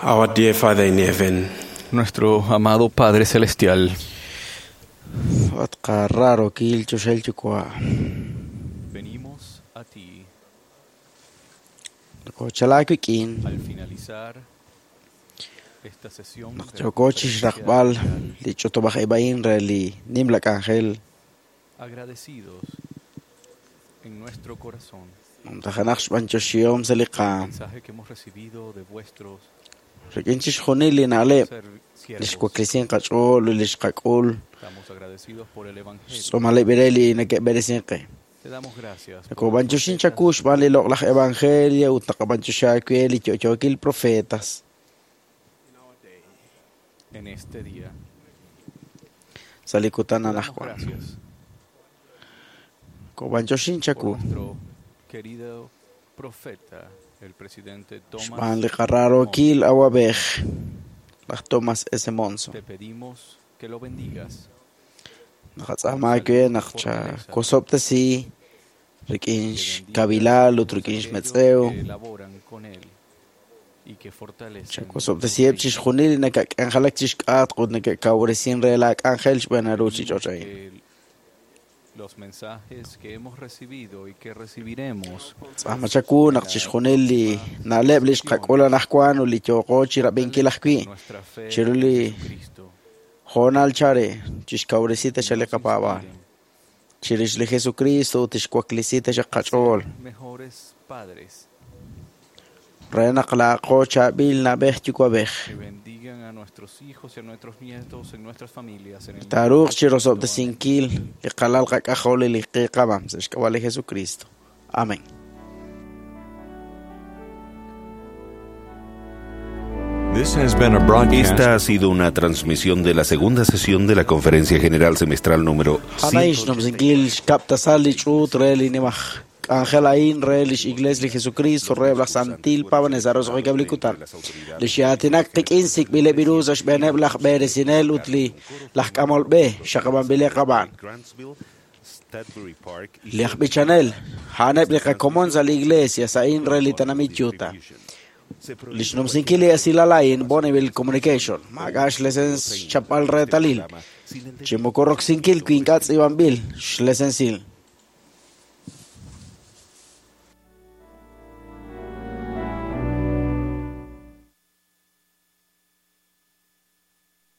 S11: Our dear Father in heaven,
S8: Nuestro amado Padre Celestial,
S10: At qarrarookil choxahil yuwa'.
S8: venimos a ti
S10: Nokochalak wik'in
S8: al finalizar esta sesión
S10: naq
S8: de
S10: yooko chixraqb'al li ch'utub'aj-ib' a'in re li nimla k'anjel
S8: agradecidos en nuestro corazón
S10: numtajanaq xb'anyoxihom sa' li qaam
S8: mensaje que hemos recibido de vuestros
S10: rik'in chixjunil li na'leb' li xwaklisin qach'ool ut li xqak'ul
S8: estamos agradecidos por el evangelio
S10: xtz'uumaleb' re li neke'b'eresin qe.
S8: te damos gracias por
S10: Nakob'anyoxin chaku xb'aan li loq'laj evangelio ut naqab'anyoxi aawe li yo'yookil profetas
S8: en este día
S10: sa' li kutan
S8: Te damos
S10: anajwan.
S8: gracias
S10: Kob'anyoxin
S8: por
S10: chaku
S8: nuestro querido profeta el presidente Thomas
S10: xb'aan li qarrarookil awab'ej laj Thomas S. Monson.
S8: te pedimos que lo bendigas
S10: Naqatz'aama aawe naq chakosob'tesi rik'in xkawilaal ut rik'in xmetz'ew
S8: que laboran con él y que fortalecen
S10: chakosob'tesiheb' chixjunil li nakak'anjelak chixk'atq ut neke'kawresin re laak'anjel xb'aan ruuchich'och' a'in.
S8: que los mensajes que hemos recibido y que recibiremos
S10: Tz'aama chaku naq chixjunil li na'leb' li xqak'ul anajwan ut li yooqo chirab'inkil ajwi'
S8: nuestra fe
S10: chiru
S8: en
S10: li
S8: Jesucristo
S10: hoonal chare chixkawresi taxaq li qapaab'aal chirix li Jesucristo ut tixwaklisi taxaq qach'ool
S8: mejores padres
S10: re naq laaqo chaab'il na'b'ej yuwa'b'ej
S8: que bendigan a nuestros hijos y a nuestros nietos en nuestras familias en el nombre
S10: taaruuq
S8: de
S10: chirosob'tesinkil li qalal qak'ajol li qiiqab'am sa' xk'ab'a' li Jesucristo. Amén.
S1: Esta ha sido una transmisión de la segunda sesión de la Conferencia General Semestral número
S10: A'an xnumsinkil xkab' tasal li ch'uut re li nimaj k'anjel a'in re lix Iglesia li Jesucristo re laj Santil Paab'anel sa' roso'jikeb' li kutan. Li xe'aatinak qik'in sik'b'ileb' ru sa' xb'eeneb' laj b'eresinel ut li laj k'amol b'e xaqab'anb'ileb' qab'aan. Li aj b'ichanel a'aneb' li qakomon sa' li Iglesia sa'in re li tenamit Utah. Li xnumsinkil li esilal a'in Bonneville Communication maak'a' xlesens xchapb'al reetalil chi moko roksinkil wi ink'a' tz'iib'anb'il xlesensil.